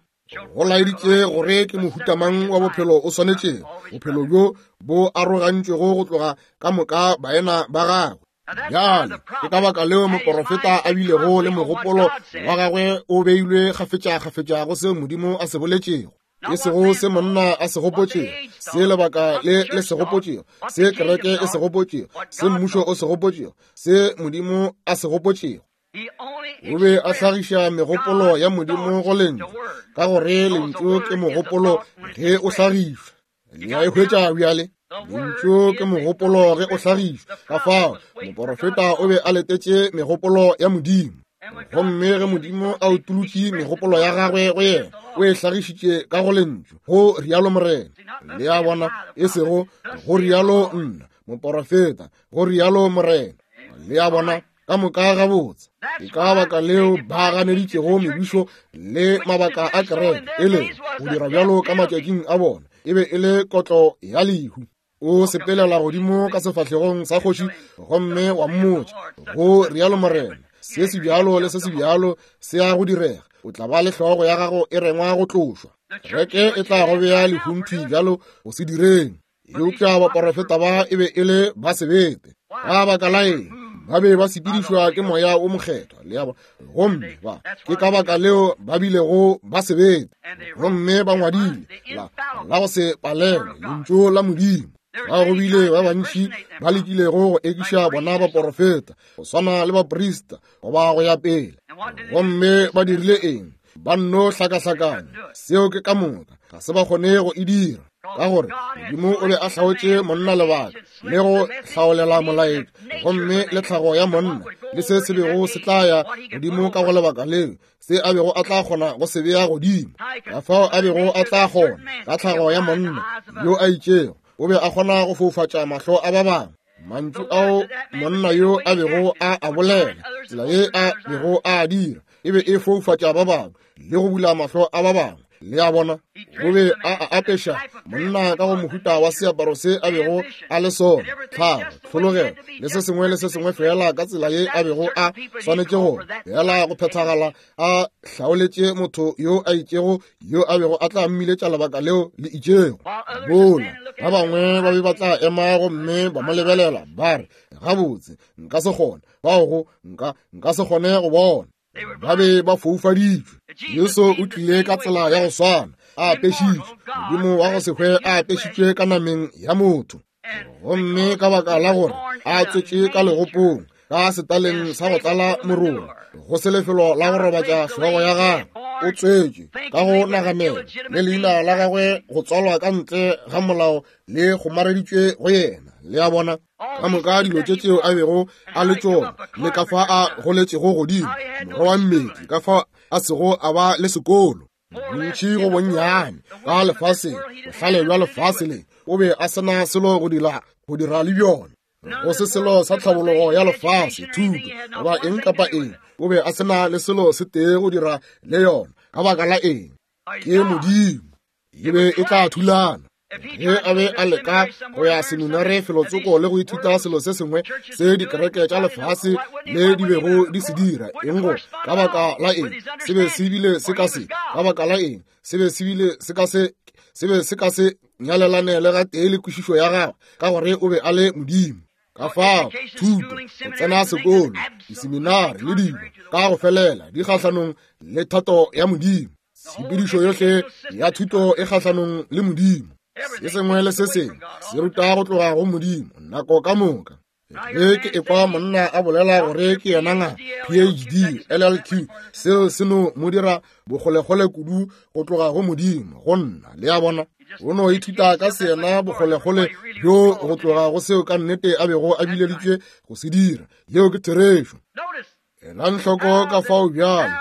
Go laeditše gore ke mohuta mang wa bophelo o swanetšego, bophelo bjo bo arogantšwego go tloga ka moka baena ba gagwe. Bjale ke ka baka leo moporofeta a bilego le mogopolo wa gagwe o beilwe kgafetša-kgafetša go seo Modimo a se boletšego, e sego se monna a se gopotšego, se lebaka le le se gopotšego, se kereke e se gopotšego, se mmušo o se gopotšego, se Modimo a se gopotšego. O be a hlagiša megopolo ya Modimo go Lentšu, ka gore Lentšu ke mogopolo ge o hlagišwa. Le a e hwetša bjale? Lentšu ke mogopolo ge o hlagišwa. Ka fao moporofeta o be a letetše megopolo ya Modimo, gomme ge Modimo a utolotše megopolo ya gagwe go yena, o e hlagišitše ka go Lentšu, go rialo Morena. Le a bona? E sego go rialo nna moporofeta, go rialo Morena. Le a bona? Ka moka gabotse. Ke ka baka leo ba ganeditšego mebušo le mabaka a kereke, e le go dira bjalo ka matšatšing a bona e be e le kotlo ya lehu. O sepelela godimo ka sefahlegong sa kgoši gomme wa mmotša, go rialo Morena, se se bjalo le se se bjalo se ya go direga. O tla ba le hlogo ya gago e rengwa go tlošwa. Kereke e tla go bea lehung thwi bjalo go se direng. Eupša baporofeta ba e be e le ba sebete. Ka baka la eng? Ba be ba sepedišwa ke Moya wo Mokgethwa, le a bona. Gomme ba, ke ka baka leo ba bilego ba sebete. Gomme ba ngwadile la, la go se palelwe Lentšu la Modimo. Ba go bile ba bantši ba lekilego go ekiša bona baporofeta, go swana le baprista, goba go ya pele. Gomme ba dirile eng? Ba nno hlakahlakanya. Seo ke ka moka. Ga se ba kgone go e dira, ka gore Modimo o be a hlaotše monna lebaka le go hlaolela molaetša, gomme le tlhago ya monna le se se bego se tla ya godimo ka go lebaka leo, se a bego a tla kgona go se bea godimo, ka fao a bego a tla kgona ka tlhago ya monna yo a itšego, o be a kgona go foufatša mahlo a ba bangwe. Mantšu ao monna yo a bego a a bolela, tsela ye a bego a a dira, e be e foufatša ba bangwe le go bula mahlo a ba bangwe. Le a bona? O be a a apeša monna ka go mohuta wa seaparo se a bego a le sona, tlhago, tlhologelo, le se sengwe le se sengwe feela ka tsela ye a bego a swanetše go feela go phethagala, a hlaoletše motho yo a itšego yo a bego a tla mmiletša lebaka leo le itšego. Bola ba bangwe ba be ba tla ema gomme ba mo lebelela ba re, gabotse, nka se kgone, bao go nka, nka se kgone go bona. Ba be ba foufaditšwe. Jesu o tlile ka tsela ya go swana, a apešitšwe, Modimo wa go se hwe a apešitšwe ka nameng ya motho. Gomme ka baka la gore a tswetše ka legopong, ka setaleng sa go tlala morolo, go se lefelo la go robatša hlogo ya gagwe, o tswetšwe ka go naganela, le leina la gagwe go tswalwa ka ntle ga molao le kgomareditšwe go yena. Le a bona? Ka moka dilo tše tšeo a bego a le tšona, le ka fa a goletšego godimo, morwa wa mmetli, ka fa a sego a ba le sekolo, bontši go bonnyane ka lefaseng, bohlale bja lefase le, o be a se na selo go dira, go dira le bjona, go se selo sa tlhabologo ya lefase, thuto, goba eng kapa eng, o be a se na le selo se tee go dira le yona. Ka baka la eng? Ke Modimo. E be e tla thulana. Ge a be a leka go ya seminare felotsoko le go ithuta selo se sengwe se dikereke tša lefase le di bego di se dira, eng go, ka baka la eng, se be se bile se ka se, ka baka la eng, se be se bile se ka se, se be se ka se. nyalelane le gatee le kwešišo ya gagwe, ka gore o be a le Modimo. Ka fao thuto, go tsena sekolo, diseminari le dilo ka go felela di kgahlanong le thato ya Modimo. Tshepedišo yohle ya thuto e kgahlanong le Modimo. Se sengwe le se sengwe se ruta go tloga go Modimo nako ka moka. Ge ke ekwa monna a bolela gore ke yena ngaka, PhD, LLQ, seo se no mo dira bokgolekgole kudu go tloga go Modimo, go nna. Le a bona? O no ithuta ka seyena bokgolekgole bjo go tloga go seo ka nnete a bego a bileditšwe go se dira. Yeo ke therešo. Elang hloko ka fao bjale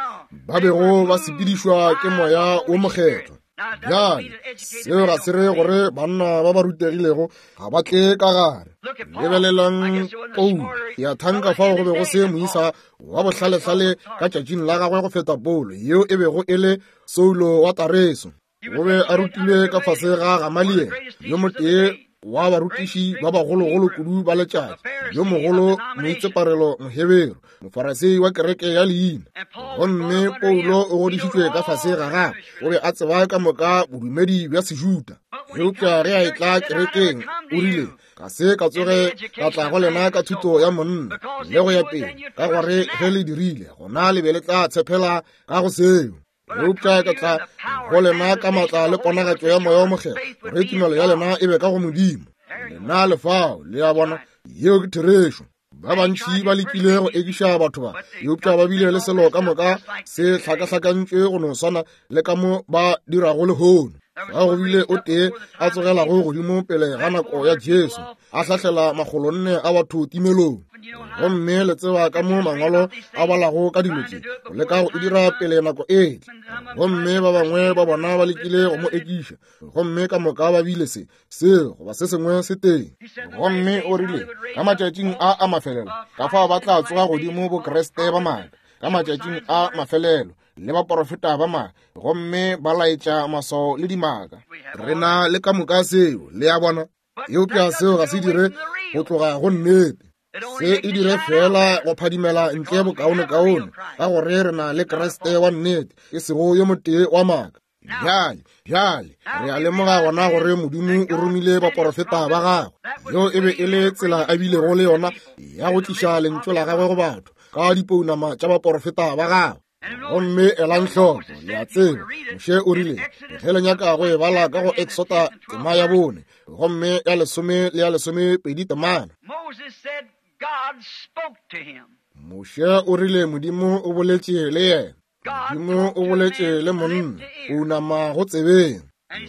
ba bego ba sepedišwa ke Moya wo Mokgethwa. Bjale seo ga se re gore banna ba ba rutegilego ga ba tle ka gare. Lebelelang Paulo, ke a thanka fao go be go se moisa wa bohlalehlale ka tšatšing la gagwe go feta Paulo, yeo e bego e le Saulo wa Tareso. O be a rutilwe ka fase ga Gamaliele, yo motee wa barutiši ba bagologolo kudu ba letšatši, yo mogolo moitseparelo Moheberu, Mofarasei wa kereke ya leina. Gomme Paulo o godišitšwe ka fase ga gagwe, o be a tseba ka moka bodumedi bja Sejuda. Eupša ge a etla kerekeng, o rile, Ga se ka tsoge ka tla go lena ka thuto ya monna le go ya pele, ka gore ge le dirile, gona le be le tla tshepela ka go seo. Eupša ka tla go lena ka maatla le ponagatšo ya Moya wo Mokgethwa, gore tumelo ya lena e be ka go Modimo. Lena le fao, le a bona, yeo ke therešo. Ba bantši ba lekile go ekiša batho ba, eupša ba bile le selo ka moka se hlakahlakantšwe go no swana le ka mo ba dirago lehono. Fa go bile o tee a tsogelago godimo pele ga nako ya Jesu, a hlahlela makgolonne a batho timelong. Gomme le tseba ka mo mangwalo a balago ka dilo tše, go leka go e dira pele nako e tla. Gomme ba bangwe ba bona ba lekile go mo ekiša, gomme ka moka ba bile se, seo goba se sengwe se teng. Gomme o rile, ka matšatšing a a mafelelo, ka fao ba tla tsoga godimo Bokriste ba maaka, ka matšatšing a mafelelo, le baporofeta ba maaka, gomme ba laetša maswao le dimaka. Re na le ka moka seo, le a bona. Eupša seo ga se dire go tloga go nnete. Se e dire feela go phadimela ntle bokaonekaone, ka gore re na le Kriste wa nnete, e sego yo motee wa maaka. Bjale, bjale, re a lemoga gona gore Modimo o romile baporofeta ba gagwe. Yeo e be e le tsela a bilego le yona ya go tliša lentšu la gagwe go batho, ka dipounama tša baporofeta ba gagwe. Gomme elang hloko, le a tseba, Moshe o rile, ge le nyaka go e bala ka go Exota tema ya 4, gomme ya 10 le ya 12 temana. Moshe o rile Modimo o boletše le yena. Modimo o boletše le monna, o unama go tsebeng.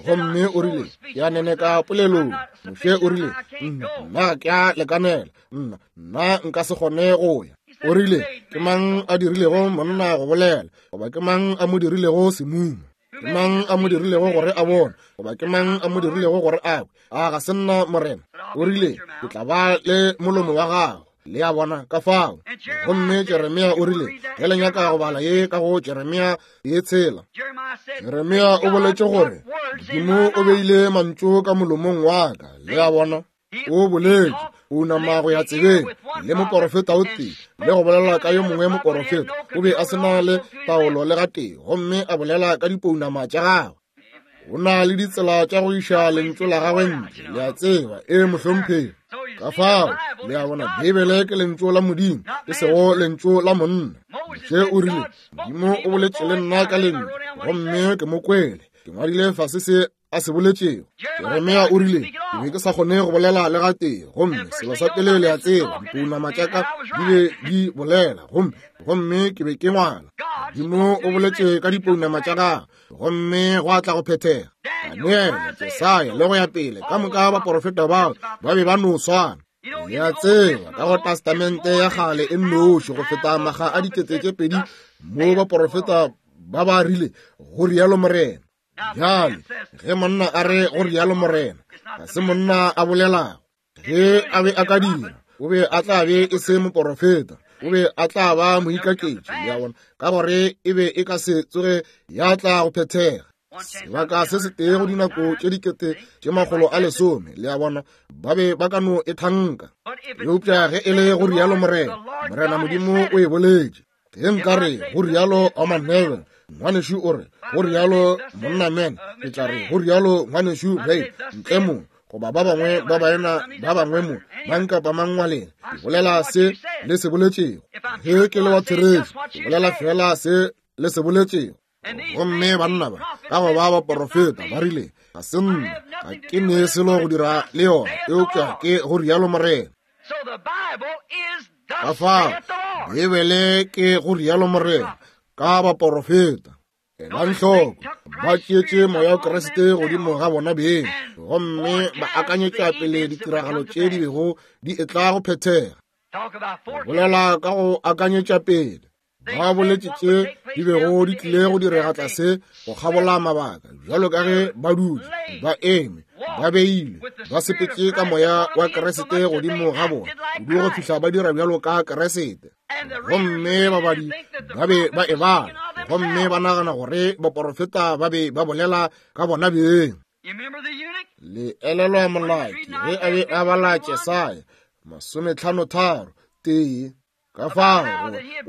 Gomme o rile, ke a neneka polelong. Moshe o rile, nna ke a lekanela, nna, nna nka se kgone go ya. O rile, ke mang a dirilego monna go bolela, goba ke mang a mo dirilego semumu? Ke mang a mo dirilego gore a bone, goba ke mang a mo dirilego gore a kwe? A ga se nna Morena? O rile, ke tla ba le molomo wa gago. Le a bona ka fao. Gomme Jeremia o rile, ge le nyaka go bala ye ka go Jeremia ye 6, Jeremia o boletše gore Modimo o beile mantšu ka molomong wa ka. Le a bona? O boletše, o nama go ya tsebeng le moporofeta o tee, le go bolela ka yo mongwe moporofeta. O be a se na le taolo le gatee, gomme a bolela ka dipounama tša gagwe. O na le ditsela tša go iša lentšu la gagwe ntle, le a tseba. Ee, mohlomphegi. Ka fao, le a bona, Beibele ke lentšu la Modimo, e sego lentšu la monna. Moshe o rile, Modimo o boletše le nna ka lentšu, gomme ke mo kwele. Ke ngwadile fase se a se boletšego. Jeremia o rile, ke be ke sa kgone go bolela le gatee, gomme selo sa pele le a tseba, dipounama tša ka di be di bolela, gomme, gomme ke be ke ngwala. Modimo o boletše ka dipounama tša gagwe, gomme gwa tla go phethega. Daniele, Jesaya, le go ya pele, ka moka baporofeta bao ba be ba no swana. Le a tseba, ka go Testamente ya Kgale e nnoši go feta makga a 2000 mo baporofeta ba ba rile, go rialo Morena. Bjale, ge monna a re go rialo Morena, ga se monna a bolelago. Ge a be a ka dira, o be a tla be e se moporofeta, o be a tla ba moikaketši, le a bona, ka gore e be e ka se tsoge ya tla go phethega. Sebaka se setee go dinako tše 110,000, le a bona, ba be ba ka no e thanka. Eupša ge e le go rialo Morena, Morena Modimo o e boletše. Ge nka re go rialo Orman Neville, Ngwanešu o re, go rialo monna Man, ke tla re, go rialo ngwanešu Ray, ntle mo, goba ba bangwe ba baena ba bangwe mo, mang kapa mang wa lena. Ke bolela se le se boletšego. Ge ke le wa therešo, ke bolela feela se le se boletšego. Gomme banna ba, ka go ba baporofeta, ba rile, ga se nna, ga ke ne selo go dira le yona, eupša ke go rialo Morena. Ka fao, Beibele ke go rialo Morena, ka baporofeta. Elang hloko, ba tšeetše Moya wa Kriste godimo ga bona beng, gomme ba akanyetša pele ditiragalo tše di bego di etla go phethega. Bolela ka go akanyetša pele. Ba boletše tše di bego di tlile go direga tlase go kgabola mabaka, bjalo ka ge ba dutše, ba eme, ba beile, ba sepetše ka Moya wa Kriste godimo ga bona, kudu go fihla ba dira bjalo ka Kriste. Gomme babadi ba be ba e bala, gomme ba nagana gore baporofeta ba be ba bolela ka bona beng. Le elelwa molaki ge a be a bala Jesaya 53 tee. Ka fao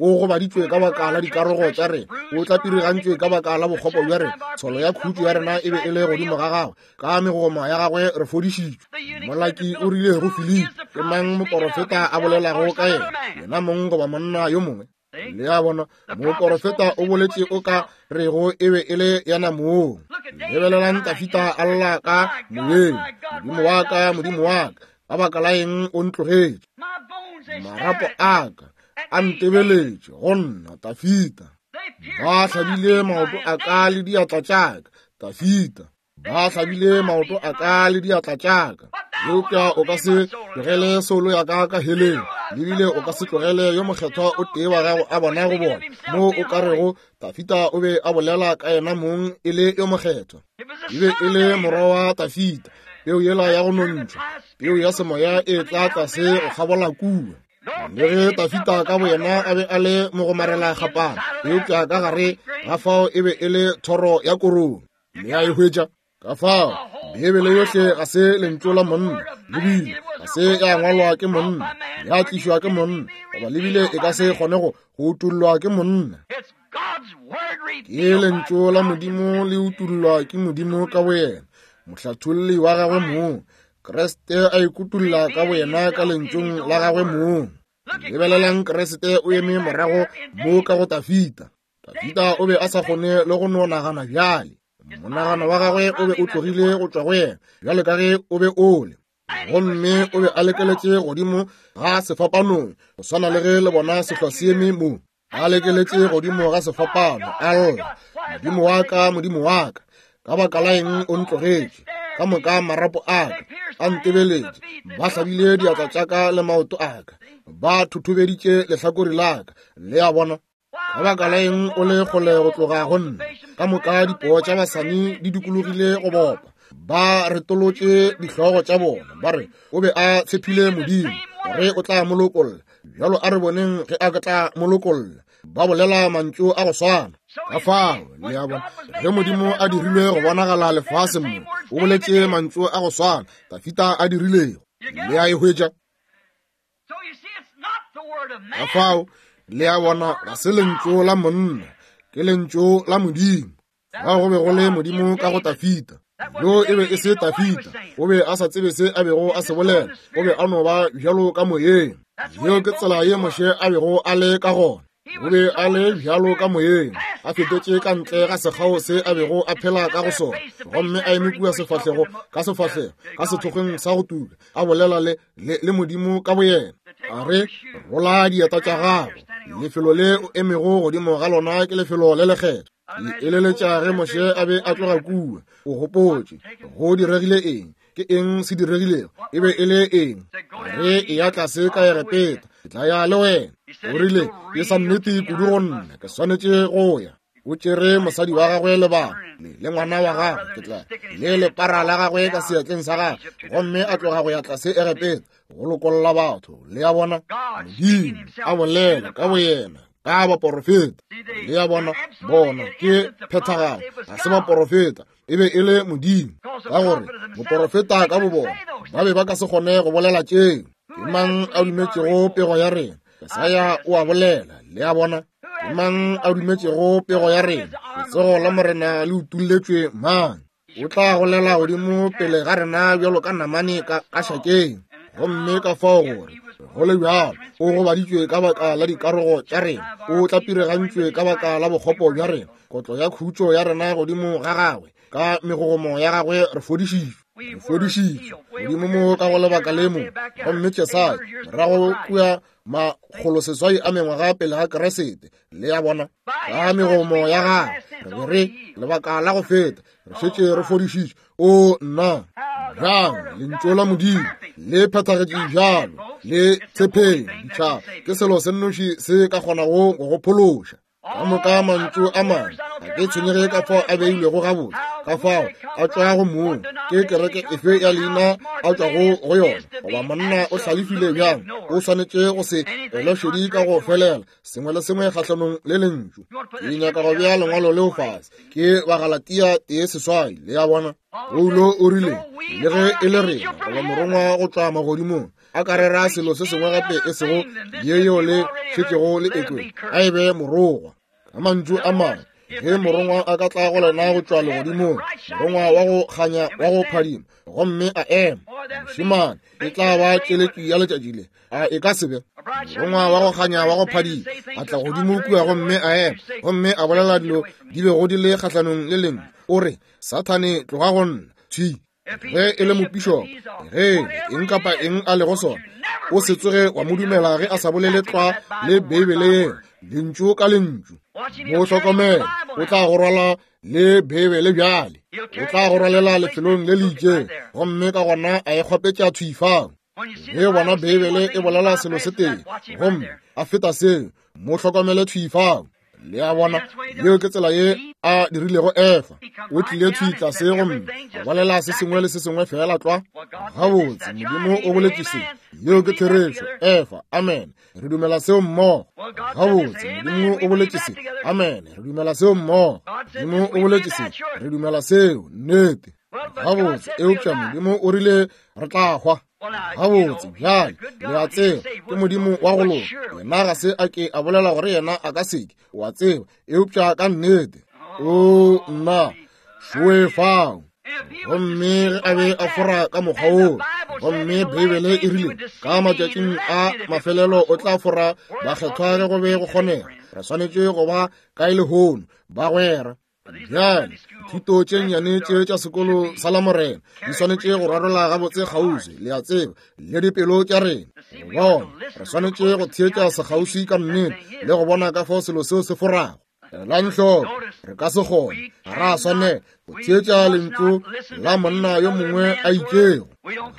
o gobaditšwe ka baka la dikarogo tša rena, o tlapirigantšwe ka baka la bokgopo bja rena, tsholo ya khutšo ya rena e be e le godimo ga gagwe, ka megogoma ya gagwe re fodišitšwe. Molaki o rile go Filipi, ke mang moporofeta a bolelago ka yena, yena mong goba monna yo mongwe? Le a bona, moporofeta o boletše o ka rego e be e le yena mong. Lebelelang Tafita a lla ka moyeng, Modimo wa ka, Modimo wa ka, ka baka la eng o ntlogetše? Marapo a ka a ntebeletše go nna, Tafita. Ba hlabile maoto a ka le diatla tša ka, Tafita. Ba hlabile maoto a ka le diatla tša ka. Eupša o ka se tlogele soulo ya ka ka heleng, lebile o ka se tlogele yo mokgethwa o tee wa gago a bona go bona, mo o ka rego Tafita o be a bolela ka yena mong e le yo mokgethwa. E be e le morwa wa Tafita, peu yela ya go nontšhwa, peu ya semoya e tla tlase go kgabola kua. Le ge Tafita ka boyena a be a le mogomarela kgapana, eupša ka gare ga fao e be e le thoro ya korong. Le a e hwetša? Ka fao Beibele yohle ga se lentšu la monna, lebile ga se ya ngwalwa ke monna, ya tlišwa ke monna, goba lebile e ka se kgone go utullwa ke monna. Ke lentšu la Modimo le utullwa ke Modimo ka boyena, mohlatholli wa gagwe mong. Kriste a ikutulla ka boyena ka lentšung la gagwe mong. Lebelelang Kriste o eme morago mo ka go Tafita. Tafita o be a sa kgone le go no nagana bjale. Monagano wa gagwe o be o tlogile go tšwa go yena, bjalo ka ge o be o le. Gomme o be a lekeletše godimo ga sefapanong, go swana le ge le bona sehlwa se eme mo. A lekeletše godimo ga sefapano, a lla, Modimo wa ka, Modimo wa ka, ka baka la eng o ntlogetše? Ka moka marapo a ka a ntebeletše, ba hlabile diatla tša ka le maoto a ka, ba thothobeditše lehlakore la ka. Le a bona? Ka baka la eng o le kgole go tloga go nna? Ka moka dipoo tša basani di dikologile go bopa, ba retolotše dihlogo tša bona, ba re o be a tshephile Modimo gore o tla mo lokolla. Bjalo a re boneng ge a tla mo lokolla. Ba bolela mantšu a go swana. Ka fao, le a bona, ge Modimo a dirilwe go bonagala lefaseng mo, o boletše mantšu a go swana Tafita a dirilego. Le a e hwetša? Ka fao, le a bona, ga se lentšu la monna, ke lentšu la Modimo. Ga go be go le Modimo ka go Tafita. Yo e be e se Tafita, o be a sa tsebe se a bego a se bolela, o be a no ba bjalo ka moyeng. Yeo ke tsela ye Moshe a bego a le ka gona. O be a le bjalo ka moyeng, a fetetše ka ntle ga sekgao se a bego a phela ka go sona, gomme a eme kua sefahlego ka sefahlego ka sethokgweng sa go tuka, a bolela le, le, le Modimo ka boyena. A re, rola dieta tša gago, lefelo le o emego godimo ga lona ke lefelo le lekgethwa. Ke eleletša ge Moshe a be a tloga kua, o gopotše go diregile eng, ke eng se diregilego, e be e le eng. Re eya tlase ka Egepeta, ke tla ya le wena. O rile, ke sa nnete kudu go nna, ke swanetše go ya. O tšere mosadi wa gagwe le bana le ngwana wa gagwe, ke tla le lepara la gagwe ka seatleng sa gagwe, gomme a tloga go ya tlase Egepeta go lokolla batho. Le a bona, Modimo a bolela ka boyena ka baporofeta. Le a bona, bona ke phethagalo, ga se baporofeta, e be e le Modimo, ka gore moporofeta ka bobona ba be ba ka se kgone go bolela tšeo. Ke mang a dumetšego pego ya rena? Jesaya o a bolela. Le a bona, ke mang a dumetšego pego ya rena? Letsogo la Morena le utulletšwe mang? O tla golela godimo pele ga rena bjalo ka namane ka šakeng. Gomme ka fao gore go le bjalo o gobaditšwe ka baka la dikarogo tša rena, o tlapiregantšwe ka baka la bokgopo bja rena, kotlo ya khutšo ya rena godimo ga gagwe, ka megogomo ya gagwe re fodišitšwe. Re fodišitšwe godimo mo ka go lebaka le mo. Gomme Jesaya morago kua 600 a mengwaga pele ga Keresete, le ya bona ka megomo ya gagwe re be re lebaka la go feta re šetše re fodišitšwe. O nna bjang lentšu la Modimo le phethagetše bjalo, le tshepeng ditšhaba ke selo se nnoši se ka kgonago go go phološa. Ka moka mantšu a mangwe ga ke tshwenyege ka fao a beilwego gabotse, ka fao a tšwago mong, ke kereke efe ya leina a tšwago go yona, goba monna o hlalefile bjang, o swanetše go se ele šedi ka go felela sengwe le sengwe kgahlanong le lentšu. Ke nyaka go bea lengwalo leo fase, ke Bagalatia 1:8, le ya bona. Paulo o rile, le ge e le rena goba morongwa go tšwa magodimong a ka rera selo se sengwe gape e sego ye yeo le šetšego le ekwe, a e be morogwa. Ka mantšu a mangwe, ge morongwa a ka tla go lena go tšwa legodimong, morongwa wa go kganya wa go phadima, gomme a ema, mošemane, e tla ba tšeletši ya letšatši le, a e ka se be? Morongwa wa go kganya wa go phadima a tla godimo kua gomme a ema, gomme a bolela dilo di bego di le kgahlanong le lengwe, o re, Sathane, tloga go nna. Thwi. Ge e le mopišopo, ge eng kapa eng a lego sona, o se tsoge wa mo dumela ge a sa bolele tlwa le Beibele yeo, lentšu ka lentšu. Mo hlokomele, o tla go rwala le Beibele bjale, o tla go rwalela lefelong le le itšeng, gomme ka gona a e kgwapetša thwi fao. Ge o bona Beibele e bolela selo se tee, gomme a feta seo, mo hlokomele thwi fao. Le a bona, yeo ke tsela ye a dirilego Efa. O tlile thwi tlase gomme a bolela se sengwe le se sengwe feela tlwa. Gabotse, Modimo o boletše se. Yeo ke therešo, Efa. Amen. Re dumela seo mmogo. Gabotse, Modimo o boletše se. Amen. Re dumela seo mmogo. Modimo o boletše se. Re dumela seo. Nnete. Gabotse, eupša Modimo o rile re tla hwa. Gabotse, bjale, le a tseba, ke Modimo wa go loka. Yena ga se a ke a bolela gore yena a ka seke, o a tseba, eupša ka nnete. O nna, šoe fao. Gomme ge a be a fora ka mokgwa woo, gomme Beibele e rile ka matšatšing a mafelelo o tla fora bakgethwa ge go be go kgonega. Re swanetše go ba kae lehono, bagwera? Bjale, thuto tše nnyane tše tša sekolo sa Lamorena di swanetše go rarola gabotse kgauswi, le a tseba, le dipelo tša rena. Bona, re swanetše go theetša sekgauswi ka nnete le go bona ka fao selo seo se forago. Elang hloko, re ka se kgone, ga ra swanela go theetša lentšu la monna yo mongwe a itšego.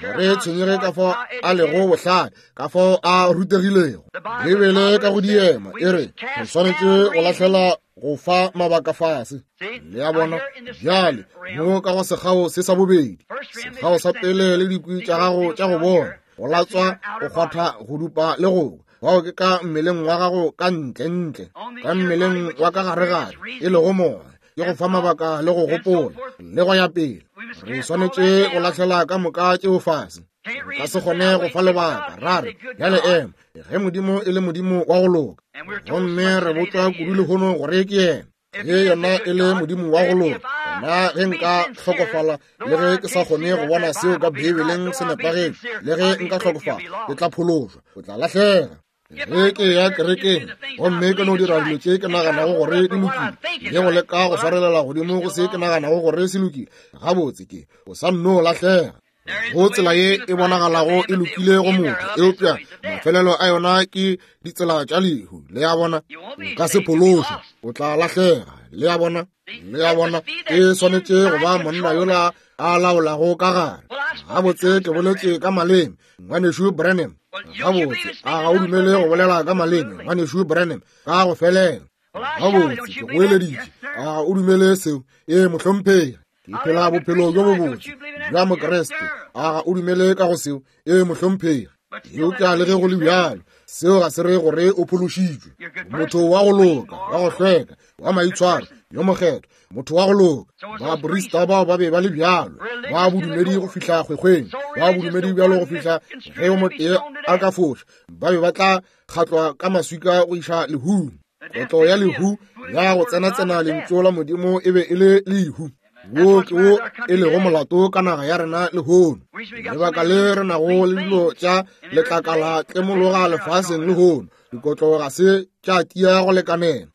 Ga re tshwenyege ka fao a lego bohlale, ka fao a rutegilego. Beibele ka go diema e re re swanetše go lahlela go fa mabaka fase. Le a bona? Bjale, mo ka go sekgao se sa bobedi, sekgao sa pele le dikwi tša gago tša go bona, go latswa, go kgwatha, go dupa le go bao ke ka mmeleng wa gago ka ntle-ntle, ka mmeleng wa ka gare-gare, e lego moya, ke go fa mabaka le go gopola le go ya pele. Re swanetše go lahlela ka moka tšeo fase. Re ka se kgone go fa lebaka ra re, bjale ema, ge Modimo e le Modimo wa go loka, gomme re botšwa kudu lehono gore ke yena, ge yena e le Modimo wa go loka, gona ge nka hlokofala, le ge ke sa kgone go bona seo ka Beibeleng se nepagetše, le ge nka hlokofala, ke tla phološwa, o tla lahlega. Ge ke ya kerekeng gomme ke no dira dilo tše ke naganago gore di lokile, le go leka go swarelela godimo go se ke naganago gore se lokile, gabotse ke o sa nno lahlega. Go tsela ye e bonagalago e lokile go motho, eupša mafelelo a yona ke ditsela tša lehu. Le a bona? O ka se phološwe, o tla lahlega. Le a bona? Le a bona? E swanetše go ba monna yola a laolago ka gare. Gabotse ke boletše ka maleme, Ngwanešu Branham. Gabotse, a ga o dumele go bolela ka maleme, Ngwanešu Branham? Ka go felela. Gabotse, ke goeleditše. A ga o dumele seo? Ee, mohlomphegi. Ke phela bophelo bjo bobotse bja Mokriste. A ga o dumele ka go seo? Ee, mohlomphegi. Eupša le ge go le bjalo, seo ga se re gore o phološitšwe. Motho wa go loka, wa go hlweka, wa maitshwaro, yo mokgethwa, motho wa go loka. Baprista bao ba be ba le bjalo, ba bodumedi go fihla kgwekgweng, ba bodumedi bjalo go fihla ge yo motee a ka foša, ba be ba tla kgatlwa ka maswika go iša lehung. Kotlo ya lehu Ya go tsenatsena lentšu la Modimo e be e le lehu. Wo ke wo e lego molato ka naga ya rena lehono. Lebaka le re nago le dilo tša letlakala tlemologa lefaseng lehono, dikotlo ga se tša tia go lekanela.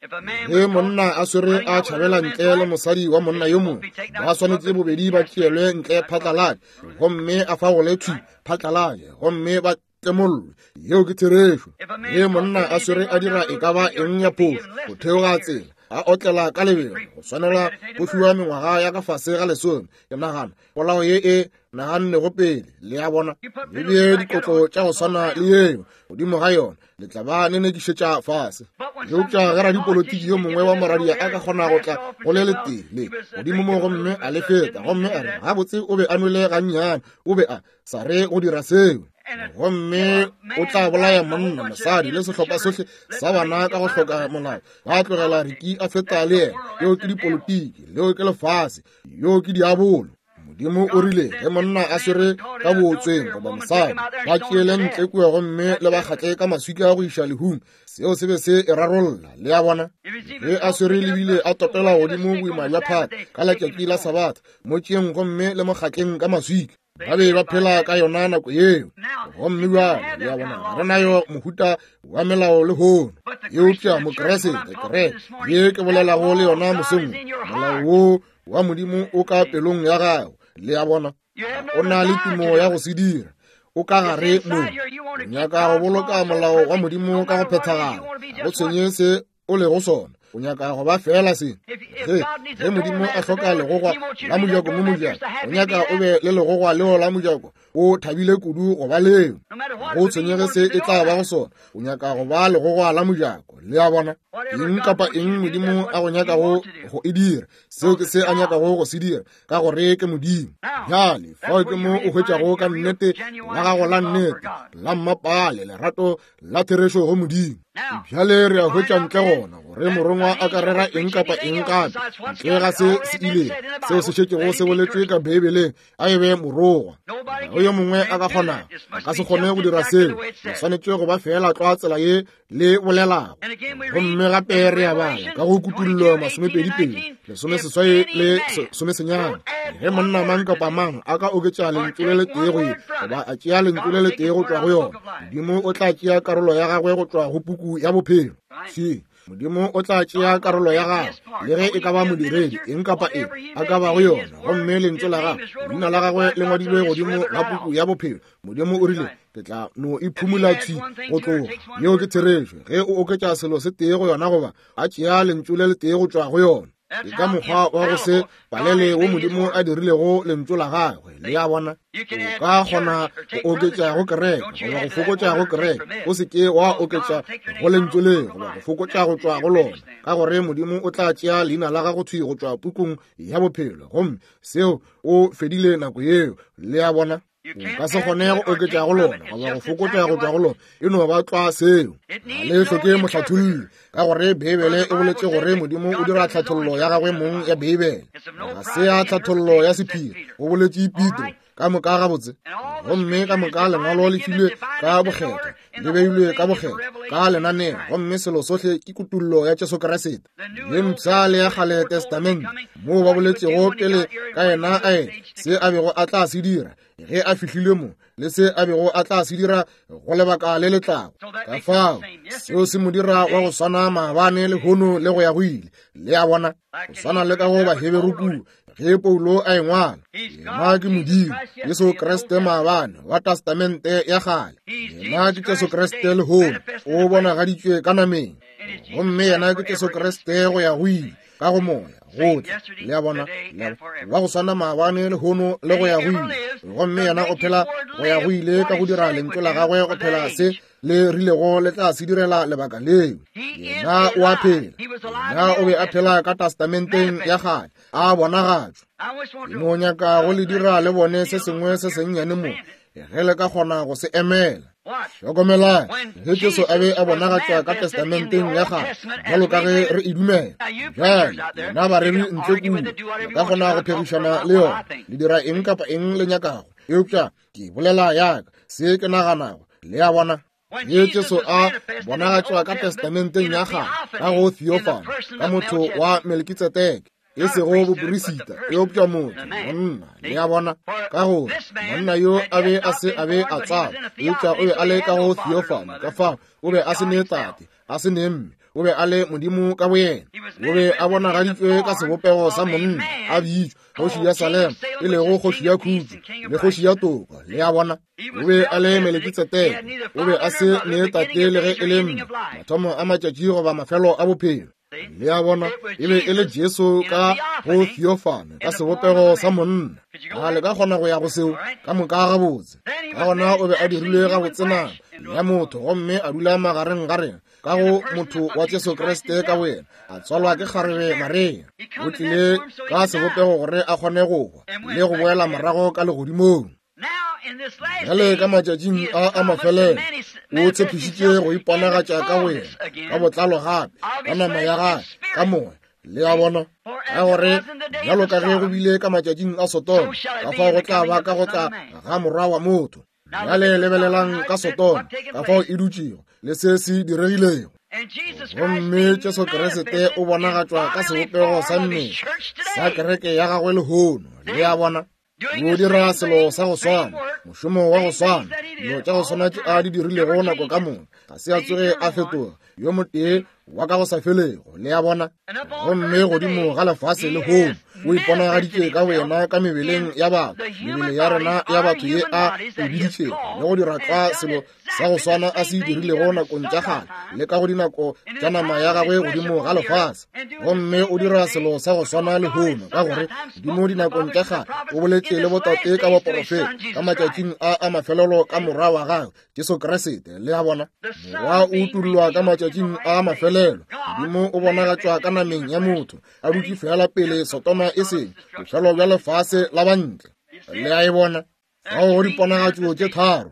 Ge monna a swere a tšhabela ntle le mosadi wa monna yo mongwe, ba swanetše bobedi ba tšeelwe ntle phatlalatše gomme a fagole thwi phatlalatše gomme ba tlemollwe. Yeo ke therešo. Ge monna a swere a dira e ka ba eng ya phošo, go theoga tsela a otlela ka lebelo, go swanela go fiwa mengwaga ya ka fase ga 10. Ke nagana polao ye e nagannego pele, le a bona, le bee dikotlo tša go swana le yeo godimo ga yona, le tla ba nenekišetša fase. Eupša ge radipolotiki yo mongwe wa moradia a ka kgona go tla go le letee le godimo mo gomme a le feta, gomme a re, gabotse o be a nwele gannyane, o be a sa re go dira seo, gomme o tla bolaya monna, mosadi le sehlopha sohle sa bana ka go hloka molao, ba tlogela Riki a feta le yena. Yeo ke dipolotiki, leo ke lefase, yo ke diabolo. Modimo o rile ge monna a swere ka bootsweng goba mosadi, ba tšeele ntle kua gomme le ba kgatle ka maswika go iša lehung. Seo se be se e rarolla, le a bona. Ge a swere lebile a topela godimo boima bja phata ka letšatši la Sabatha, mo tšeeng gomme le mo kgatleng ka maswika. Ba be ba phela ka yona nako yeo. Gomme bjale, le a bona, ga re nayo mohuta wa melao lehono. Eupša Mokeresete, kereke ye ke bolelago le yona mosong, molao wo wa Modimo o ka pelong ya gago, le a bona. O na le tumo ya go se dira, o ka gare mo. O nyaka go boloka molao wa Modimo ka go phethagala, ga go tshwenye se o lego sona, o nyaka go ba fela se. Ge Modimo a hloka legogwa la mojako mo mojako, o nyaka o be le legogwa leo la mojako, o thabile kudu go ba leo. Go tshwenyege se e tla ba go sona, o nyaka go ba legogwa la mojako, le a bona. Eng kapa eng Modimo a go nyakago go e dira, seo ke se a nyakago go se dira, ka gore ke Modimo. Bjale fao ke mo o hwetšago ka nnete la gago la nnete la mmapale lerato la therešo go Modimo. Bjale re a hwetša ntle gona gore morongwa a ka rera eng kapa eng gape ntle ga se se ile seo se šetšego se boletšwe ka Beibeleng, a e be morongwa. Ga go yo mongwe a ka kgonago, a ka se kgone go dira seo. Le swanetše go ba feela tlwa tsela ye le bolelago. Gomme gape re a bala ka go Kutullo 22, 18 le 19, ge monna mang kapa mang a ka oketša lentšu le letee go ye, goba a tšea lentšu le letee go tšwa go yona, Modimo o tla tšea karolo ya gagwe go tšwa go puku ya bophelo. Še, Modimo o tla tšea karolo ya gagwe, le ge e ka ba modiredi, eng kapa eng a ka bago yona, gomme lentšu la gagwe, leina la gagwe le ngwadilwe godimo ga puku ya bophelo. Modimo o rile, ke tla no e phumula thwi go tloga. Yeo ke therešo. Ge o oketša selo se tee go yona goba a tšea lentšu le letee go tšwa go yona, ke ka mokgwa wa go se palele wo Modimo a dirilego lentšu la gagwe. Le a bona? O ka kgona go oketša go kereke goba go fokotša go kereke, o se ke wa oketša go lentšu le goba go fokotša go tšwa go lona, ka gore Modimo o tla tšea leina la gago thwi go tšwa pukung ya bophelo, gomme seo o fedile nako yeo. Le a bona? O ka se kgone go oketša go lona goba go fokotša go tšwa go lona, e no ba tlwa seo. Ga le hloke mohlatholli, ka gore Beibele e boletše gore Modimo o dira tlhathollo ya gagwe mong ya Beibele. Ga se ya tlhathollo ya sephiri, go boletše Petro. Ka moka gabotse, gomme ka moka lengwalo le filwe ka bokgethwa, le beilwe ka bokgethwa ka lenaneo, gomme selo sohle ke kutullo ya Jesu Kriste ye mpsha le ya kgale Testamente, moo ba boletšego pele ka yena a ena se a bego a tla se dira ge a fihlile mo, le se a bego a tla se dira go lebaka le le tlago. Ka fao seo se mo dira wa go swana maabane, lehono le go ya go ile. Le a bona, go swana le ka go Baheberu kua, ge Paulo a e ngwala, yena ke Modimo, Jesu Kriste maabane wa Testamente ya kgale, yena ke Jesu Kriste lehono, o bonagaditšwe ka nameng, gomme yena ke Jesu Kriste go ya go ile ka go moya gohle. Le a bona, wa go swana maabane, lehono le go ya go ile, gomme yena o phela go ya go ile ka go dira lentšu la gagwe go phela se le rilego le tla se direla lebaka leo. Yena o a phela. Yena o be a phela ka Testamenteng ya kgale, a bonagatšwa. Ke no nyaka go le dira le bone se sengwe se sennyane mo, ge le ka kgona go se emela. Hlokomelang, ge Jesu a be a bonagatšwa ka Testamenteng ya kgale, bjalo ka ge re e dumela. Bjale, lena bareri ntle kua, le ka kgona go phegišana le yona, le dira eng kapa eng le nyakago, eupša ke bolela yaka, se ke naganago. Le a bona? Ge Jesu a bonagatšwa ka Testamenteng ya Kgale, ka go theophany, ka motho wa Melkitsedeke, e sego boperisita, eupša motho, monna, le a bona, ka gore monna yo a be a se a be a tswalwa, eupša o be a le ka go theophany, ka fao o be a se ne tate, a se ne mme, o be a le Modimo ka boyena. O be a bonagaditšwe ka sebopego sa monna, a bitšwa kgoši ya Salema, e lego kgoši ya khutšo le kgoši ya toka, le a bona. O be a le Melekitseteke, o be a se ne tate le ge e le mme, mathomo a matšatši goba mafelo a bophelo. Le a bona, e be e le Jesu ka go theophany, ka sebopego sa monna. A le ka kgona go ya go seo ka moka gabotse? Ka gona o be a dirilwe gabotse nama ya motho gomme a dula magareng ga rena ka go motho wa Jesu Kriste ka boyena, a tswalwa ke kgarebe Maria. O tlile ka sebopego gore a kgone go hwa le go boela morago ka legodimong. Bjale ka matšatšing a a mafelelo o tshepišitše go iponagatša ka boyena ka botlalo gape ka nama ya gagwe ka moya. Le a bona, ka gore bjalo ka ge go bile ka matšatšing a Sodoma, ka fao go tla ba ka go tla ga Morwa wa motho. Bjale lebelelang ka Sodoma, ka fao e dutšego le se se diregilego. Gomme Jesu Kriste o bonagatšwa ka sebopego sa mmele sa kereke ya gagwe lehono. Le a bona, o dira selo sa go swana, mošomo wa go swana, dilo tša go swana tše a di dirilego nako ka moka, ga se a tsoge a fetoga yo motee wa ka go sa felego. Le a bona? Gomme godimo ga lefase lehono o iponagaditše ka boyena ka mebeleng ya batho, mebele ya rena ya batho ye a e biditšego, le go dira tlwa selo sa go swana a se dirilego nakong tša kgale le ka go dinako tša nama ya gagwe godimo ga lefase. Gomme o dira selo sa go swana lehono, ka gore Modimo dinakong tša kgale o boletše le botate ka baporofeta ka matšatšing a a mafelelo ka Morwa wa gagwe Jesu Kriste. Le a bona, Morwa o utollwa ka matšatšing a mafelelo. Modimo o bonagatšwa ka nameng ya motho, a dutše fela pele Sodoma e seng bofelo bja lefase la bantle. Le a e bona? Fao go diponagatšo tše tharo.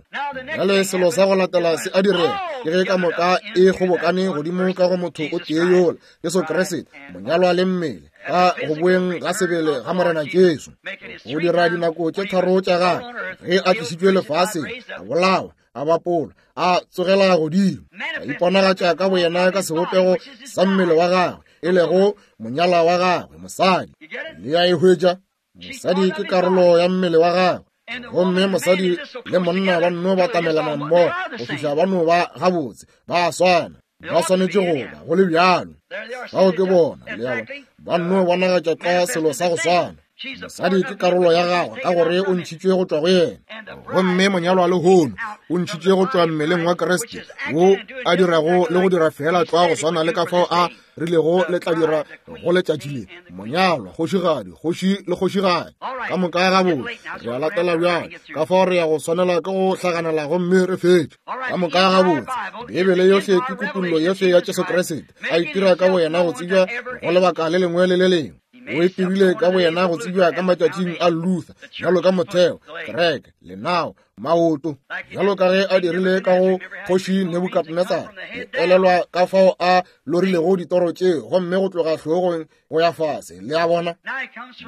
Bjale selo sa go latela se a direga ke ge ka moka e kgobokane godimo ka go motho o tee yola, Jesu Kriste, monyalwa le mmele, ka go boeng ga sebele ga Morena Jesu. Go dira dinako tše tharo tša gagwe ge a tlišitšwe lefaseng, a bolawa, a bapolwa, a tsogela godimo, a iponagatša ka boyena ka sebopego sa mmele wa gagwe, e lego monyalwa wa gagwe, mosadi. Le a e hwetša? Mosadi ke karolo ya mmele wa gagwe, gomme mosadi le monna ba nno batamelana mmogo go fihla ba no ba gabotse, ba swana, ba swanetše go ba go le bjalo. Bao ke bona, le a bona, ba nno bonagatša tlwa selo sa go swana. Mosadi ke karolo ya gagwe ka gore o ntšhitšwe go tšwa go yena, gomme monyalwa lehono o ntšhitšwe go tšwa mmeleng wa Kriste, wo a dirago le go dira feela tlwa go swana le ka fao a rilego le tla dira go letšatši le monyalwa, kgošigadi, kgoši le kgošigadi ka moka gabotse. Re a latela bjale, ka fao re ya go swanela ke go hlaganela gomme re fetše ka moka gabotse. Beibele yohle ke kutollo yohle ya Jesu Kriste, a itira ka boyena go tsebja go lebaka le lengwe le le lengwe. O itirile ka boyena go tsebja ka matšatšing a Luther bjalo ka motheo, kereke, lenao, maoto, bjalo ka ge a dirile ka go kgoši Nebukadnetsara. Le elelwa ka fao a lorilego ditoro tše, gomme go tloga hlogong go ya fase. Le a bona?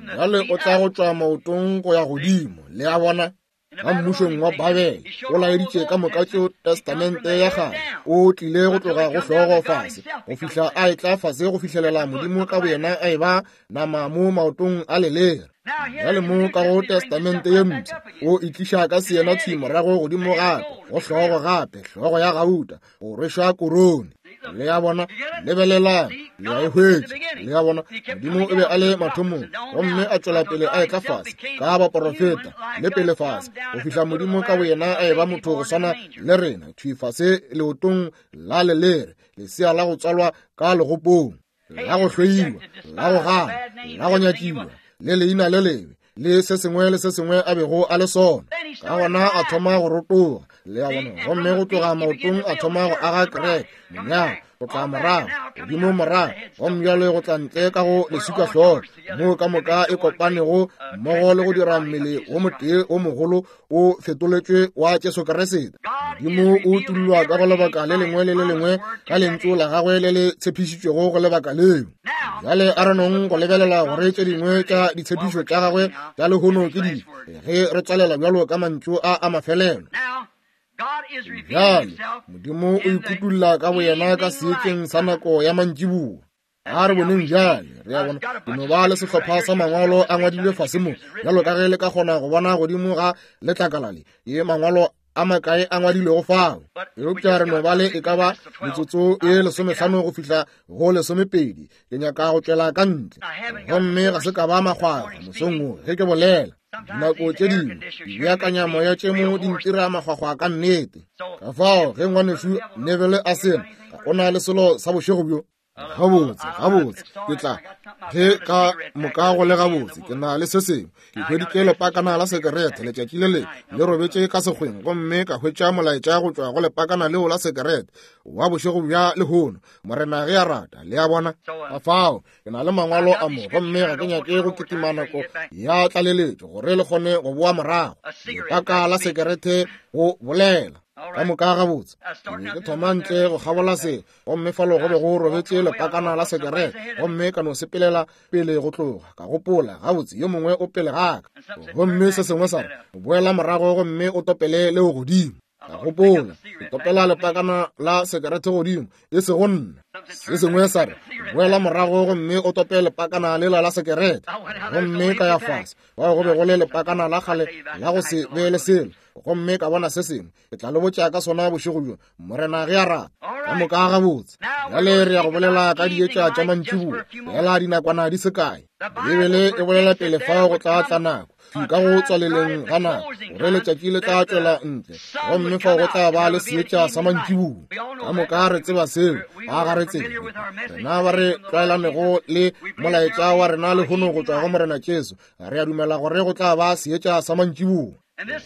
Bjale o tla go tšwa maotong go ya godimo. Le a bona? Ka mmušong wa Babele o laeditše ka moka tšeo Testamente ya kgale. O tlile go tloga go hlogo fase go fihla a etla fase go fihlelela Modimo ka boyena a eba nama mo maotong a lelere. Bjale mo ka go Testamente ye Mpsha o itliša ka seyena thwi morago godimo gape go hlogo gape, hlogo ya gauta, go rwešwa korone. Le a bona? Lebelelang, le a e hwetša. Le a bona? Modimo o be a le mathomong, gomme a tšwela pele a etla fase ka baporofeta le pele fase go fihla Modimo ka boyena a eba motho go swana le rena, thwi fase leotong la lelere, lesea la go tswalwa ka legopong, la go hloiwa, la go gana, la go nyatšiwa, le leina le lebe, le se sengwe le se sengwe a bego a le sona. Ka gona a thoma go rotoga, le a bona, gomme go tloga maotong a thoma go aga kereke, monyalwa, go tla morago, godimo morago, gomme bjale go tla ntle ka go leswika hlogo, moo ka moka e kopanego mmogo le go dira mmele wo motee wo mogolo o fetoletšwe wa Jesu Kriste. Modimo o utollwa ka go lebaka le lengwe le le lengwe ka lentšu la gagwe le le tshepišitšwego go lebaka leo. Bjale a re nong go lebelela gore tše dingwe tša ditshepišo tša gagwe tša lehono ke dife ge re tswalela bjalo ka mantšu a a mafelelo. Bjale Modimo o ikutulla ka boyena ka seetšeng sa nako ya mantšiboa. A re boneng bjale, re a bona ke no ba le sehlopha sa mangwalo a ngwadilwe fase mo, bjalo ka ge le ka kgona go bona godimo ga letlakala le, ye mangwalo a makae a ngwadilwego fao. Eupša re no ba le e ka ba metsotso e 15 go fihla go 20. Ke nyaka go tšwela ka ntle, gomme ga se ka ba makgwakgwa mosong wo ge ke bolela. Dinako tše dingwe dibeakanyamoya tše mo di ntira makgwakgwa ka nnete. Ka fao ge ngwanešu Neville a sena, ga o na le selo sa bošego bjo. Gabotse, gabotse, ke tla ge ka moka go le gabotse, ke na le se sengwe. Ke hweditše lepakana la sekerete letšatši le lengwe le robetše ka sekgweng, gomme ka hwetša molaetša go tšwa go lepakana leo la sekerete wa bošego bja lehono, Morena ge a rata. Le a bona? Ka fao ke na le mangwalo a mo, gomme ga ke nyake go kitima nako ya tlaleletšo gore le kgone go boa morago. Lepaka la sekerete go bolela ka moka gabotse. Ke be ke thoma ntle go kgabola se, gomme falo go be go robetše lepakana la sekerete, gomme ka no sepelela pele go tloga. Ka gopola, gabotse, yo mongwe o pele ga ka. Gomme se sengwe sa re, boela morago gomme o topele leo godimo. Ka gopola, ke topela lepakana la sekerete godimo, e sego nna. Se sengwe sa re, boela morago gomme o tope lepakana lela la sekerete. Gomme ka ya fase, fao go be go le lepakana la kgale la go se be le selo, gomme ka bona se sengwe. Ke tla le botša ka sona bošego bjo, Morena ge a rata. Ka moka gabotse. Bjale re ya go bolela ka dietša tša mantšiboa, fela dinakwana di se kae. Beibele e bolela pele fao go tla tla nako, thwi ka go tswaleleng ga nako, gore letšatši le tla tšwela ntle, gomme fao go tla ba le seetša sa mantšiboa. Ka moka re tseba seo, a ga re tsebe? Rena ba re tlwaelanego le molaetša wa rena lehono go tšwa go Morena Jesu, re a dumela gore go tla ba seetša sa mantšiboa.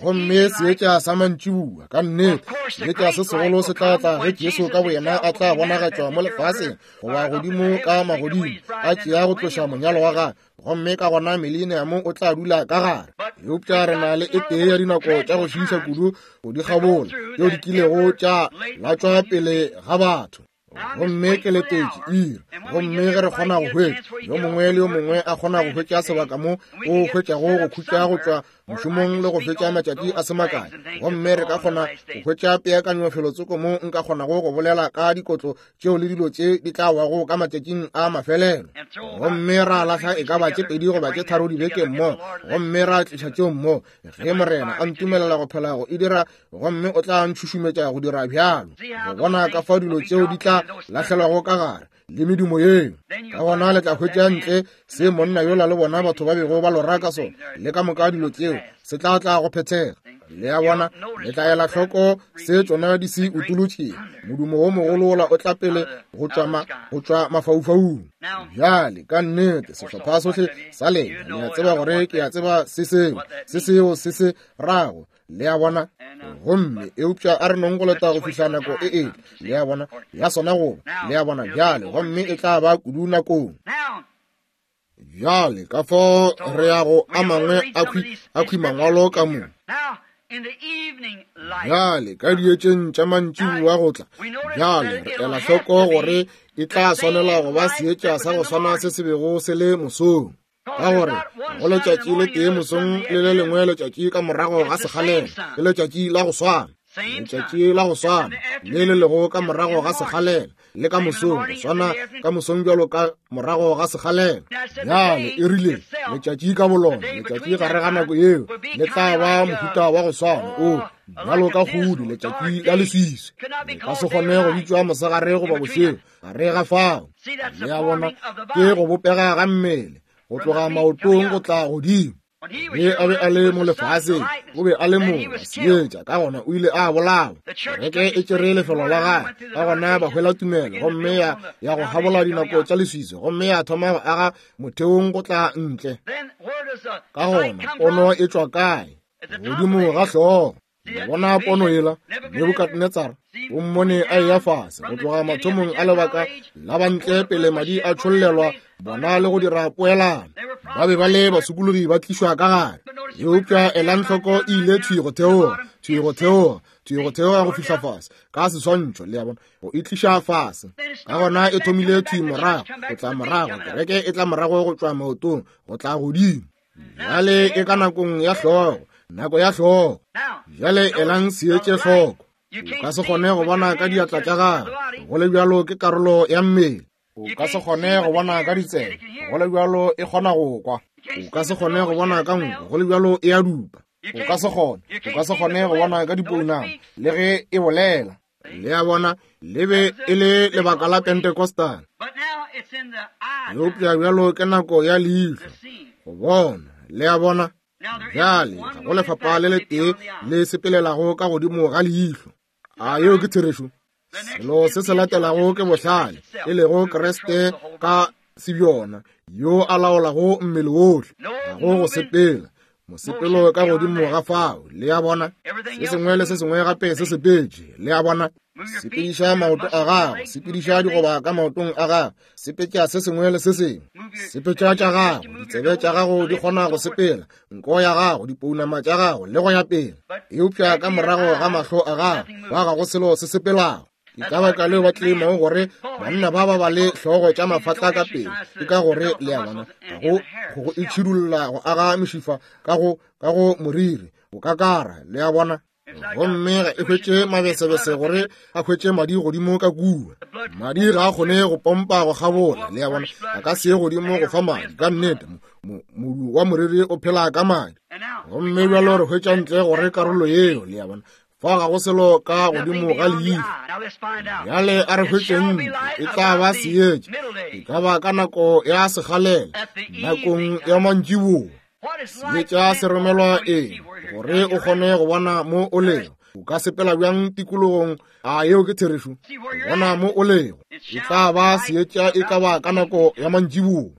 Gomme seetša sa mantšiboa, ka nnete, seetša se segolo se tla tla ge Jesu ka boyena a tla bonagatšwa mo lefaseng goba godimo ka magodimo, a tšea go tloša monyalo wa gagwe, gomme ka gona mileniamo o tla dula ka gare. Eupša re na le e tee ya dinako tša go šiiša kudu go di kgabola tšeo di kilego tša latswa pele ga batho. Gomme ke letetše iri, gomme ge re kgona go hwetša yo mongwe le yo mongwe a kgona go hwetša sebaka mo o hwetšago go khutša go tšwa mošomong le go fetša matšatši a se makae, gomme re ka kgona go hwetša peakanyo felotsoko mo nka kgonago go bolela ka dikotlo tšeo le dilo tše di tla wago ka matšatšing a mafelelo, gomme ra lahla e ka ba tše 2 goba tše 3 dibeke mmogo, gomme ra tliša tšeo mmogo, ge Morena a ntumelela go phela go e dira, gomme o tla ntšhušumetša go dira bjalo, go bona ka fao dilo tšeo di tla lahlelwago ka gare le medumo yeo. Ka gona le tla hwetša ntle se monna yola le bona batho ba bego ba lora ka sona, le ka moka dilo tšeo, se tla tla go phethega. Le a bona, le tla ela hloko se tšona di se utolotšego. Modumo wo mogolo wola o tla pele go tšwa mafaufaung. Bjale, ka nnete, sehlopha sohle sa lena le a tseba gore ke a tseba se seo, se seo se se rago. Le a bona? Gomme eupša a re nong go leta go fihla nako e etla, le a bona, ya sona goba, le a bona, bjale, gomme e tla ba kudu nakong. Bjale, ka fao re ya go a mangwe a khwi mangwalo ka mo. Bjale, ka dietšeng tša mantšiboa go tla, bjale re ela hloko gore e tla swanela go ba seetša sa go swana se se bego se le mosong. Ka gore go letšatši le tee mosong le le lengwe letšatši ka morago ga sekgalela, ke letšatši la go swana, letšatši la go swana le le lego ka morago ga sekgalela le ka mosong, go swana ka mosong bjalo ka morago ga sekgalela. Bjale e rile letšatši ka bolona, letšatši gare ga nako yeo le tla ba mohuta wa go swana o bjalo ka kgudi, letšatši la leswiswi. Le ka se kgone go bitšwa mosegare goba bošego gare ga fao. Le a bona, ke go bopega ga mmele go tloga maotong go tla godimo. Ge a be a le mo lefaseng, o be a le morwa seetša, ka gona o ile a bolawa. Kereke e tšere lefelo la gagwe, ka gona ba hwela tumelo, gomme ya go gabola dinako tša leswiswi, gomme ya thoma go aga motheong go tla ntle. Ka gona pono e tšwa kae? Godimo ga hlogo. Le bona pono yela? Nebukadnetsara o mmone a eya fase go tloga mathomong a lebaka la bantle pele madi a tšhollelwa bona le go dira poelano. Ba be ba le basokologi ba tlišwa ka gare. Eupša elang hloko, e ile thwi go theoga, thwi go theoga, thwi go theoga go fihla fase ka seswantšho, le a bona, go e tliša fase. Ka gona e thomile thwi morago, go tla morago, kereke e tla morago go tšwa maotong go tla godimo. Bjale e ka nakong ya hlogo, nako ya hlogo. Bjale elang seetše hloko. O ka se kgone go bona ka diatla tša gago, go le bjalo ke karolo ya mmele. O ka se kgone go bona ka ditsebe, go le bjalo e kgona go kwa. O ka se kgone go bona ka nko, go le bjalo e a dupa. O ka se kgone, o ka se kgone go bona ka dipounama, le ge e bolela. Le a bona, le be e le lebaka la Pentecostal. Eupša bjalo ke nako ya leihlo, go bona. Le a bona? Bjale, ga go lefapha le letee le sepelelago ka godimo ga leihlo. A yeo ke therešo? Selo se se latelago ke bohlale, e lego Kriste ka sebjona, yo a laolago mmele wohle. Ga go go sepela, mosepelo ka godimo ga fao. Le a bona? Se sengwe le se sengwe gape se sepetše. Le a bona? Sepediša maoto a gago, sepediša digoba ka maotong a gago, sepetša se sengwe le se sengwe, sepetša tša gago, ditsebe tša gago di kgona go sepela, nko ya gago, dipounama tša gago, le go ya pele. Eupša ka morago ga mahlo a gago, ba ga go selo se sepelago. Ke ka baka leo ba tleimago gore banna ba ba ba le hlogo tša mafatla ka pele, ke ka gore, le a bona, ga go go itšhidulla go aga mešifa ka go ka go moriri, go kakara, le a bona. Gomme ga e hwetše mabesebese gore a hwetše madi godimo ka kua. Madi ga a kgone go pompa go kgabola, le a bona, a ka se ye godimo go fa madi. Ka nnete, modu wa moriri o phela ka madi. Gomme bjalo re hwetša ntle gore karolo yeo, le a bona, fa ga go selo ka godimo ga leihlo. Bjale a re hwetšeng ntle, e tla ba seetša, e ka ba ka nako ya sekgalela, nakong ya mantšiboa. Seetša se romelwa eng? Gore o kgone go bona mo o lego. O ka sepela bjang tikologong? A yeo ke therešo? Go bona mo o lego. E tla ba seetša e ka ba ka nako ya mantšiboa.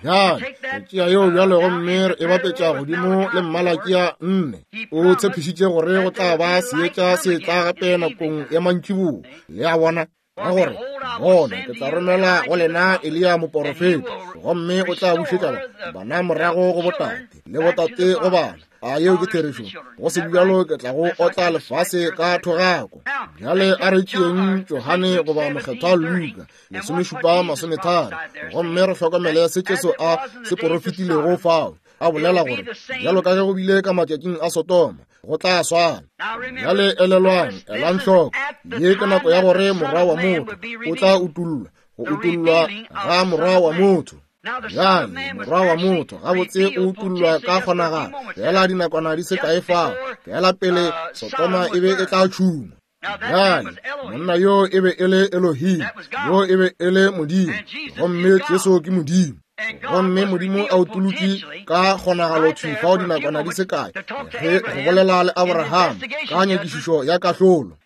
Bjale, re tšea yeo bjale gomme re e bapetša godimo le Mmalakia 4. O tshepišitše gore go tla ba seetša se tla gape nakong ya mantšiboa. Le a bona? Ka gore, bona, ke tla romela go lena Eliya moporofeta, gomme o tla bušetša bana morago go botate, le botate go bana. A yeo ke therešo? Go se bjalo ke tla go otla lefase ka thogako. Bjale a re tšeeng Johane goba Mokgethwa Luka 17:30, gomme re hlokomele se Jesu a se porofetilego fao, a bolela gore bjalo ka ge go bile ka matšatšing a Sodoma, go tla swana. Bjale elelwang, elang hloko, ye ke nako ya gore Morwa wa motho o tla utollwa, go utollwa ga Morwa wa motho. Bjale Morwa wa motho gabotse o utollwa ka kgonagalo fela dinakwana di se kae fao, fela pele Sodoma e be e tla tšhuma. Bjale monna yo e be e le Elohim, yo e be e le Modimo, gomme Jesu ke Modimo. Gomme Modimo a utolotše ka kgonagalo thwi fao dinakwana di se kae ge go bolela le Abraham ka nyakišišo ya kahlolo.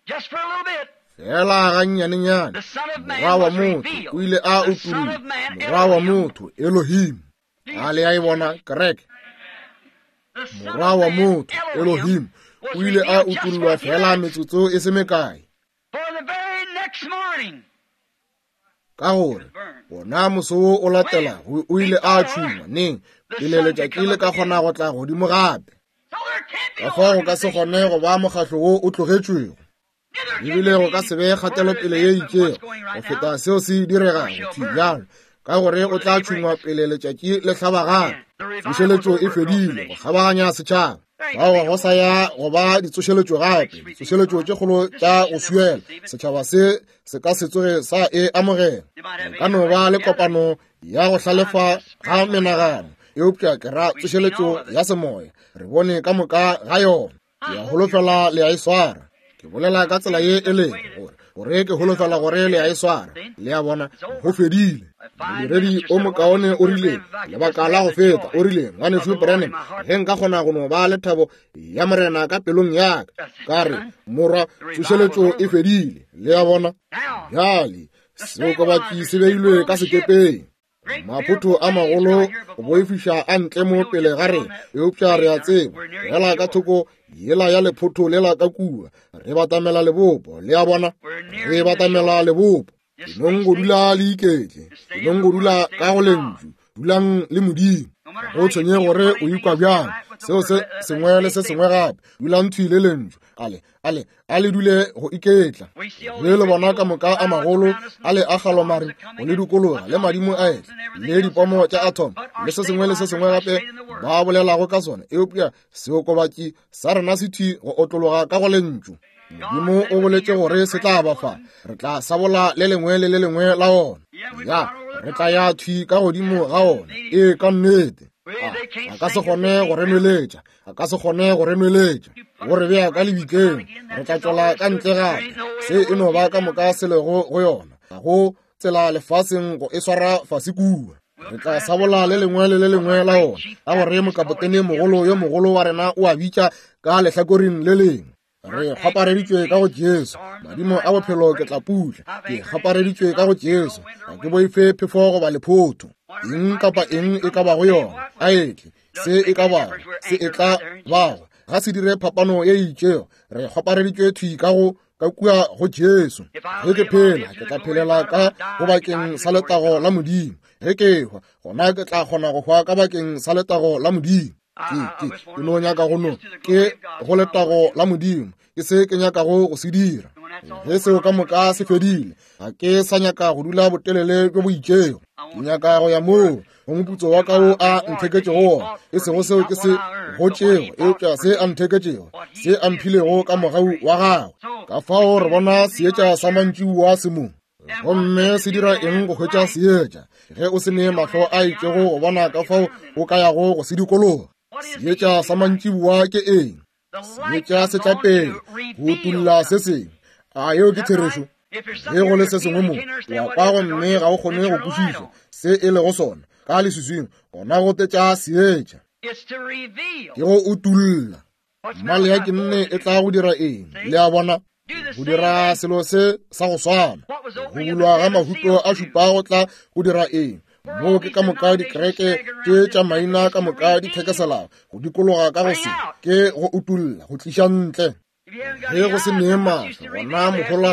Fela gannyanenyane, Morwa wa motho o ile a utollwa, Morwa wa motho, Elohim. A le a e bona, kereke? Morwa wa motho, Elohim, o ile a utollwa fela metsotso e se mekae. Ka gore wona moso wo o latelago o ile a tšhungwa neng pele letšatši le ka kgona go tla godimo gape. Ka fao go ka se kgone go ba mokgahlo wo o tlogetšwego. Ebile go ka se be kgatelopele ye itšego go feta seo se diregago thwi bjalo, ka gore o tla tšhungwa pele letšatši le hlaba gape. Tsošeletšo e fedile go kgabaganya setšhaba. Fao ga go sa ya go ba ditsošeletšo gape, ditsošeletšo tše kgolo tša go swiela. Setšhaba se se ka se tsoge sa e amogela. Go ka no ba le kopano ya go hlalefa ga menagano, eupša ke ra tsošeletšo ya semoya. Re bone ka moka ga yona. Ke a holofela le a e swara. Ke bolela ka tsela ye e lego gore, gore ke holofela gore le a e swara. Le a bona, go fedile. Modiredi o mokaone o rile, lebaka la go feta, o rile, Ngwanešu Branham, ge nka kgona go no ba le thabo ya Morena ka pelong ya ka. Ka re, Morwa, tsošeletšo e fedile. Le a bona? Bjale, seokobatši se beilwe ka sekepeng. Maphotho a magolo go boifiša a ntle mo pele ga rena, eupša re a tseba fela ka thoko yela ya lephotho lela ka kua, re batamela lebopo. Le a bona, re batamela lebopo. Enong go dula le iketle, enong go dula ka go lentšu, dulang le Modimo. Ga go tshwenye gore o ikwa bjang, Seo se sengwe le se sengwe gape, dulang thwi le Lentšu. Ale, ale, a le dule go iketla. Ge le bona ka moka a magolo a le a galomare go le dikologa le madimo a etla le dipomo tša atom le se sengwe le se sengwe gape ba bolelago ka sona, eupša seokobatši sa rena se thwi go otlologa ka go Lentšu. Modimo o boletše gore se tla ba fa, re tla sabola le lengwe le le lengwe la ona. Ya, re tla ya thwi ka godimo ga ona. Ee, ka nnete. A ka se kgone go re nweletša, a ka se kgone go re nweletša, go re bea ka lebitleng. Re tla tšwela ka ntle gape. Se e no ba ka moka se lego go yona. Ga go tsela lefaseng go e swara fase kua. Re tla sabola le lengwe le le lengwe la ona, ka gore mokapotene mogolo yo mogolo wa rena o a bitša ka lehlakoreng le lengwe. Re kgwapareditšwe ka go Jesu, madimo a bophelo ke tla putla. Ke kgwapareditšwe ka go Jesu, ga ke boife phefo goba lephotho. Eng kapa eng e ka bago yona, a etle, se e ka bago, se e tla bago, ga se dire phapano ye e itšego. Re kgwapareditšwe thwi ka go ka kua go Jesu. Ge ke phela, ke tla phelela ka go bakeng sa letago la Modimo. Ge ke hwa, gona ke tla kgona go hwa ka bakeng sa letago la Modimo. Ke no nyaka go no ke go letago la Modimo, ke se ke nyakago go se dira. Ge seo ka moka se fedile, ga ke sa nyaka go dula botelele bjo bo itšego. Ke nyaka go ya moo go moputso wa ka wo a ntheketšego wona, e sego seo ke se gotšego, eupša se a ntheketšego, se a mphilego ka mogau wa gagwe. Ka fao re bona seetša sa mantšiboa se mo. Gomme se dira eng go hwetša seetša ge o se ne mahlo a itšego go bona ka fao o ka yago go se dikologa? Seetša sa mantšiboa ke eng? Seetša se tla pele go utolla se sengwe. A yeo ke therešo? Ge go le se sengwe mo, wa kwa gomme ga o kgone go kwešiša se e lego sona ka leswiswing, gona go tetša seetša. Ke go utolla. Maleaki nne e tla go dira eng? Le a bona? Go dira selo se sa go swana. Go bulwa ga mahuto a šupa go tla go dira eng? Moo ke ka moka dikereke tše tša maina ka moka di thekeselago go dikologa ka go se ke go utolla, go tliša ntle. Ge go se nee mahlo, gona mohola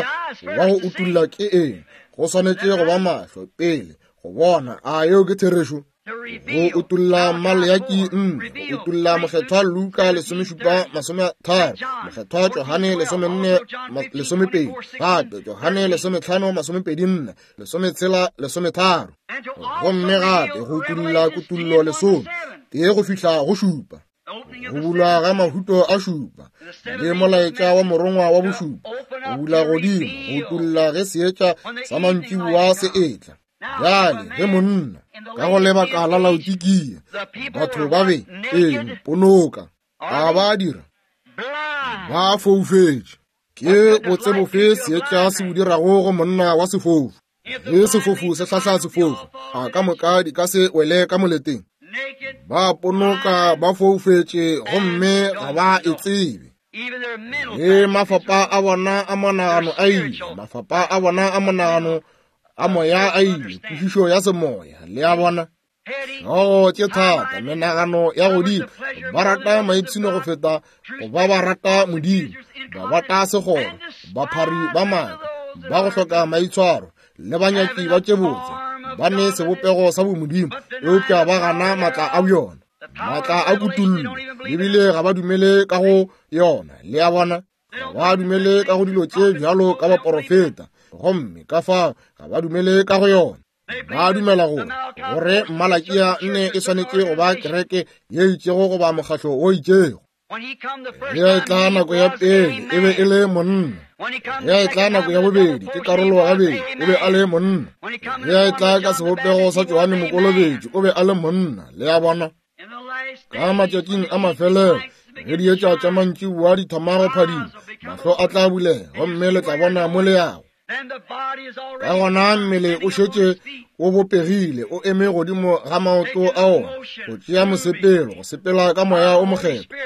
wa go utolla ke eng? Go swanetše go ba mahlo pele go bona. A yeo ke therešo? Go utolla Maleaki nne, go utolla Mokgethwa Luka 17:30, Mokgethwa Johane 14:12, gape Johane 15:24, 16:13, gomme gape go utolla Kutullo 10 tee go fihla go 7. Go bulwa ga mahuto a šupa le molaetša wa morongwa wa bošupa, go bula godimo, go utolla ge seetša sa mantšiboa se etla. Bjale ge monna ka go lebaka la Laodikia, batho ba be eng ponoka, a ba dira ba foufetše. Ke botse bofe seetša se bo dirago go monna wa sefofu? Ge sefofu se hlahla sefofu, a ka moka di ka se wele ka moleteng? Ba ponoka ba foufetše gomme ga ba e tsebe. Le mafapa a bona a monagano a ile, mafapa a bona a monagano a moya a ile, kwešišo ya semoya, le a bona. Hlogo tše thata, menagano ya godimo, ba rata maipshino go feta go ba ba rata Modimo, ba bata segoro, baphari ba maaka, ba go hloka maitshwaro, le banyaki ba tše botse, ba ne sebopego sa bomodimo, eupša ba gana maatla a bjona, maatla a kutullo, ebile ga ba dumele ka go yona, le a bona. Ga ba dumele ka go dilo tše bjalo ka baporofeta, gomme ka fao ga ba dumele ka go yona. Ba dumela gore gore Malakia nne e swanetše go ba kereke ye itšego goba mokgatlo o itšego. Ge a etla nako ya pele e be e le monna, ge a etla nako ya bobedi ke karolo gabedi o be a le monna, ge a etla ka sebopego sa Johane Mokolobetši o be a le monna, le a bona. Ka matšatšing a mafelelo ge dietša tša mantšiboa di thoma go phadima, mahlo a tla bulega gomme le tla bona mo le yago. Ka gona mmele o šetše o bopegile, o eme godimo ga maoto a ona, go tšea mosepelo, go sepela ka Moya o Mokgethwa.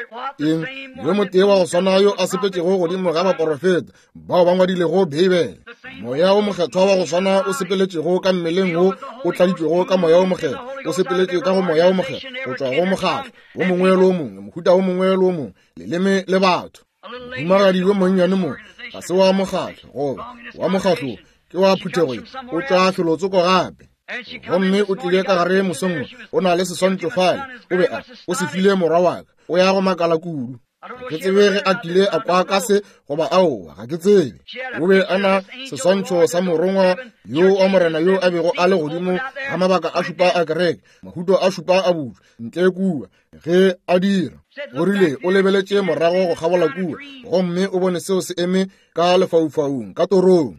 Eng? Yo motee wa go swana yo a sepetšego godimo ga baporofeta bao ba ngwadilego Beibele. Moya o Mokgethwa wa go swana o sepeletšego ka mmeleng wo o tladitšwego ka Moya o Mokgethwa, o sepeletše ka go Moya o Mokgethwa, go tšwa go mokgatlo wo mongwe le wo mongwe, mohuta wo mongwe le wo mongwe, leleme le batho. Mohumagadi yo monnyane mo ga se wa mokgatlo goba wa mokgatlo, ke wa phuthego ye, o tšwa felotsoko gape. Gomme o tlile ka gare mosong, o na le seswantšho fale, o be a, o se file morwa wa ka, o ya go makala kudu. Ga ke tsebe ge a kile a kwa ka se goba aowa, ga ke tsebe. O be a na seswantšho sa morongwa yo wa Morena yo a bego a le godimo ga mabaka a šupa a kereke, mahuto a šupa a butšwa ntle kua ge a dira. O rile o lebeletše morago go kgabola kua gomme o bone seo se eme ka lefaufaung ka torong.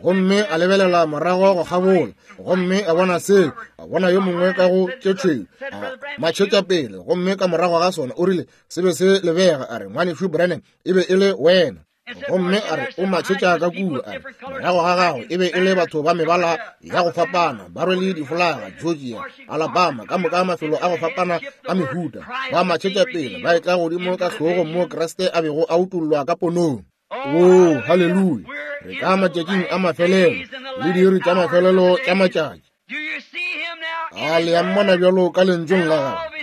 Gomme a lebelela morago go kgabola gomme a bona seo, a bona yo mongwe ka go tše tšhweu a matšhetša pele, gomme ka morago ga sona o rile se be se lebega, a re, Ngwanešu Branham, e be e le wena. Gomme a re o matšhetša ka kua, a re morago ga gago e be e le batho ba mebala ya go fapana, ba rwele difolaga, Georgia, Alabama, ka moka mafelo a go fapana a mehuta, ba matšhetša pele ba etla godimo ka hlogong mo Kriste a bego a utollwa ka ponong. Oo, haleluya! Re ka matšatšing a mafelelo le diiri tša mafelelo tša matšatši. A le a mmona bjalo ka lentšong la gagwe,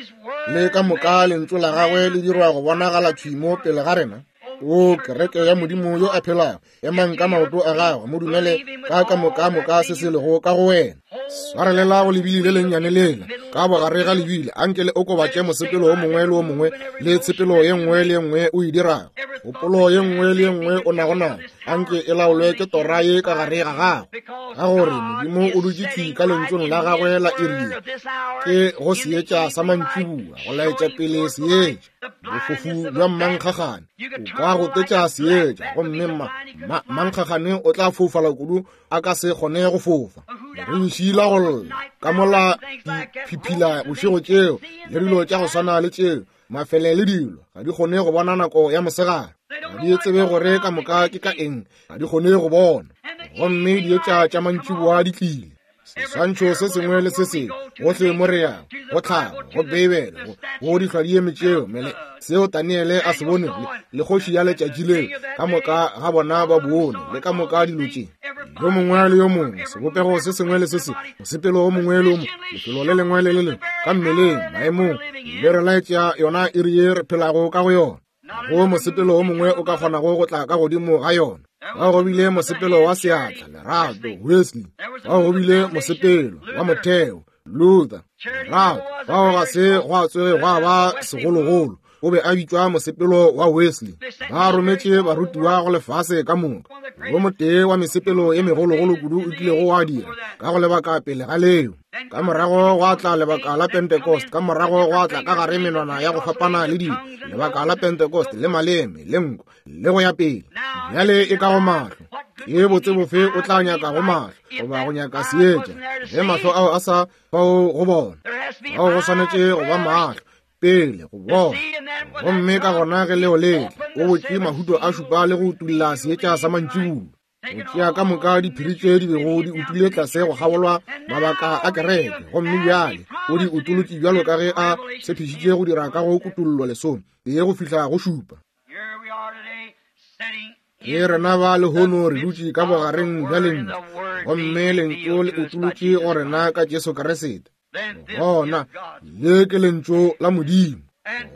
le ka moka lentšu la gagwe le dirwa go bonagala thwi mo pele ga rena. O kereke ya Modimo yo a phelago, emang ka maoto a gagwe, mo dumele ka ka moka moka se se lego ka go wena. Swarelela go lebili le lennyane lela ka bogare ga lebili, anke le okobatše mosepelo o mongwe le o mongwe le tshepelo ye nngwe le ye nngwe o e dirago, kgopolo ye nngwe le ye nngwe o nago nayo, anke e laolwe ke tora ye ka gare ga gago, ka gore Modimo o dutše thwi ka lentšong la gagwe la iri ye, ke go seetša sa mantšiboa go laetša pele seetša. Bofofu bja mmankgagane o ka gotetša seetša, gomme mmankgagane o tla foufala kudu a ka se kgone go fofa. Leribisi la go lla ka mola diphiphila bošego tšeo le dilo tša go swana le tšeo, mafele le dilo ga di kgone go bona nako ya mosegare, ga di tsebe gore ka moka ke ka eng, ga di kgone go bona. Gomme dietša tša mantšiboa di tlile. Seswantšho se sengwe le se sengwe, gohle mo re yago, go tlhago, go Beibele, go dihlwa di eme tšeo, mele seo Daniele a se bonego, le kgoši ya letšatši leo, ka moka ga bona ba bone, le ka moka dilo tše. Yo mongwe le yo mongwe, sebopego se sengwe le se sengwe, mosepelo o mongwe le o mongwe, lefelo le lengwe le le lengwe, ka mmeleng, maemong, le re laetša yona iri ye re phelago ka go yona. Go mosepelo o mongwe o ka kgonago go tla ka godimo ga yona. Ba go bile mosepelo wa seatla, lerato, Wesley. Ba go bile mosepelo wa motheo, Luther, lerato. Bao ga se gwa tsoge gwa ba segologolo, o be a bitšwa mosepelo wa Wesley. Ba rometše barutiwa go lefase ka moka. Wo motee wa mesepelo ye megologolo kudu o kilego wa dira ka go lebaka pele ga leo. Ka morago gwa tla lebaka la Pentecost, ka morago gwa tla ka gare menwana ya go fapana le dilo, lebaka la Pentecost le maleme le nko le go ya pele. Bjale e ka go mahlo, ke botse bofe o tla nyaka go mahlo goba go nyaka seetša ge mahlo ao a sa fao go bona? Ao go swanetše go ba mahlo pele go bona, gomme ka gona ge leo le tla, o botše mahuto a šupa le go utulla seetša sa mantšiboa. Go tšea ka moka diphiri tše di bego di utile tlase go kgabolwa mabaka a kereke, gomme bjale o di utolotše bjalo ka ge a tshepišitše go dira ka go kutollo lesome tee go fihla go šupa. Ke rena ba lehono re dutše ka bogareng bja lentšu, gomme lentšu le utolotše go rena ka Jesu Kriste. Gona le ke lentšu la Modimo,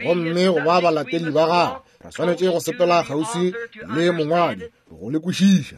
gomme go ba balatedi ba gagwe re swanetše go sepela kgauswi le mongwadi go le kwešiša.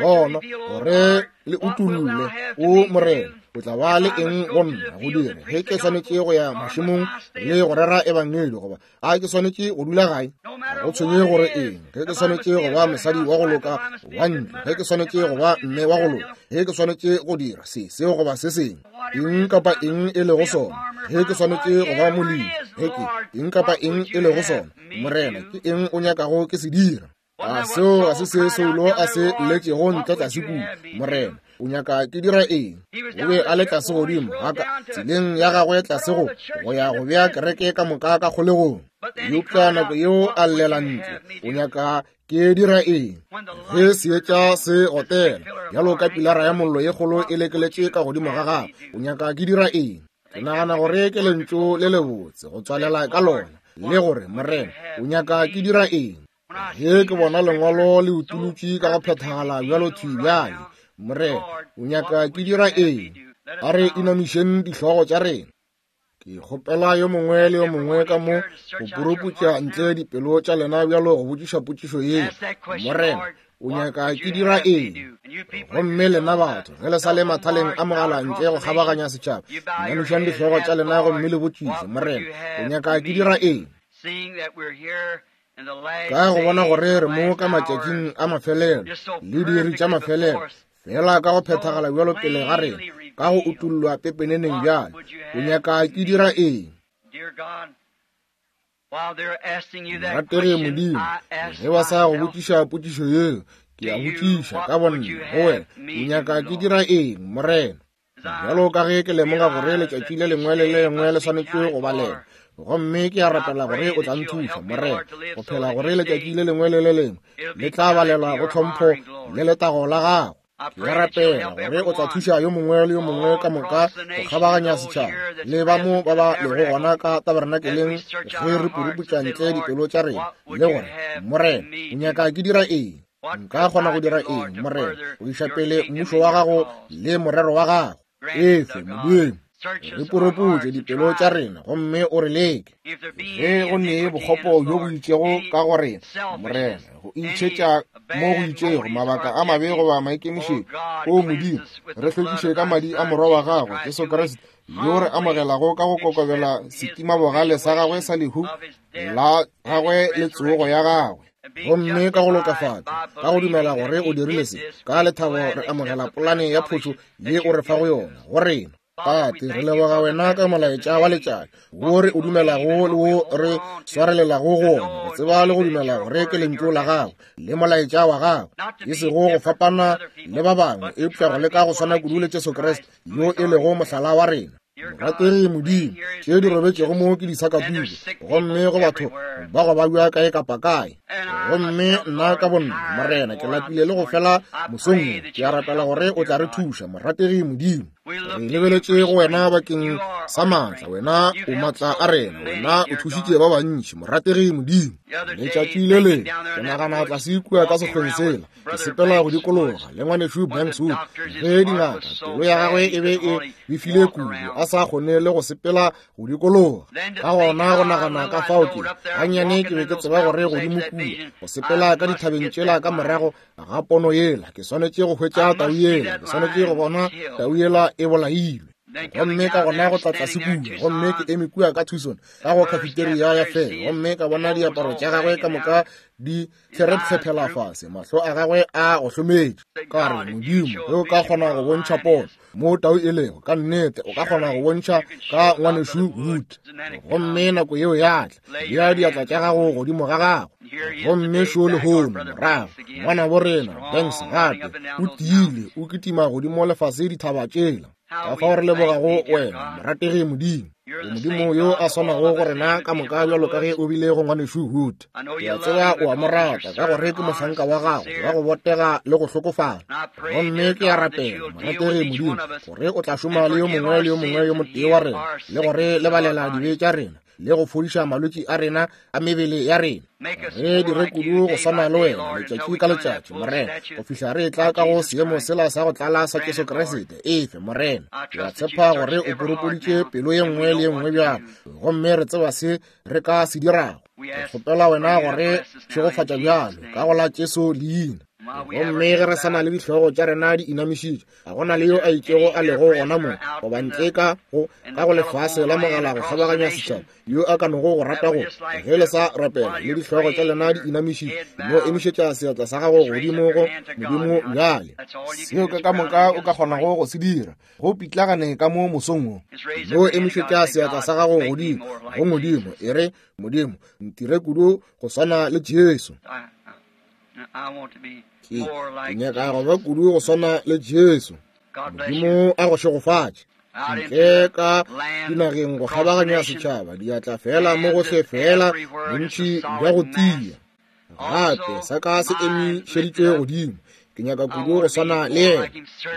Bona gore le utolle, o Morena, o tla ba le eng go nna go dira ge ke swanetše go ya mašemong le go rera ebangedi, goba a ke swanetše go dula gae? Ga go tshwenye gore eng, ge ke swanetše go ba mosadi wa go loka wa ntlo, ge ke swanetše go ba mme wa go loka, ge ke swanetše go dira se seo goba se sengwe, eng kapa eng e lego sona, ge ke swanetše go ba molemi, ge ke eng kapa eng e lego sona, Morena, ke eng o nyakago ke se dira? A seo ga se se Saulo a se lletšego ntle tlase kua? Morena, o nyaka ke dira eng? O be a le tlase godimo ga ka tseleng ya gagwe tlase go go ya go bea kereke ka moka ka kgolegong. Eupša nako yeo a llela ntle, o nyaka ke dira eng? Ge seetša se gotela bjalo ka pilara ya mollo ye kgolo e lekeletše ka godimo ga gagwe, o nyaka ke dira eng? Ke nagana gore ke lentšu le lebotse go tswalela ka lona, le gore, Morena, o nyaka ke dira eng? Ge ke bona lengwalo le utolotše ka go phethagala bjalo thwi bjale, Morena, o nyaka ke dira eng? A re inamišeng dihlogo tša rena. Ke kgopela yo mongwe le yo mongwe ka mo go puruputša ntle dipelo tša lena bjalo go botšiša potšišo ye, Morena, o nyaka ke dira eng? Gomme lena batho, ge le sa le mathaleng a mogala ntle go kgabaganya setšhaba, namišang dihlogo tša lena gomme le botšiše, Morena, o nyaka ke dira eng? Ka go bona gore re mo ka matšatšing a mafelelo le diiri tša mafelelo, fela ka go phethagala bjalo pele ga rena, ka go utollwa pepeneneng bjalo, o nyaka ke dira eng? Morategi Modimo, ge ba sa go botšiša potšišo yeo, ke a botšiša ka bonna go wena, o nyaka ke dira eng, Morena? Bjalo ka ge ke lemoga gore letšatši le lengwe le le lengwe le swanetše go balela, gomme ke a rapela gore o tla nthuša, Morena, go phela gore letšatši le lengwe le le lengwe le tla balelwa go tlhompho le letago la gago. Ke a rapela gore o tla thuša yo mongwe le yo mongwe ka moka go kgabaganya setšhaba le ba mo ba ba lego gona ka tabernakeleng ge re puruputša ntle dipelo tša rena le gore, Morena, o nyaka ke dira eng? Nka kgona go dira eng, Morena, go iša pele mmušo wa gago le morero wa gago? Efe, Modimo, re puruputše dipelo tša rena gomme o re leke. Ge go ne bokgopo bjo bo itšego ka go rena, Morena, go itšhetša mo go itšego, mabaka a mabe goba maikemišetšo, o Modimo, re hlwekiše ka madi a Morwa wa gago, Jesu Kriste, yo re amogelago ka go kokobela setimabogale sa gagwe sa lehu la gagwe le tsogo ya gagwe. Gomme ka go lokafatšwa, ka go dumela gore o dirile se, ka lethabo re amogela polane ya phošo ye o re fago yona go rena. Tate, re leboga wena ka molaetša wa letšatši wo re o dumelago le wo re swarelelago go ona, go tseba le go dumela gore ke lentšu la gago le molaetša wa gago, e sego go fapana le ba bangwe, eupša go leka go swana kudu le Jesu Kriste yo e lego mohlala wa rena. Morategi Modimo, tše di robetšego mo ke disakatuku, gomme go batho ba go babja kae kapa kae. Gomme nna ka bonna, Morena, ke lapile le go fela mosong wo. Ke a rapela gore o tla re thuša, morategi Modimo. Re lebeletše go wena bakeng sa maatla, wena o maatla a rena, wena o thušitše ba bantši, morategi Modimo. Letšatši le lengwe, ke nagana tlase kua ka sekgweng sela, ke sepela go dikologa le ngwanešu Banks Wood, ge dingaka, pelo ya gagwe e be e befile kudu, a sa kgone le go sepela go dikologa. Ka gona go nagana ka fao ke gannyane ke be ke tseba gore godimo kua go sepela ka dithabeng tšela ka morago ga pono yela, ke swanetše go hwetša tau yela, ke swanetše go bona tau yela e bolailwe. Gomme ka gona go tla tlase kua, gomme ke eme kua ka Tucson ka go cafeteria ya fela, gomme ka bona diaparo tša gagwe ka moka di therepshephela fase, mahlo a gagwe a go hlometše. Ka re, Modimo, ge o ka kgona go bontšha pono mo tau e lego, ka nnete o ka kgona go bontšha ka ngwanešu Wood. Gomme nako yeo ya tla, bea diatla tša gago godimo ga gago. Gomme šo lehono morago, ngwanabo rena Banks gape o tiile, o kitima godimo lefase dithaba tšela. Ka fao re lebogago wena, morategi Modimo. O Modimo yo a swanago go rena ka moka bjalo ka ge o bile go ngwanešu Wood. Ke a tseba o a mo rata ka gore ke mohlanka wa gago wa go botega le go hlokofala. Gomme ke a rapela, morategi Modimo, gore o tla šoma le yo mongwe le yo mongwe yo motee wa rena, le gore lebalela dibe tša rena le go fodiša malwetši a rena a mebele ya rena. Re dire kudu go swana le wena letšatši ka letšatši, Morena, go fihla re tla ka go seemo sela sa go tlala sa Jesu Kriste. Efe, Morena. Ke a tshepa gore o purupuditše pelo ye nngwe le ye nngwe bjalo, gomme re tseba se re ka se dirago. Re kgopela wena gore šegofatša bjalo ka go la Jesu leina. Gomme ge re sa na le dihlogo tša rena di inamišitšwe, ga go na le yo a itšego a lego gona mo goba ntle ka go ka go lefase la mogala go kgabaganya setšhaba yo a ka nogo go rata go ge le sa rapela le dihlogo tša lena di inamišitšwe, no emišetša seatla sa gago godimo go Modimo bjale. Seo ke ka moka o ka kgonago go se dira, go pitlagane ka mo mosong wo. No emišetša seatla sa gago godimo go Modimo, e re, Modimo, ntire kudu go swana le Jesu. Ke nyaka go ba kudu go swana le Jesu. Modimo a go šegofatše. Ntle ka dinageng go kgabaganya setšhaba, diatla fela mo gohle fela, bontši bja go tia. Gape sa ka se emišeditšwe godimo. Ke nyaka kudu go swana le yena.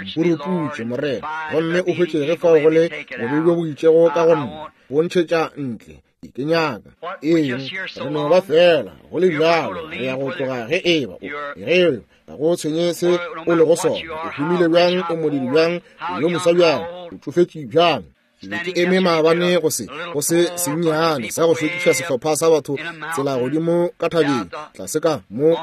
Mpuruputše, Morena, gomme o hwetše ge fao go le bobe bjo bo itšego ka go nna, bo ntšhetša ntle. Ke nyaka eng? Re no ba fela go le bjalo, re ya go tloga ge eba ge ga go tshwenye se o lego sona, o humile bjang, o modiri bjang, o yo moswa bjang, o tšofetše bjang. Ke eme maabane go se sennyane sa go hlwekiša sehlopha sa batho tsela godimo ka thabeng, tlase ka mo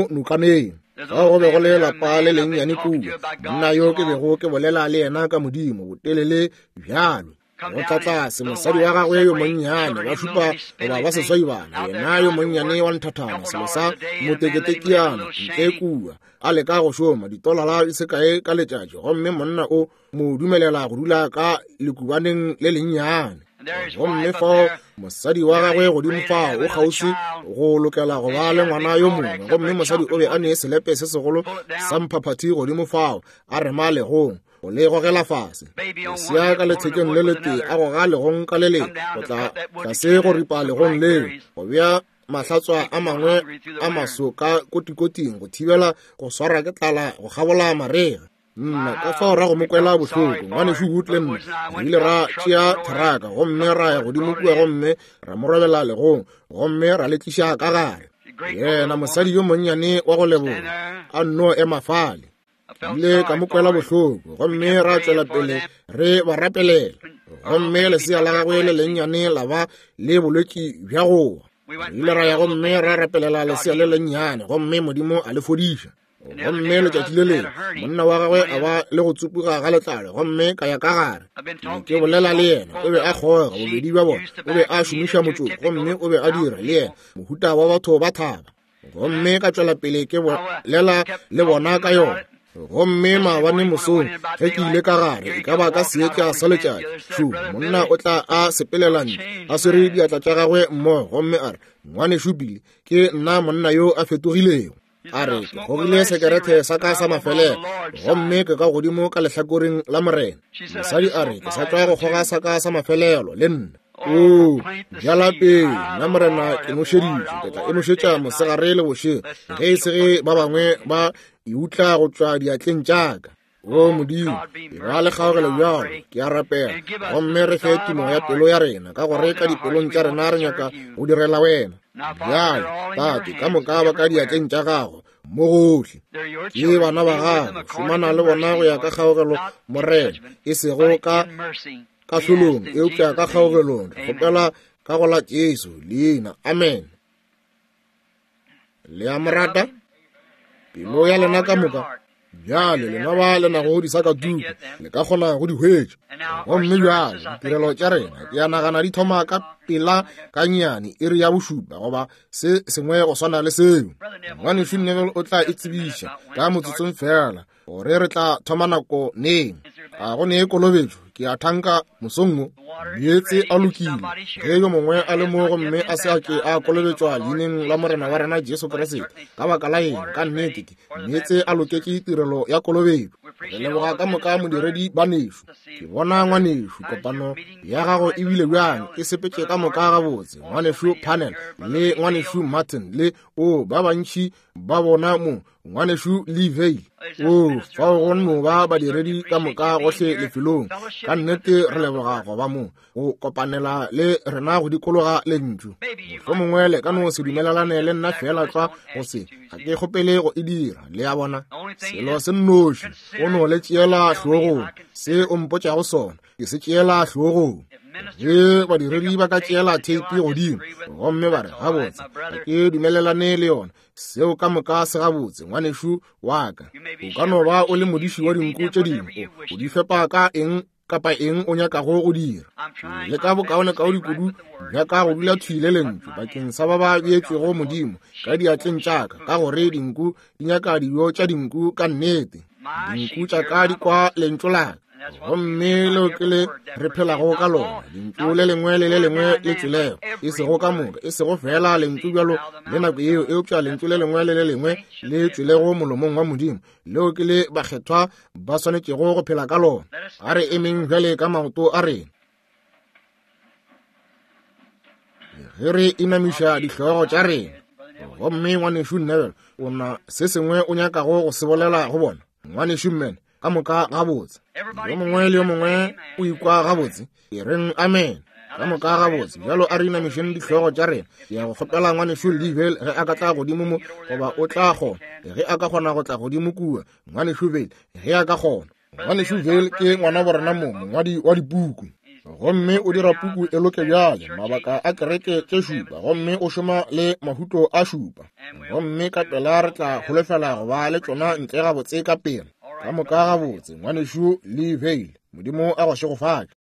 nokaneng. Fao go be go le lapa le lennyane kua, monna yo ke bego ke bolela le yena ka Modimo botelele bjalo. Go tla tlase mosadi wa gagwe yo monnyane, ba šupa goba ba seswai bana, yena yo monnyane wa nthathana, selo sa moteketekiana ntle kua, a leka go šoma ditolara di se kae ka letšatši, gomme monna o mo dumelela go dula ka lekubaneng le lennyane. Gomme fao mosadi wa gagwe godimo fao o kgauswi go lokela go ba le ngwana yo mongwe, gomme mosadi o be a ne selepe se segolo sa mphaphathi godimo fao a rema legong go le gogela fase. Lesea ka lethekeng le letee a goga legong ka le lengwe, go tla tlase go ripa legong leo, go bea mahlatswa a mangwe a maso ka kotikoting go thibela go swara ke tlala go kgabola marega. Nna ka fao ra go mo kwela bohloko, ngwanešu Wood le nna re ile ra tšea theraka gomme ra ya godimo kua gomme ra mo robela legong gomme ra le tliša ka gare. Yena mosadi yo monnyane wa go leboga a nno ema fale. Ile ka mo kwela bohloko gomme ra tšwela pele re ba rapelela, gomme lesea la gagwe le lennyane la ba le bolwetši bja go wa. Re ile ra ya gomme ra rapelela lesea le lennyane gomme Modimo a le fodiša. Gomme letšatši le lengwe monna wa gagwe a ba le go tsupuga ga letlalo, gomme ka ya ka gare ke bolela le yena. O be a kgoga bobedi bja bona, o be a šomiša motšoko gomme o be a dira le yena mohuta wa batho ba thaba. Gomme ka tšwela pele ke bolela le bona ka yona. Gomme maabane mosong ge ke ile ka gare, e ka ba ka seetša sa letšatši, šo monna o tla a sepelela ntle a swere diatla tša gagwe mmogo, gomme a re, ngwanešu Billy, ke nna monna yo a fetogilego. A re, ke gogile sekerete sa ka sa mafelelo, gomme ke ka godimo ka lehlakoreng la Morena. Mosadi a re, ke sa tšwa go kgoga sa ka sa mafelelo le nna. O bjala pele, nna Morena ke nošeditše, ke tla e nošetša mosegare le bošego, ge e se ge ba bangwe ba e utla go tšwa diatleng tša ka. O Modimo, e ba le kgaogelo bjalo, ke a rapela, gomme re fe tumo ya pelo ya rena, ka gore ka dipelong tša rena re nyaka go direla wena. Bjale, Tate, ka moka ba ka diatleng tša gago mo gohle, ke bana ba gago, šomana le bona go ya ka kgaogelo, Morena, e sego ka kahlolong, eupša ka kgaogelong. Re kgopela ka go la Jesu leina, amen. Le a mo rata? Pelo ya lena ka moka. Bjale lena ba le nago disakatuku le ka kgona go di hwetša. Gomme bjale ditirelo tša rena ke a nagana di thoma ka pela ka nnyane iri ya bošupa goba se sengwe go swana le seo. Ngwanešu Neville o tla e tsebiša ka motsotsong fela gore re tla thoma nako neng. A go ne kolobetšo, ke a thanka mosong wo. Meetse a lokile ge yo mongwe a le mo gomme a se a ke a kolobetšwa leineng la Morena wa rena Jesu Kriste, ka baka la eng, ka nnete ke meetse a loketše tirelo ya kolobetšo. Re leboga ka moka modiredi banešu. Ke bona ngwanešu, kopano ya gago e bile bjang? E sepetše ka moka gabotse. Ngwanešu Panel le ngwanešu Martin le o ba bantši ba bona mo, ngwanešu Lee Vayle. O fao go no ba badiredi ka moka gohle lefelong. Ka nnete re leboga go ba mo go kopanela le rena go dikologa lentšu. Mohlomongwe le ka no se dumelelane le nna fela tlwa go se, ga ke kgopele go e dira, le a bona. Selo se nnoši o no le tšeela hlogong, se o mpotšago sona ke se tšeela hlogong. Ge badiredi ba ka tšeela theipi godimo gomme ba re, gabotse, ga ke dumelelane le yona, seo ka moka se gabotse, ngwanešu wa ka. O ka no ba o le modiši wa dinku tše dingwe, o di fepa ka eng kapa eng o nyakago go dira. Le ka bokaonekaone kudu bja ka go dula thwi le lentšu bakeng sa ba ba beetšwego Modimo ka diatleng tša ka, ka gore dinku di nyaka dijo tša dinku ka nnete. Dinku tša ka di kwa lentšu la ka, gomme leo ke le re phelago ka lona. Lentšu le lengwe le le lengwe le tšwelego, e sego ka moka, e sego fela lentšu bjalo le nako yeo, eupša lentšu le lengwe le le lengwe le tšwelego molomong wa Modimo, leo ke le bakgethwa ba swanetšego go phela ka lona. A re emeng bjale ka maoto a rena ge re inamiša dihlogo tša rena. Gomme ngwanešu Neville, o na se sengwe o nyakago go se bolela go bona? Ngwanešu Mann, ka moka gabotse. Yo mongwe le yo mongwe o ikwa gabotse, e reng amen. Ka moka gabotse. Bjalo a re inamišeng dihlogo tša rena. Ke ya go kgopela ngwanešu Lee ge a ka tla godimo mo, goba o tla kgona, ge a ka kgona go tla godimo kua. Ngwanešu Vayle, ge a ka kgona. Ngwanešu Vayle ke ngwana borena mo, mongwadi wa dipuku. Gomme o dira puku e loke bjale, mabaka a kereke tše šupa, gomme o šoma le mahuto a šupa. Gomme ka pela re tla holofela go ba le tšona ntle gabotse ka pela. Ka moka gabotse, Ngwanešu Lee Vayle, Modimo a go šegofatše.